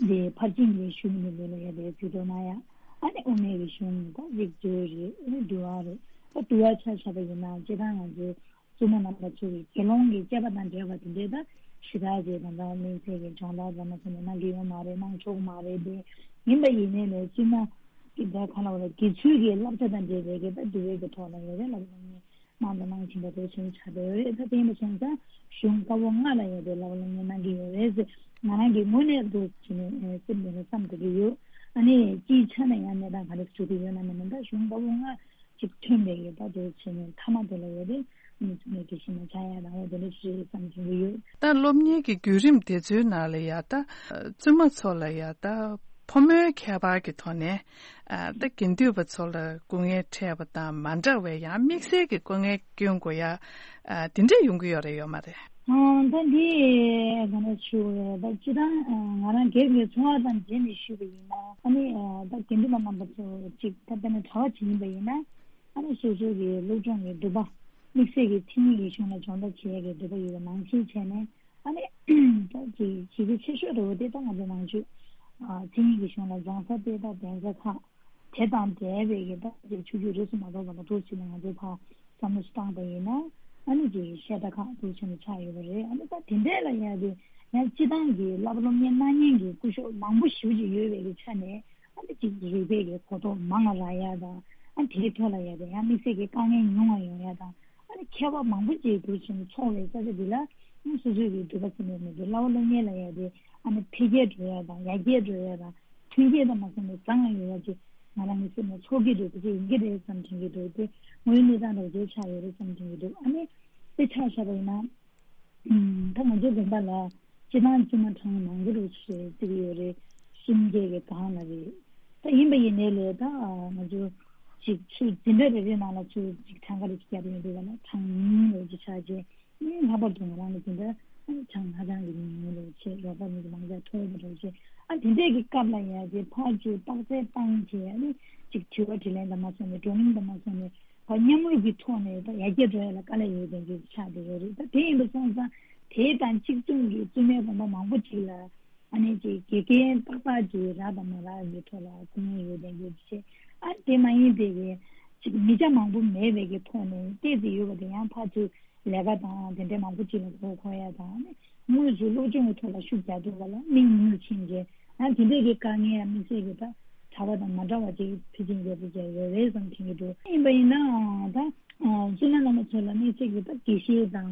འདི་ཕར་ཕྱིན་གྱི་གཞུང་གི་ལས་ལ་ཡ་དེ་རྩིས་སྤྲོད་གནང་ཡ། ཨ་ནི་དབུ་མའི་གི་གཞུང་། ད་རིགས་འགྲེ་རེད། ཨ་ནི་འདུལ་བ་རེད། ད་འདུལ་བ་ཆ་བཞག་པ་ཡིན་ན། སྤྱིར་བཏང་ང་ཚོའི་བཙུན་མ་རྣམ་པ་ཚོ་གི་དགེ་སློང་གི་བཅས་པ་དང་འབྲེལ་བ་དེ་འདྲའི་ད་ཞེ་དྲག་ཅིག་ད་ལྟ་དམིགས་བསལ་གྱི་སྦྱོང་བརྡར་ཙམ་མ་ཟེར་ནས་གནང་གི་ཡོད་མ་རེད། གནང་ཆོག་མ་རེད། དེ་ཡིན་པ་ཡིན་ནའི་ལས། བཙུན་མ་གི་ད་ག་ལ་བ་ལ། དགེ་ཚུལ་གྱི་བསླབ་བྱ་དང་འབྲེལ་བའི་གི་ད་འདུལ་བའི་གི་ཐོག་ལ་ཡོད་རེད། བསླབ་པ་སློབ་གཉེར་གནང་དང་གནང་བཞིན་པ་དེ་བྱུང་ཆགས་བསྡད་ཡོད་རེད། ད་དེ་ཡིན་པ་སོང་ཙང་གཞུང་བཀའ་པོད་ལྔ་ལ་ཡོད་པའི་བསླབ་པ་སློབ་གཉེར་གནང་གི་ཡོད་རེད་ཟེར། ང་རང་གི་ངོས་ནས་འདུག་བྱས་ནས་སེམས་ནང་ལ་བསམ་དགོས་ཀྱི་ཡོད། ཨ་ནི་སྤྱིའི་ཆ་ནས་ཡང་གནས་སྟངས་ག་རེ་བྱུང་གི་ཡོད་ན་མིན་ན། ད་གཞུང་བཀའ་པོད་ལྔ་ཅིག་ཐོན་པའི་ཡོད་པ་དེ་བྱས་ནས། མཐའ་མ་དེ་ལ་ཡོད་རེད། ཨ་ནི་བཙུན་མའི་དགེ་བཤེས་མ་ཆགས་ཡ་རང་དབང་དེ་འདྲ་ཞིག་རེད་བསམ་བྱུང་གི་ཡོད། ད་སློབ་གཉེར་གྱི་བརྒྱུད་རིམ་དེ་ཚོའི་ནང་ལ་ཡ། ད་བཙུན་མ་ཚོ་ལ་ཡ། ད་ཕོ་མོའི་ཁྱད་པར་གྱི་ཐོག་ནས། ཨ། ད་དགེ་འདུན་པ་ཚོ་ལ་སྐུ་ངལ་འཕྲད་པ་དང་མ་འདྲ་བའི་ཡང་དམིགས་བསལ་གྱི་སྐུ་ངལ་སྐྱོན་དགོས་ཡ། ཨ། དེ་འདྲས་ཡོང་གི་ཡོད་རེད་ཡོད་མ་རེད། ཨ། ད་འདི་ག་འདྲ་ཞུ་དགོས་རེད། ད་སྤྱིར་བཏང་ང་རང་སྒེར་གྱི་ཚོར་བ་ཙམ་བྱས་ནས་ཞུས་པ་ཡིན་ན། ཨ་ནི་ད་དགེ་འདུན་པ་རྣམ་པ་ཚོ་ཅིག་ད་དཔེར་ན་གྲྭ་པ་ཅིག་ཡིན་པ་ཡིན་ན། ཨ་ནི་སོ་སོ་གི་སློབ་སྦྱོང་གི་འདོད་པ། དམིགས་བསལ་གྱི་མཚན་ཉིད་ཀྱི་གཞུང་ལ་སྦྱོང་བརྡར་བྱེད་ཡས་ཀྱི་འདོད་པ་ཡོད་པ་ནང་བཞིན་བྱས་ནས། ཨ་ནི་ད་ཅིག་གཞི་རྒྱ་ཆེ་ཤོས་འདྲ་བོ་དེ་ད་ང་ཚོ་ནང་ཆོས་ མཚན་ཉིད་ཀྱི་གཞུང་ལ་སྦྱང་ས་དཔེ་ད་གདན་ས་ཁག་དེ་དང་འབྲེལ་བའི་གི་ད་ཅིག་ཆོས་བརྒྱུད་རིས་སུ་མ་གཏོགས་པ་ལ་འདུག་ཕྱིན་ནས་ང་ཚོས་ཕར་བསམ་བློ་ཞིག་བཏང་པ་ཡིན་ན། ཨ་ནི་ཅིག་བཤད་གྲྭ་ཁག་འདུག་ཕྱིན་ནས་ཆགས་ཡོད་པ་རེད། ཨ་ནི་ད་དེ་འདྲས་ལ་ཡ་དེ་ཡང་སྤྱི་བཏང་གི་བསླབ་པ་སློབ་གཉེར་གནང་མཁན་གྱི་སྐུ་ཞབས་མང་པོ་ཞེ་པོ་ཅིག་ཡོད་པའི་གི་ཆ་ནས། ཨ་ནི་ཅིག་རིག་པའི་གི་གོ་རྟོགས་མང་ང་རག་ཡ་དང་། ཨ་དེའི་ཐོག་ལ་ཡ་དེ་ཡང་དམིགས་བསལ་གྱི་དཀའ་ངལ་ཉུང་བ་ཡོང་ཡ་དང་། ཨ་ནི་མཁས་པ་མང་པོ་ཅིག་འདུག་ཕྱིན་ཚོགས་པའི་ས་ཆ་འདི་ལ། ཨ་སོ་སོའི་གི་འདོད་པ་ཟིན་པའི་མི་འདུག་བསླབ་པ་སློབ་གཉེར་ལ་ཡ་དེ་ཨ་ནི་འཕེལ་རྒྱས་འགྲོ་ཡ་དང་ཡར་རྒྱས་འགྲོ་ཡ་དང་མཐུན་རྐྱེན་དང་མ་ཟིན་པའི་བཟང་ང་ཡོད་ཡ་ཅིག་ང་རང་གི་སེམས་ནང་ཚོར་གྱི་འདུག་དེ་ཅིག་ཡིན་གྱི་རེད་བསམ་དྲན་གྱི་འདུག་དེ་དངོས་ཡོད་གནས་སྟངས་འདྲ་བོ་ཅིག་ཆགས་ཡོད་རེད་བསམ་དྲན་གྱི་འདུག་ཨ་ནི་དཔེ་ཆ་བཞག་པ་ཡིན་ན། ཨུམ། ད་ང་ཚོའི་དགོན་པ་ལ་སྤྱི་བཏང་བཙུན་མ་གྲངས་མང་པོ་རུ་ཞེས་བརྩི་གི་ཡོད་རེད། གསུམ་བརྒྱད་ཀྱི་སྒང་ལ་རེད། ད་ཡིན་པ་ཡིན་ནའི་ལས་ད་ང་ཚོ་ཅིག་ཚུར་འཛིན་གྲྭ་རེ་རེ་ནང་ལ་ཚུར་ཅིག་གྲངས་ཀ་རེ་ཅིག་བརྒྱབ་ཡོང་དུས་ལ་གྲངས་ཉུང་རེ་ཅིག་ཆགས་རྗེས། ཨ་ནི་ལྷག་པར་དུ་ང་རང་ལ་འཛིན་གྲྭ་ཨ་ནི་གྲངས་ཧ་ཅང་གི་ཉུང་ཉུང་རེ་བྱས། རོགས་པ་མི་གི་མང་ཚད་མཐོ་བ་རེ་བྱས། ཨ་དེ་འདྲས་ཀྱི་སྐབས་ལ་ཡ་དེ་ཕར་ཚུར་བརྟག་དཔྱད་བཏང་བྱས། ཨ་ནི་ཅིག་དྲི་བ་དྲིས་ལན་དང་མ་སོང་ནས་བགྲོ་གླེང་དང་མ་སོང་ནས། ད་མཉམ་རུབ་ཀྱི་ཐོག་ནས་ད་ཡར་རྒྱས་འགྲོ་ཡ་ལ་དཀའ་ལས་ཡོད་མཁན་ཅིག་ཆགས་བསྡད་ཡོད་རེད། ད་དེ་ཡིན་པ་སོང་ཙང་དེ་དང་གཅིག་མཚུངས་ཀྱི་བཙུན་མའི་དགོན་པ་མང་པོ་ཅིག་ལ་ཨ་ནི་ཅིག་དགེ་རྒན་ཏག་ཏག་ཅིག་རག་དང་མ་རག་གི་ཐོག་ལ་སྐུ་ངལ་ཡོད་མཁན་ཅིག་བྱས། ཨ་དེ་མ་ཡིན་པའི་གི་ཅིག་མི་ཆ་མང་པོ་མེད་པའི་གི་ཐོག་ནས་བལྟས་ཏེ་ཡོད་པ་དེ་ཡང་ཕར་ཚུར་ལས་ཀ་དང་དེ་འདྲའི་མང་པོ་ཅིག་ལ་གོ་གོ་ཡ་དང་། ཨ་ནི་དངོས་སུ་སློབ་སྦྱོང་གི་ཐོག་ལ་ཤུགས་རྒྱག་དུས་ལ་ལ་མིག་ཉུལ་ཕྱིན་རྗེས། ཡང་དེ་འདྲས་ཀྱི་དཀའ་ངལ་ཡང་དམིགས་བསལ་གྱི་ད་གྲྭ་པ་དང་མ་འདྲ་བ་ཅིག་ཕལ་ཆེར་ཡོད་པ་ཅིག་ཡོད་རེད་བསམ་དྲན་གྱི་འདུག་ཡིན་པ་ཡིན་ནའང་ད་བཙུན་མ་རྣམ་པ་ཚོ་ལ་དམིགས་བསལ་གྱི་ད་དགེ་བཤེས་དང་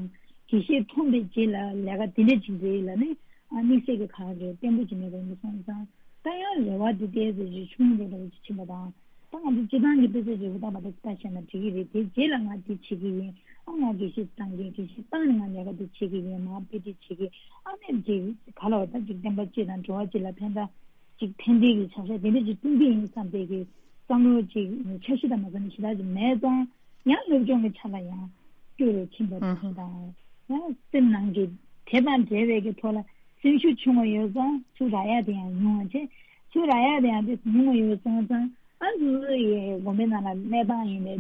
དགེ་བཤེས་ཐོན་པའི་རྗེས་ལ་ལས་ཀ་དེ་འདྲས་ཅིག་འདྲ་ལ་ནི་དམིགས་བསལ་གྱི་ག་རེ་བརྟན་པོ་ཅིག་མེད་པ་ཡིན་པ་སོང་ཙང་། ད་ཡང་རེ་བ་དེ་ཏོག་ཙམ་ཅིག་ཆུང་ངུ་འདྲ་བོ་ཅིག་ཕྱིན་པ་དང་། ད་ང་ཚོ་སྤྱི་བཏང་གི་དཔེ་ཆ་རེ་བོ་ལྟ་བ་དེ་ལྟ་བྱས་ན་འགྲིག་གི་རེད། དེ་རྗེས་ལ་ང་འདི་བྱེད་ཀྱི་ཡིན། ཨ་ང་དགེ་བཤེས་བཏང་གི་ཡིན། དགེ་བཤེས་བཏང་ནས་ང་ལས་ཀ་འདི་བྱེད་ཀྱི་ཡིན། མར་དཔེ་ཁྲིད་བྱེད་ཀྱི། ཨ་ནི་འདི་ག་ལ་བ་ད་ཅིག་བསྟན་པ་སྤྱི་དང་འགྲོ་བ་སྤྱི་ལ་ཕན་ཐོགས་ཅིག་ཕན་བདེ་གི་བྱ་གཞག་དེ་འདྲ་ཅིག་སྐྲུན་གྱི་ཡིན་བསམ་པའི་གི་བསམ་བློ་ཅིག་འཆར་གཞི་དང་མ་འཛོམས་ཞེ་དྲག་ཅིག་མེད་ཙང་། ཡང་སློབ་སྦྱོང་གི་ཆ་ལ་ཡང་སྐྱོ་རུ་ཕྱིན་པ་དང་། ཡང་སེམས་ནང་གི་དེ་དང་འབྲེལ་བའི་གི་ཐོག་ལ་སེམས་ཤུགས་ཆུང་བ་ཡོད་ཙང་ཚུར་རག་ཡ་དེ་ཡང་ཉུང་བ་བྱས། ཚུར་རག་ཡ་དེ་ཡང་དེ་ཉུང་བ་ཡོད་སོང་ཙང་། ཨ་ཚུར་ཡི་དགོན་པའི་ནང་ལ་གནས་སྟངས་ཡིན་པའི་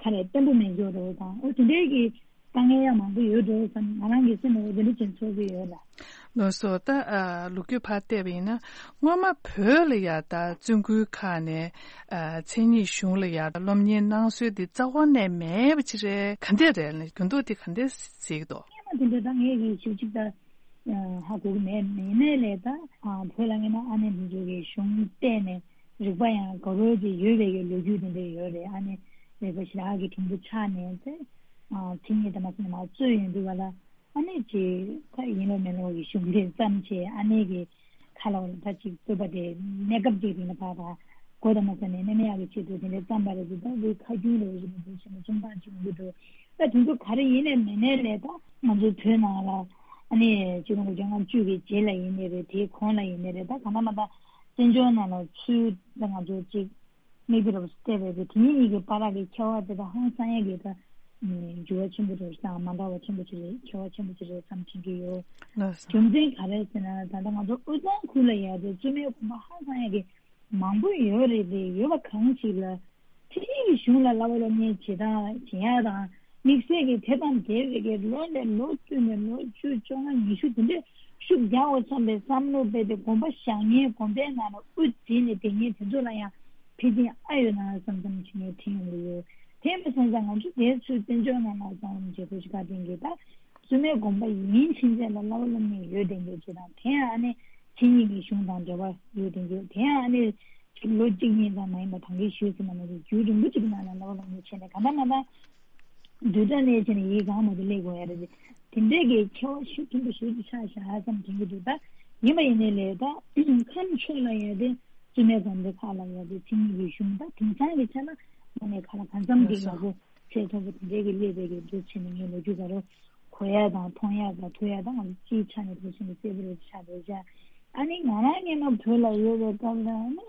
ཁ་ལས་བརྟན་པོ་མེད་འཇོག་འགྲོ་བ་དང་། འོ་དེ་འདྲའི་གི་དཀའ་ངལ་ཡང་མང་པོ་ཡོད་འགྲོ་བསམ། ང་རང་གི་སེམས་ལ་འོ་དེ་འདྲ་ཅིག་ཚོར་གི་ཡོད་ལ། ལགས་སོ། ད་ཨ་ལོ་རྒྱུས་ཕར་བལྟས་པ་ཡིན་ན། སྔོན་མ་བོད་ལ་ཡ་ད་བཙུན་དགོན་ཁག་ནས་ཨ་མཚན་ཉིད་གཞུང་ལ་ཡ་སློབ་གཉེར་གནང་སྲོལ་འདི་རྩ་བ་ནས་མེད་པ་ཅིག་རེད། ག་འདྲས་རེད་ལ། འགྱུར་ལྡོག་འདི་ག་འདྲས་གཟིགས་འདུག་སྔོན་མ་དེ་འདྲ་ད་ངས་གི་ཞིབ་ཅིག་ད་ཧ་གོ་གི་མེད། མེད་ནའི་ལས་ད་ཨ་བོད་ལ་ངས་ན་ཨ་ནེ་མི་ཇོ་གི་གཞུང་བལྟས་ནས་རིག་པ་ཡང་དགའ་རོགས་ཅིག་ཡོད་པའི་གི་ལོ་རྒྱུས་དེ་འདྲ་ཡོད་རེད། ཨ་ནེ་རིག་པ་ཞེ་དྲག་གི་དྲིན་པོ་ཆགས་ནས་ཚེ་ཨ་མཚན་ཉིད་དང་མ་སོང་ནས་མར་རྩོད་ཡོང་དུས་བ་ལ། ཨ་ནེ་ཅིག་ད་ཡིན་ལོ་མིན་ལོ་གི་གཞུང་འབྲེལ་བརྩམས་བྱས། ཨ་ནེ་གི་ཁ་ལ་བ་ལ་ད་ཅིག་རྩོད་པ་དེ་གནས་སྐབས་ཅིག་རིང་ལ་ཕར་ཕར་མགོ་དང་མ་ཟ་ནས་གནས་མེད་ཡག་གི་ཆེད་དུ་དེ་འདྲའི་བརྩམས་པ་རེད་འདུག་ད་འདི་ཁ་རྒྱུན་རེ་བཞིན་དུ་འདུག་བྱས་ནས་སུམ་རྟགས་ཅིག་ཡོང་གི་འདུག་ད་དེ་ཚོ་ག་རེ་ཡིན་ནའི་མིན་ནའི་ལས་ད་ང་ཚོའི་བོད་ནང་ལ་ཨ་ནེ་ཆིག་སྟོང་དགུ་བརྒྱ་ལྔ་བཅུ་གི་རྗེས་ལ་ཡིན་ནའི་རེད། དེའི་གོང་ལ་ཡིན་ནའི་རེད། ད་གང་ལྟར་མ་ད་བཙན་བྱོལ་ནང་ལ་ཚུར་ད་ང་ཚོ་ཅིག་མིག་དཔེ་རུ་བལྟས་པས་དེ་ཉིད་གཉིས་ཀྱི་བར་གྱི་ཁྱད་པར་དེ་དག་ཧང་སང་ཡ་གི་ད་འགྱུར་བ་ཆེན་པོ་རེད་དང་མ་འདྲ་བ་ཆེན་པོ་ཅིག་རེད། ཁྱད་པར་ཆེན་པོ་ཅིག་རེད་བསམ་དྲན་གྱི་ཡོད། ལགས་སོ། རྒྱུ་མཚན་ག་རེ་ཟེར་ན། ད་ལྟ་ང་ཚོ་དབུས་གཙང་ཁུལ་ལ་ཡ་དེ་བཙུན་མའི་དགོན་པ་ཧང་སང་ཡ་གི་མང་པོ་ཡོད་རེད་དེ། ཡོད་པ་གང་ཞིག་ལ་མཚན་ཉིད་ཀྱི་གཞུང་ལ་བསླབ་པ་སློབ་གཉེར་བྱེད་སྟངས་བྱེད་ཡ་དང་། དམིགས་བསལ་གྱི་དེ་དང་འབྲེལ་བའི་གི་ལོ་ནས་ལོ་བསྟུད་ནས་ལོ་བཅུ་བཅོ་ལྔ་ཉི་ཤུ་དེ་འདྲའི་ཤུགས་རྒྱག་འོ་བསམ་པའི་བསམ་བློ་སྤེལ་ཏེ་དགོན་པ་བཞག་མཁན་དགོན་པའི་ནང་ལ་དབུ་འཛིན་ནས་བསྡད་མཁན་དེ་ཚོ་ལ་ཡང་ཕལ་ཆེར་ཨ་ཡོད་ན་བསམ་བསམ་བྱེད་མཁན་དྲན་ཡོང་གི་ཡོད། དེ་མ་སོང་ཙང་ང་ཚོ་དེ་ཚོའི་བཙན་བྱོལ་ནང་ལ་བསམ་བློ་བྱེད་དགོས་ཤིག་ག་དེང་གི་ད་བཙུན་མའི་དགོན་པ་ཡིན་ཕྱིན་ཆད་ལ་བསླབ་པ་སློབ་གཉེར་ཡོད་བསྡད་མཁན་ཅིག་དང་། དེ་ཡང་ཨ་ནི་མཚན་ཉིད་ཀྱི་གཞུང་དང་འབྲེལ་བ་ཡོད་བསྡད་མཁན། དེ་ཡང་ཨ་ནི་ལོ་གཅིག་གཉིས་ཙམ་མ་ཡིན་པར་ད་གིན་ཞུས་ཟིན་པ་ནང་བཞིན་རྒྱུན་རིང་པོ་ཅིག་གི་ནང་ལ་བསླབ་པ་སློབ་གཉེར་བྱས་ནས་གང་ལྟར་མ་ལྟར་བསྡུས་གྲྭ་ནས་བྱས་ནས་ཡིག་གང་མ་དེ་སླེབས་དགོས་ཡ་རེད། དེ་འདྲའི་གི་ཁྱད་པར་ཤུགས་ཆེན་པོ་ཞེ་པོ་ཅིག་ཆགས་བཞག་ཙམ་དྲན་གྱི་འདུག་ད་ཡིན་པ་ཡིན་ནའི་ལས་ད་ཁམས་ཕྱོགས་ལ་ཡོད་དེ་བཙུན་མའི་དགོན་སྡེ་ཁག་ལ་ཡོད་དེ་མཚན་ཉིད་ཀྱི་གཞུང་ད་དེང་སང་གི་ཆ་ལ་ནང་ནས་ཁ་ལ་གང་འཚམ་གྱི་ཡག་པོ་ཚད་མཐོ་པོ་དེ་འདྲའི་གི་སླེབས་པའི་གི་འདུག་བྱས་ནས་ངས་ལོ་རྒྱུས་ག་རེ་གོ་ཡ་དང་མཐོང་ཡ་དང་ཐོས་ཡ་དང་ང་ཚོ་སྤྱིའི་ཆ་ནས་འདུག་བྱས་ནས་གསལ་པོ་རེ་ཆགས་འདུག་བྱ། ཨ་ནི་ང་རང་སྔོན་མ་བོད་ལ་ཡོད་པའི་སྐབས་ལ་ཨ་ནི་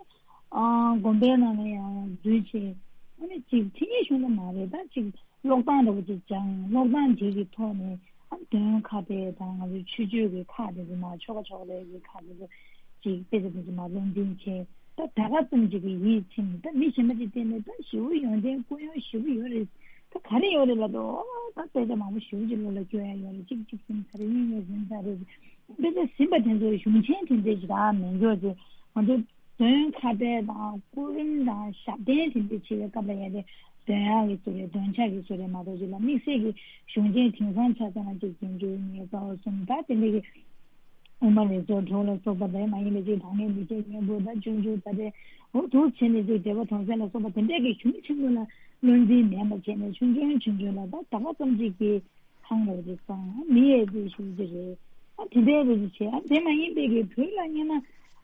ཨ་དགོན་པའི་ནང་ལ་ཡང་འཛུལ་བྱས། ཨ་ནི་ཅིག་མཚན་ཉིད་གཞུང་ལ་མ་རེད་ད་ཅིག་ཀློག་སྟངས་འདྲ་པོ་ཅིག་སྦྱངས། ཀློག་སྟངས་དེ་གི་ཐོག་ནས་ཨ་འདོན་ཁ་དེ་དང་ང་ཚོའི་ཆོས་སྤྱོད་ཀྱི་ཁག་དེ་ཚོ་མ་ཆོ་ག་ཆོ་ག་ལས་ཀྱི་ཁག་དེ་ཚོ་ཅིག་དཔེ་ཆ་དེ་ཚོ་མ་ལོན་འཛིན་བྱས། ད་ད་ག་ཙམ་ཅིག་གི་ཡིད་ཚིམ། ད་མི་གཞན་པ་ཅིག་བལྟས་ནས་ད་ཞེ་པོ་ཡོན་ཏན་སྐུ་ཡོན་ཞེ་པོ་ཡོད་རེད། ད་ག་རེ་ཡོད་རེད་ལབ་དུས་ཨོ་ད་དཔེ་ཆ་མང་པོ་ཞེ་པོ་ཅིག་བློ་ལ་སྐྱོ་ཡ་ཡོད་རེད། གཅིག་གཅིག་ཟིན་ཚར་རེད། གཉིས་གཉིས་ཟིན་ཚར་རེད། དཔེ་ཆ་ཟིན་པ་དེ་ཚོ་གཞུང་ཆེན་དེ་འདྲས་ཅིག་ད་མེད་འཇོག་ཅིག་ང་ཚོ་འདོན་ཁ་དཔེ་དང་སྐུ་རིམ་དང་ཞབས་བརྟན་དེ་འདྲ་བྱེད་པའི་སྐབས་ལ་ཡ་དེ་འདོན་ཡག་གི་བཟོ་རེད། འདོན་ཆ་གི་བཟོ་རེད་མ་གཏོགས་ཅིག་ལ་དམིགས་བསལ་གྱི་གཞུང་ཆེན་དེང་སང་ཆ་ཚང་ཅིག་འཛིན་སྐྱོང་ཉེས་པ་གསུམ་ད་དེ་འདྲ་གི་དབུ་མ་རིགས་གཙོ་གྲོགས་ལ་སོགས་པ་དེ་མ་ཡིན་པའི་ཅིག་དྲང་ངེས་མི་བྱེད་སྙན་པོ་ད་ཆུང་ཆུང་ད་དེ་འོ་དུ་བྱས་ནས་ཅིག་འབྲེལ་བ་དོན་གསལ་ལ་སོགས་པ་དེ་འདྲ་གི་གཞུང་ཆེན་པོ་ལ་བློ་འཛིན་མེད་པ་བྱས་ནས་ཆུང་ཆུང་ཆུང་ཆུང་ལ་ད་ད་ག་ཙམ་ཅིག་གི་ཁང་རོགས་ཅིག་བཙོང་མི་ཡས་དེ་ཞུ་རྒྱུ་རེད། ཨ་དེ་འདྲའི་རེ་ཞིག་བྱས། ཨ་དེ་མ་ཡིན་པའི་གི་བོད་ལ་སྔོན་མ་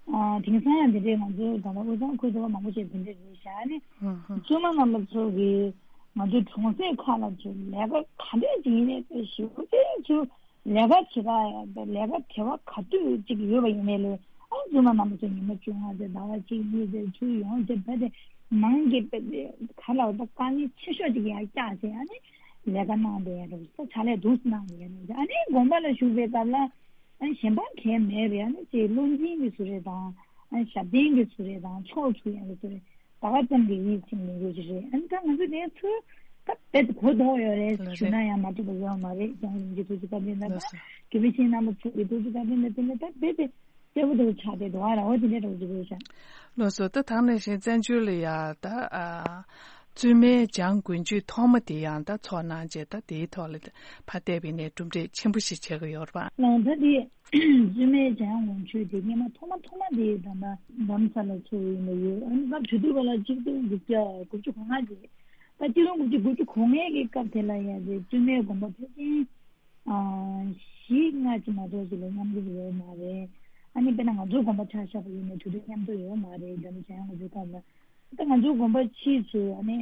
ཨ་དེང་སང་ཡང་དེ་འདྲའི་ང་ཚོའི་ད་ལྟ་དབུས་གཙང་ཁུལ་དུ་མང་པོ་ཞིག་དེ་འདྲའི་རེད་བཞག་ནི། ཧུམ་ཧུམ། བཙུན་མ་རྣམ་པ་ཚོ་གིས་ང་ཚོའི་གྲོང་གསེབ་ཁག་ལ་ཚུར་ལས་ཀ་ག་འདྲས་ཅིག་ཡིན་ནའི་ཞེ་པོ་ཅིག་ཚུར་ལས་ཀ་བྱེད་ག་ཡ་ལས་ཀ་བྱེད་པ་ག་དུས་ཅིག་ཡོད་པ་ཡིན་ནའི་ལས་ཨ་བཙུན་མ་རྣམ་པ་ཚོ་ཉི་མ་བཅོ་ལྔ་ཙམ་ཟླ་བ་གཅིག་གཉིས་ཙམ་ཚུར་ཡོང་བྱས་བོད་དེ་ནང་གི་བོད་དེ་ག་ལ་བ་ད་དཀའ་ངལ་ཆེ་ཤོས་ཅིག་ཡར་བཀྱགས་བྱས་ཨ་ནི། ལས་ཀ་གནང་བསྡད་ཡ་རེད། ད་ཕྱག་ལས་འདུག་སེ་གནང་བསྡད་ཡ་རེད། ཨ་ནི་དགོན་པ་ལ་བཞུགས་པའི་སྐབས་ལ་ཨ་ནི་གཞན་པ་གང་མེད་པའི་ཨ་ནི་ཅིག་བློ་འཛིན་གྱི་བཟོ་རེ་དང་ཨ་ནི་ཞབས་བརྟན་གྱི་བཟོ་རེ་དང་ཕྱོགས་ཚུགས་ཡ་གི་བཟོ་རེ་ད་ག་ཙམ་གྱི་ཡིད་ཚིམ་ནས་ཡོད་ཀྱི་རེད། ཨ་ནི་ད་ང་ཚོ་དེ་ཚོ་ད་རྦད་དེ་གོ་ལྡོག་ཡོད་རེད་ལགས་ཞུ་ན་ཡང་མ་འགྲིག་པ་ཡོད་མ་རེད། རྒྱལ་བ་རིན་པོ་ཆེ་ཐུགས་རྗེ་བཀའ་དྲིན་དང་ལགས་སོ། དགེ་བའི་བཤེས་གཉེན་རྣམ་པ་ཚོ་གི་ཐུགས་རྗེ་བཀའ་དྲིན་དང་བསྟུན་ནས་ད་རྦད་དེ། སྐྱེ་བོ་དེ་ཆགས་ཏེ་འགྲོ་བ་ར་བ་དེ་འདྲའི་འགྲོ་རྒྱུ་རེད་ཤག་ལགས་སོ། ད་དེ་ནང་བཞིན་བཙན་བྱོལ་ལ་ཡ་ད་ཨ་བཙུན་མའི་བྱང་དགུན་ཆོས་ཐོག་མ་དེ་ཡང་ད་ཚོགས་གནང་རྗེས་ད་དེའི་ཐོག་ལ་ཕར་བལྟས་པ་ཡིན་ནའི་གྲུབ་འབྲས་ཆེན་པོ་ཞིག་ཆགས་ཀྱི་ཡོད་རེད་པ། ལགས་ད་དེ་བཙུན་མའི་བྱང་དགུན་ཆོས་དེ་སྔོན་མ་ཐོག་མ་ཐོག་མ་དེ་ད་ལྟ་རྡ་རམ་ས་ལ་ཚོགས་ཡིན་པ་ཡོད། ཨ་ནི་སྐབས་དེ་དུས་ག་ལ་ཆིག་སྟོང་དགུ་བརྒྱ་དགུ་བཅུ་གོ་ལྔ་རྗེས་ད་ཆིག་སྟོང་དགུ་བརྒྱ་དགུ་བཅུ་གོ་ལྔའི་གི་སྐབས་དེ་ལ་ཡ་དེ་བཙུན་མའི་དགོན་པ་ཕལ་ཆེར། བཞི་ལྔ་ཅིག་མ་གཏོགས་ཅིག་ལ་མཉམ་འགུལ་ཡོད་མ་རེད། ཨ་ནི་དཔེར་ན་ང་ཚོའི་དགོན་པ་ཆ་བཞག་པ་ཡིན་ན་དུས་དུས་མཉམ་དུ་ཡོད་མ་རེད། འདི་ནི་བྱས་ང་ཚོའི་སྐབས་ལ་ད་ང་ཚོའི་དགོན་པ་ཕྱིས་སུ་ཨ་ནི་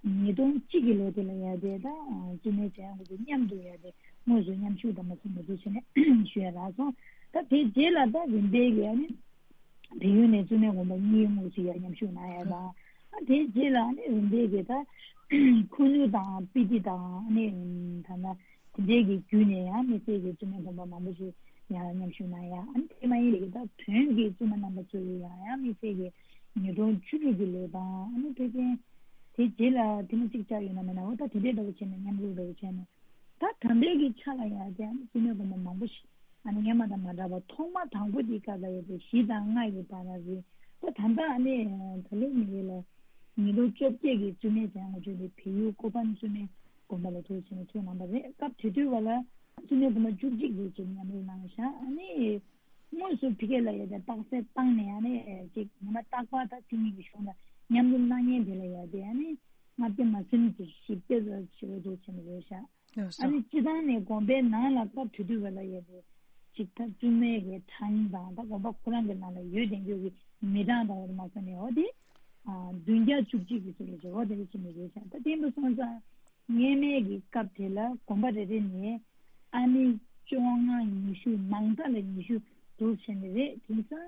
ཉིས་སྟོང་གཅིག་གི་ལོ་དེ་ལ་ཡ་དེ་ད་བཙུན་མའི་བྱས་ང་ཚོ་མཉམ་དུ་ཡ་དེ་དངོས་སུ་མཉམ་ཞུགས་དང་མ་སོང་ང་ཚོ་བྱས་ནས་ཞུ་ཡ་རག་སོང་། ད་དེ་རྗེས་ལ་ད་རིམ་པས་ཀྱི་ཨ་ནི། བལ་ཡུལ་ནས་བཙུན་མའི་དགོན་པ་གཉིས་དངོས་སུ་ཡར་མཉམ་ཞུགས་གནང་ཡ་དང་། ཨ་དེའི་རྗེས་ལ་ཨ་ནི་རིམ་པས་ཀྱི་ད་ཁུ་ནུ་དང་སྤི་ཏི་དང་ཨ་ནི་ད་ལྟ་དེ་འདྲའི་གི་བརྒྱུད་ནས་ཡང་དམིགས་བསལ་གྱི་བཙུན་མའི་དགོན་པ་མང་པོ་ཞིག་ཡར་མཉམ་ཞུགས་གནང་ཡ། ཨ་ནི་དེ་མ་ཡིན་པའི་གི་ད་བོན་གྱི་བཙུན་མ་རྣམ་པ་ཚོ་ཡི་ཡང་ཡང་དམིགས་བསལ་གྱི་ཉིས་སྟོང་བཅུ་དྲུག་གི་ལོ་དང་ཨ་ནི་ཕལ་ཆེར་དེ་རྗེས་ལ་དེ་མ་གཅིག་ཆགས་ཡོད་ན་མེད་ན་འོ་ད་དེ་འདྲའི་འདྲ་བོ་བྱས་ནས་མཉམ་རུབ་འདྲ་བོ་བྱས་ནས། ད་ད་ལྟའི་གི་ཆ་ལ་ཡ་དེ་ཨ་ནི་བཙུན་མའི་དགོན་པ་མང་པོ་ཞིག་ཨ་ནི་སྔོན་མ་དང་མ་འདྲ་བ་ཐོག་མ་དང་པོ་དེའི་སྐབས་ལ་ཡོད་པའི་བཞི་དང་ལྔ་ཡི་བར་ལ་རེད། ད་ད་ལྟ་ཨ་ནི་ད་ལོ་མི་ཡོད་ལ་ཉིས་སྟོང་བཅོ་བརྒྱད་ཀྱི་བཙུན་མའི་བྱང་ང་ཆོས་དེ་བལ་ཡུལ་ཀོ་པན་བཙུན་མའི་དགོན་པ་ལ་ཐུགས་ཆེན་ཚུགས་གནང་པ་རེད། སྐབས་དེ་དུས་བ་ལ་བཙུན་མའི་དགོན་པ་བཅུ་གཅིག་རེ་ཅིག་མཉམ་རུབ་གནང་ཤག་ཨ་ནི་དངོས་སུ་ཕ་གི་ལ་ཡོད་པའི་རྟགས་གསལ་བཏང་ནས་ཨ་ནི་ཅིག་ཉི་མ་རྟག་པར་ད་མཚན་ཉིད་ཀྱི་གཞུང་ལ་མཉམ་རུབ་གནང་མཁན་དེ་ལ་ཡ་དེ་ཨ་ནི་ལྔ་བརྒྱ་མ་ཟིན་གྱི་བཞི་བརྒྱ་ཙམ་ཞེ་པོ་འདུག་བྱས་ནས་རེད་ཤག་ཡོད་ས། ཨ་ནི་སྤྱི་བཏང་ནས་དགོན་པའི་ནང་ལ་སྐབས་དེ་དུས་བ་ལ་ཡོད་པའི་ཅིག་ད་བཙུན་མའི་གི་གྲངས་དང་ད་དགོན་པ་ཁོ་རང་གི་ནང་ལ་ཡོད་བསྡད་རྒྱུ་གི་མི་གྲངས་དང་འོ་དེ་མ་ཟ་ནས་འོ་དེ་བདུན་བརྒྱ་བཅུ་གཅིག་གི་ཚོད་ལ་འབྱོར་བ་དེ་རེད་ཅེས་ནས་རེད་ཤག་ད་དེ་འདྲ་སོང་ཙང་སྔོན་མའི་གི་སྐབས་དེ་ལ་དགོན་པ་རེ་རེ་ནས་ཨ་ནི་བཅོ་ལྔ་ཉི་ཤུ་མང་མཐའ་ལ་ཉི་ཤུ་འདུག་བྱས་ནས་རེད། དེང་སང་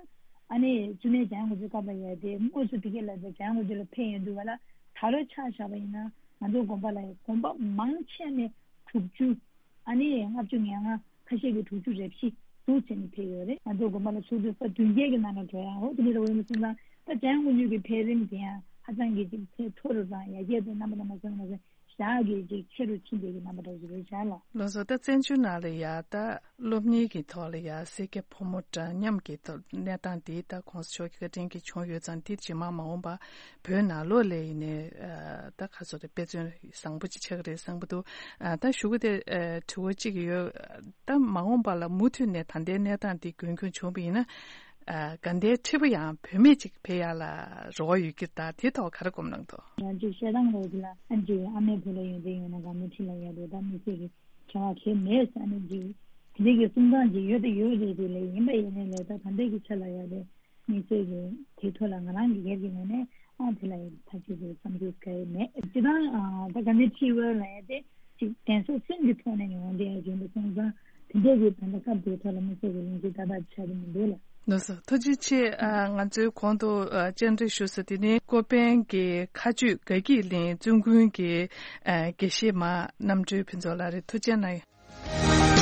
ཨ་ནི་བཙུན་མའི་བྱང་ང་ཆོས་སྐབས་ལ་ཡོད་དེ་དངོས་སུ་ཕ་གི་ལ་བྱང་ང་ཆོས་ལ་ཕེབས་ཡོང་དུས་བ་ལ་ད་ལོ་ཆ་བཞག་པ་ཡིན་ན། ང་ཚོའི་དགོན་པ་ལ་དགོན་པ་མང་ཆེ་ནས་དྲུག་ཅུ། ཨ་ནི་ལྔ་བཅུ་ང་ལྔ། ཁ་ཤས་ཀྱིས་དྲུག་ཅུ་རེ་བཞི་འདུག་བྱས་ནས་ཕེབས་ཡོད་རེད། ང་ཚོའི་དགོན་པ་ལ་ཚོགས་དུས་ས་བདུན་བརྒྱད་ཀྱི་ནང་ལ་འགྲོ་ཡ་འོ་དེ་འདྲ་འོས་མི་སོང་ཙང་ད་བྱང་ང་ཆོས་ཀྱི་འཕེལ་རིམ་དེ་ཡང་ཧ་ཅང་གི་ཅིག་ཚད་མཐོ་རུ་དང་ཡར་རྒྱས་དང་རྣམ་པ་དང་མ་སོང་མ་སོང་ཞག་གི་ཅིག་ཆེ་རུ་ཕྱིན་པའི་གི་རྣམ་པ་འདྲ་ཞིག་རེད་ཤག་ལགས། ལགས་སོ། ད་བཙན་བྱོལ་ནང་ལ་ཡ་ད། སློབ་གཉེར་གྱི་ཐོག་ལ་ཡང་སེར་སྐྱ་ཕོ་མོ་འདྲ་མཉམ་གྱི་ཐོག་གནས་སྟངས་འདི་ད་གོང་ས་མཆོག་གི་བཀའ་དྲིན་གྱིས་བྱུང་ཡོད་ཙང་འདི་རྗེས་མ་མ་འོངས་པ་བོད་ནང་ལོགས་ལ་ཡིན་ནའི་ད་ག་ཚོད་རེད་དཔེ་མཚོན་བཟང་པོ་ཅིག་ཆགས་ཀྱི་རེད་བསམ་གྱི་འདུག་ད་ཞུ་གི་དེ་དྲི་བ་གཅིག་ཡོད། ད་མ་འོངས་པ་ལ་མུ་མཐུད་ནས་ད་ལྟའི་གནས་སྟངས་འདི་རྒྱུན་འཁྱོངས་བྱུང་བ་ཡིན་ན་དགའ་ལྡན་ཁྲི་པ་ཡང་བུད་མེད་ཅིག་ཕེབས་ཡག་ལ་རེ་བ་ཡོད་ཀྱི་རེད། ད་དེ་ཐོག་ག་རེ་སྒོམ་གནང་འདུག་ང་ཚོས་བཤད་སྟངས་རེད་ལ་ཨ་ཅེ་ཨ་མའི་བུ་ལ་ཡོན་ཏན་ཡོད་ན་དགའ་ལྡན་ཁྲི་ལ་ཡོད་རེད། ད་མི་ཚེ་གི་བྱ་བ་གལ་མེད་ཟེར་ནས་ཅིག་དེ་འདྲའི་གི་གསུང་སྟངས་ཅིག་ཡོད་དེ་ཡོད་རེད་དེ་ལས་ཡིན་པ་ཡིན་ནའི་ལས་ད་ད་ལྟའི་གི་ཆ་ལ་ཡ་དེ་དམིགས་བསལ་གྱི་དེ་ཐོག་ལ་ང་རང་གི་སྒེར་གྱི་ངོས་ནས་ཨ་དེ་ལ་ཡིན་ཐག་གཅོད་དེ་བསམ་ཚུལ་ག་ཡེ་མེད། སྤྱིར་བཏང་ད་དགའ་ལྡན་ཁྲི་པ་ལ་ཡ་དེ་ཅིག་གདན་ས་གསུམ་གྱི་ཐོག་ནས་ཡོང་བསྡད་ཡ་ཡིན་པ་སོང་ཙང་དེ་འདྲའི་གི་ད་ལྟ་སྐབས་དེའི་ཐོག་ལ་དམིགས་བསལ་གྱི་ལན་ཅིག་ཏག་ཏག་ཆགས་ཀྱི་མི་འདུག་ལ། ལགས་སོ། ཐུགས་རྗེ་ཆེ། ཨ་ང་ཚོའི་གོང་དུ་ཨ་བཅར་འདྲི་ཞུ་ས་དེ་ནི་ཀོ་པན་གྱི་མཁའ་སྤྱོད་དགའ་སྐྱིད་གླིང་བཙུན་དགོན་གྱི་ཨ་དགེ་བཤེས་མ་རྣམ་གྲོལ་ཕུན་ཚོགས་ལགས་རེད། ཐུགས་རྗེ་གནང་།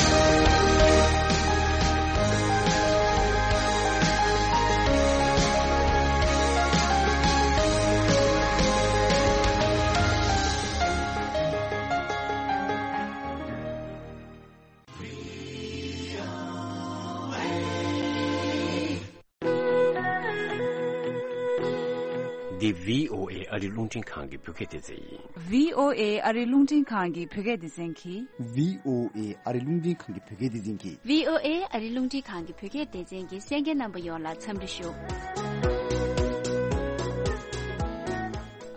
འདི་བྷི་ཨོ་ཨེ་ཨ་རིའི་རླུང་འཕྲིན་ཁང་གི་བོད་སྐད་སྡེ་ཚན་ཡིན། བྷི་ཨོ་ཨེ་ཨ་རིའི་རླུང་འཕྲིན་ཁང་གི་བོད་སྐད་སྡེ་ཚན་གྱིས། བྷི་ཨོ་ཨེ་ཨ་རིའི་རླུང་འཕྲིན་ཁང་གི་བོད་སྐད་སྡེ་ཚན་གྱིས། བྷི་ཨོ་ཨེ་ཨ་རིའི་རླུང་འཕྲིན་ཁང་གི་བོད་སྐད་སྡེ་ཚན་གྱི་གསན་མཁན་རྣམ་པ་ཡོངས་ལ་འཚམས་འདྲི་ཞུ།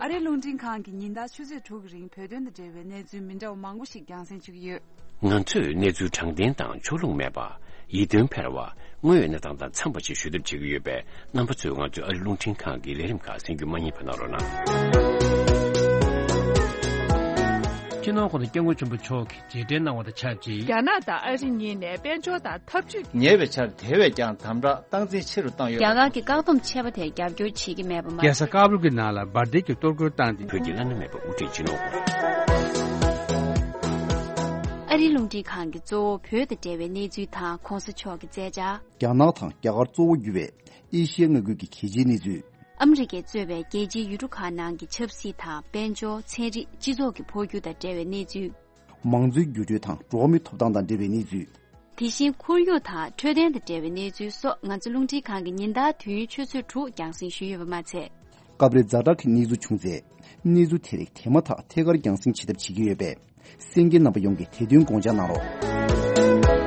ཨ་རིའི་རླུང་འཕྲིན་ཁང་གིས་ཉིན་ལྟར་ཆུ་ཚོད་དྲུག་གི་རིང་བོད་དོན་དང་འབྲེལ་བའི་གནས་ཚུལ་མི་འདྲ་བ་མང་པོ་ཞིག་རྒྱང་སྲིང་བྱེད་ཀྱི་ཡོད། ང་ཚོས་གནས་ཚུལ་དྲང་བདེན་དང་ཕྱོགས་ལྷུང་མེད་པ། ཡིད་རྟོན་འཕེར་བ། དངོས་ཡོད་གནས་སྟངས་དང་འཚམས་པ་ཞིག་ཞུ་ཐབས་བྱེད་ཀྱི་ཡོད་པས། རྣམ་པ་ཚོས་ང་ཚོའི་ཨ་རིའི་རླུང་འཕྲིན་ཁང་གི་ལས་རིམ་ཁག་གསན་རྒྱུ་མ་བསྙེལ་བ་གནང་རོགས་གནང་། སྤྱི་ནོར་༸གོང་ས་༸སྐྱབས་མགོན་ཆེན་པོ་མཆོག་གིས་རྗེས་དྲན་གནང་བ་དང་ཆབས་ཅིག་རྒྱ་ནག་དང་ཨ་རི་གཉིས་ནས་དཔལ་འབྱོར་དང་འཐབ་ཇུས་ཀྱི། ཉེ་བའི་ཆར་དེ་བས་ཀྱང་དམ་དྲག་སྟངས་འཛིན་ཆེ་རུ་བཏང་ཡོད། རྒྱ་གར་གྱི་བཀག་སྡོམ་ཆད་པ་དེར་རྒྱབ་སྐྱོར་བྱེད་ཀྱི་མེད་པ་མ། རྒྱལ་ས་ཀ་བུལ་གྱི་ནང་ལ་འབར་མདེལ་གྱི་གཏོར་རྒོལ་བཏང་སྟེ། བོད་ཀྱི་བླ་ན་མེད་པའི་དབུ་ཁྲིད་སྤྱི་ནོར་ཨ་རིའི་རླུང་འཕྲིན་ཁང་གིས་གཙོ་བོ་བོད་དང་འབྲེལ་བའི་གནས་ཚུལ་དང་གོང་ས་མཆོག་གི་མཛད་འཆར། རྒྱ་ནག་དང་རྒྱ་གར་གཙོ་བོ་གྱུར་བའི་ཨེ་ཤི་ཡའི་མངའ་ཁུལ་གྱི་གལ་ཆེའི་གནས་ཚུལ། ཨ་མི་རི་ཀས་གཙོས་པའི་རྒྱལ་སྤྱིའི་ཡུལ་གྲུ་ཁག་ནང་གི་ཆབ་སྲིད་དང་དཔལ་འབྱོར། ཚན་རིག་སྤྱི་ཚོགས་ཀྱི་འཕོ་འགྱུར་དང་འབྲེལ་བའི་གནས་ཚུལ། མང་གཙོའི་འགྱུར་འགྲོས་དང་འགྲོ་བ་མིའི་ཐོབ་ཐང་དང་འབྲེལ་བའི་གནས་ཚུལ། དེ་བཞིན་ཁོར་ཡུག་དང་འཕྲོད་བསྟེན་དང་འབྲེལ་བའི་གནས་ཚུལ་སོགས་ང་ཚོ་རླུང་འཕྲིན་ཁང་གིས་ཉིན་ལྟར་དུས་ཡུན་ཆུ་ཚོད་དྲུག་རྒྱང་སྲིང་ཞུས་ཡོད་པ་མ་ཚད། སྐབས་རེ་ཛ་དྲག་གི་གནས་ཚུལ་བྱུང་ཚེ། གནས་ཚུལ་དེ་རིགས་དེ་མ་ཐག་ཐད་ཀར་རྒྱང་སྲིང་བྱེད་ཐབས་བྱེད་ཀྱི་ཡོད་པས། གསན་མཁན་རྣམ་པ་ཡོངས་ཀྱིས་དེ་དོན་དགོངས་འཇགས་གནང་རོགས།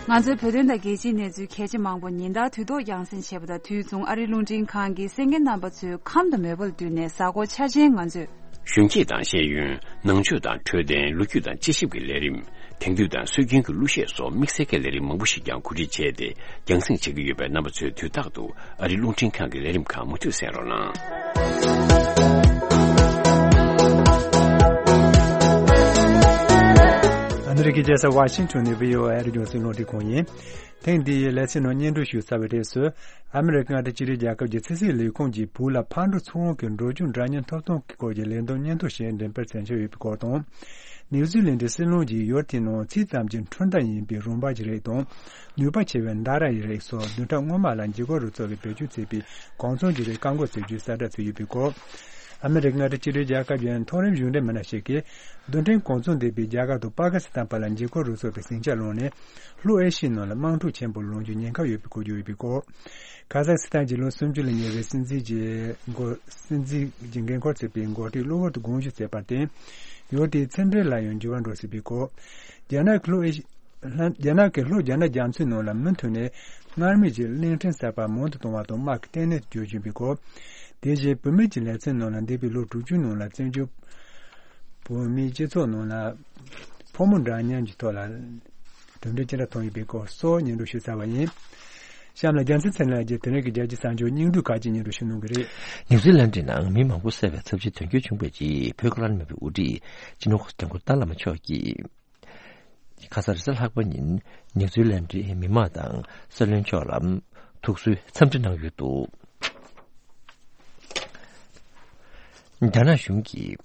ང་ཚོའི་བོད་དོན་དང་རྒྱལ་སྤྱིའི་གནས་ཚུལ་གལ་ཆེ་མང་པོ་ཉིན་ལྟར་དུས་ཐོག་རྒྱང་སྲིང་བྱེད་པ་དང་དུས་མཚུངས་ཨ་རིའི་རླུང་འཕྲིན་ཁང་གིས་གསན་མཁན་རྣམ་པ་ཚོའི་ཁམས་དང་མོས་པ་ལ་བསྟུན་ནས་གཟའ་འཁོར་འཆར་ཅན་ང་ཚོས། གཞོན་སྐྱེས་དང་ཤེས་ཡོན། ནང་ཆོས་དང་འཕྲོད་བསྟེན། ལོ་རྒྱུས་དང་དཔྱད་ཞིབ་ཀྱི་ལས་རིམ། དེང་དུས་དང་སྲོལ་རྒྱུན་གྱི་གླུ་གཞས་སོགས་དམིགས་བསལ་གྱི་ལས་རིམ་མང་པོ་ཞིག་ཀྱང་གོ་སྒྲིག་བྱས་ཏེ་རྒྱང་སྲིང་བྱེད་ཀྱི་ཡོད་པས། རྣམ་པ་ཚོས་དུས་རྟག་ཏུ་ཨ་རིའི་རླུང་འཕྲིན་ཁང་གི་ལས་རིམ་ཁག་མུ་མཐུད་གསན་རོགས་གནང་། ཨ་མི་རི་ཀའི་རྒྱལ་ས་ཝ་ཤིང་ཊོན་ནས་བྷི་ཨོ་ཨེ་རྒྱང་སྲིང་རླུང་འཕྲིན་ཁང་ཡིན། ཐེངས་འདིའི་ལེ་ཚན་ནང་སྙན་སྒྲོན་ཞུ་ཚར་བའི་རྗེས་སུ། ཨ་མི་རི་ཀ་མངའ་སྡེ་གཅིག་སྒྲིལ་རྒྱལ་ཁབ་ཀྱི་ཕྱི་སྲིད་ལས་ཁུངས་ཀྱིས་བོད་ལ་ཕར་འགྲོ་ཚུར་འོང་གི་འགྲོ་རྒྱུག་འདྲ་མཉམ་ཐོབ་ཐང་གི་སྐོར་གྱི་ལས་བསྡོམས་སྙན་ཐོ་ཞིག་འགྲེམས་སྤེལ་མཛད་འཆར་ཡོད་པའི་སྐོར་དང་། ནིའུ་ཛི་ལན་ཌའི་སྲིད་བློན་གྱིས་ཡུལ་དེའི་ནང་ཚིག་ཙམ་གྱི་འཕྲུལ་མདའ་ཡིན་པའི་རུམ་འབར་གྱི་རིགས་དང་། ནུས་པ་ཆེ་བའི་མདའ་ར་ཡི་རིགས་སོགས་བདུན་ཕྲག་སྔོན་མ་ལ་འཇིགས་སྐུལ་རུ་ཚོགས་ཀྱིས་བེད་སྤྱོད་བྱས་པའི་གོ་མཚོན་གྱི་རིགས་བཀག་འགོག་བྱེད་རྒྱུའི་གསལ་བསྒྲགས་བྱས་ཡོད་པའི་སྐོར། ཨ་མི་རི་ཀ་མངའ་སྡེ་གཅིག་སྒྲིལ་རྒྱལ་ཁབ་ཀྱི་མཐོ་རིམ་གཞུང་འབྲེལ་མི་སྣ་ཞིག་གིས་རྡུལ་ཕྲན་གོ་མཚོན་ལྡན་པའི་རྒྱ་གར་དང་པ་ཀི་སི་ཐན་བར་ལ་འཇིགས་སྐུལ་རུ་ཚོགས་པའི་ཟིང་ཆ་སློང་ནས། ལྷོ་ཨེ་ཤི་ཡའི་ནང་ལ་དམག་འཁྲུག་ཆེན་པོ་སློང་རྒྱུའི་ཉེན་ཁ་ཡོད་པའི་གོ་རྒྱུ་ཡོད་པའི་སྐོར། ཁ་ཟག་སི་ཐན་གྱི་ལོ་སུམ་ཅུ་ལ་ཉེ་བའི་སྲིད་འཛིན་གྱི་འགོ་སྲིད་འཛིན་གྱི་འགན་འཁུར་བྱེད་པའི་འགོ་ཁྲིད་གློ་བུར་དུ་དགོངས་ཞུ་བྱས་པར་བརྟེན། ཡུལ་དེའི་ཕྱི་འབྲེལ་ལ་ཡང་འགྱུར་བ་འགྲོ་སྲིད་པའི་སྐོར། རྒྱ་ནག་གི་ལྷོ་ཨེ་ཤི་རྒྱ་ནག་གིས་ལྷོ་རྒྱ་ནག་རྒྱ་མཚོའི་ནང་ལ་མུ་མཐུད་ནས་སྔར་མེད་ཀྱི་གླིང་ཕྲན་གསར་པ་མང་དུ་གཏོང་བ་དང་དམག་གི་ལྟེ་གནས་སུ་གྱུར་བཞིན་པའི་སྐོར། དེ་བཞིན་བུད་མེད་ཀྱི་ལེ་ཚན་ནང་ལ་འདས་པའི་ལོ་དྲུག་ཅུའི་ནང་ལ་བཙན་བྱོལ་བོད་མིའི་སྤྱི་ཚོགས་ནང་ལ་ཕོ་མོ་འདྲ་མཉམ་གྱི་ཐོག་ལ་གྲུབ་འབྲས་ཅི་འདྲ་ཐོན་ཡོད་པའི་སྐོར་སོགས་སྙན་སྒྲོན་ཞུས་ཚར་བ་ཡིན། གཤམ་ལ་རྒྱལ་མཚན་ཚེ་རིང་ལགས་ཀྱིས་དེ་རིང་གི་རྒྱལ་སྤྱིའི་གསར་འགྱུར་སྙིང་བསྡུས་ཁག་ཅིག་སྙན་སྒྲོན་ཞུ་གནང་གི་རེད། ནིའུ་ཛི་ལན་ཌི་ནང་མི་མང་པོ་བསད་པའི་ཚབས་ཆེའི་དོན་རྐྱེན་བྱུང་བའི་རྗེས་བོད་ཁ་ལན་མེད་པའི་དབུ་ཁྲིད་སྤྱི་ནོར་གོང་ས་སྐྱབས་མགོན་ཏཱ་བླ་མ་མཆོག་གིས། ཁ་སང་རེས་གཟའ་ལྷག་པ་ཉིན་ནིའུ་ཛི་ལན་ཌིའི་མི་མང་དང་སྲིད་བློན་མཆོག་ལ་ཐུགས་གསོའི་འཚམས་འདྲི་གནང་ཡོད་འདུག་རྒྱ་ནག་གཞུང་གིས་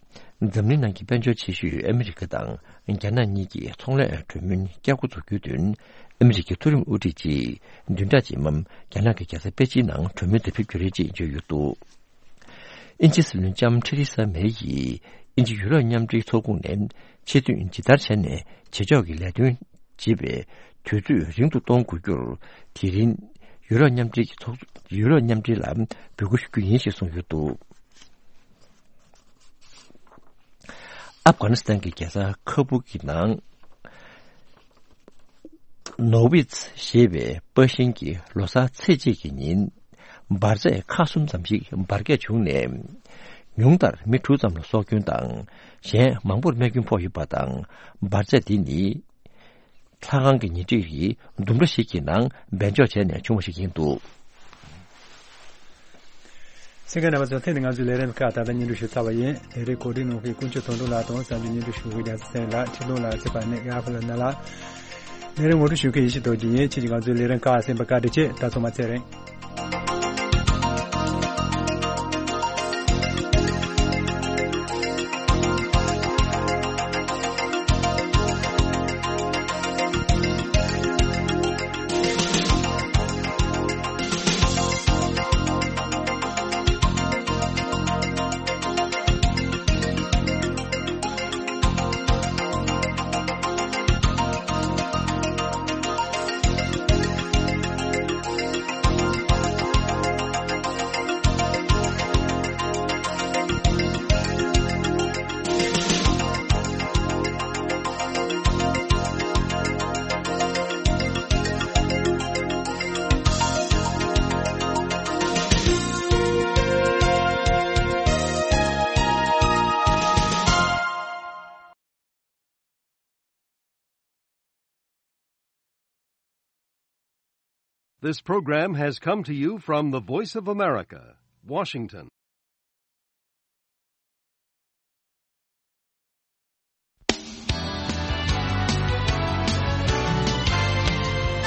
འཛམ་གླིང་ནང་གི་དཔལ་འབྱོར་ཆེ་ཤོས་ཨ་མི་རི་ཀ་དང་རྒྱ་ནག་གཉིས་ཀྱི་ཚོང་ལས་གྲོས་མོལ་བསྐྱར་འགོ་འཛུགས་རྒྱུའི་དོན། ཨ་མི་རི་ཀའི་མཐོ་རིམ་དབུ་ཁྲིད་ཅིག་བདུན་ཕྲག་རྗེས་མ་རྒྱ་ནག་གི་རྒྱལ་ས་པེ་ཅིན་ནང་གྲོས་མོལ་དུ་ཕེབས་རྒྱུ་རེད་ཅེས་བརྗོད་ཡོད་འདུག་དབྱིན་ཇིའི་སྲིད་བློན་ལྕམ་ཐེ་རེ་ས་མེ་ཡིས་དབྱིན་ཇི་ཡུ་རོབ་མཉམ་འབྲེལ་ཚོགས་ཁོངས་ནས་ཆེད་དོན་ཇི་ལྟར་བྱས་ནས་བྱེད་ཕྱོགས་ཀྱི་ལས་དོན་ཅེས་པའི་དུས་ཚོད་རིང་དུ་གཏོང་དགོས་རྒྱུར། དེ་རིང་ཡུ་རོབ་མཉམ་འབྲེལ་གྱི་ཚོགས། ཡུ་རོབ་མཉམ་འབྲེལ་ལ་འབོད་སྐུལ་ཞུ་རྒྱུ་ཡིན་ཞེས་གསུངས་ཡོད་འདུག་ཨབ་གྷ་ནི་སི་ཐན་གྱི་རྒྱལ་ས་ཁ་བུ་གི་ནང་། ནོ་ཝིཚ་ཞེས་པའི་པར་ཤིང་གི་ལོ་གསར་ཚེས་གཅིག་གི་ཉིན། འབར་རྫས་ཁག་གསུམ་ཙམ་ཞིག་འབར་གས་བྱུང་ནས། ཉུང་མཐར་མི་དྲུག་ཙམ་ལ་སྲོག་སྐྱོན་དང་། གཞན་མང་པོར་རྨས་སྐྱོན་ཕོག་ཡོད་པ་དང་། འབར་རྫས་དེ་ནི། ལྷ་ཁང་གི་ཉེ་འཁྲིས་ཀྱི་ལྡུམ་ར་ཞིག་གི་ནང་སྦས་འཇོག་བྱས་ནས་བྱུང་བ་ཞིག་ཡིན་འདུག་གསན་མཁན་རྣམ་པ་ཚོ། ཐེངས་འདིའི་ང་ཚོའི་ལས་རིམ་ཁག་ད་ལྟ་སྙན་སྒྲོན་ཞུས་ཚར་བ་ཡིན། ལས་རིམ་གོ་སྒྲིག་གནང་མཁན་དཀོན་མཆོག་དོན་གྲུབ་ལགས་དང་གསར་འགྱུར་སྙན་སྒྲོན་ཞུ་མཁན་རྒྱལ་མཚན་ཚེ་རིང་ལགས། ཁྲིད་སྟོན་ལགས་ཚེ་དཔལ་ནས་ཡར་ཕུ་ལ་ན་ལགས། ལས་རིམ་ངོ་སྤྲོད་ཞུ་མཁན་ཡེ་ཤེས་རྡོ་རྗེ་ཡིན། ཁྱེད་ཀྱིས་ང་ཚོའི་ལས་རིམ་ཁག་གསན་པར་བཀའ་དྲིན་ཆེ། ད་ཚང་མ་ཚེ་རིང་། This program has come to you from the Voice of America, Washington.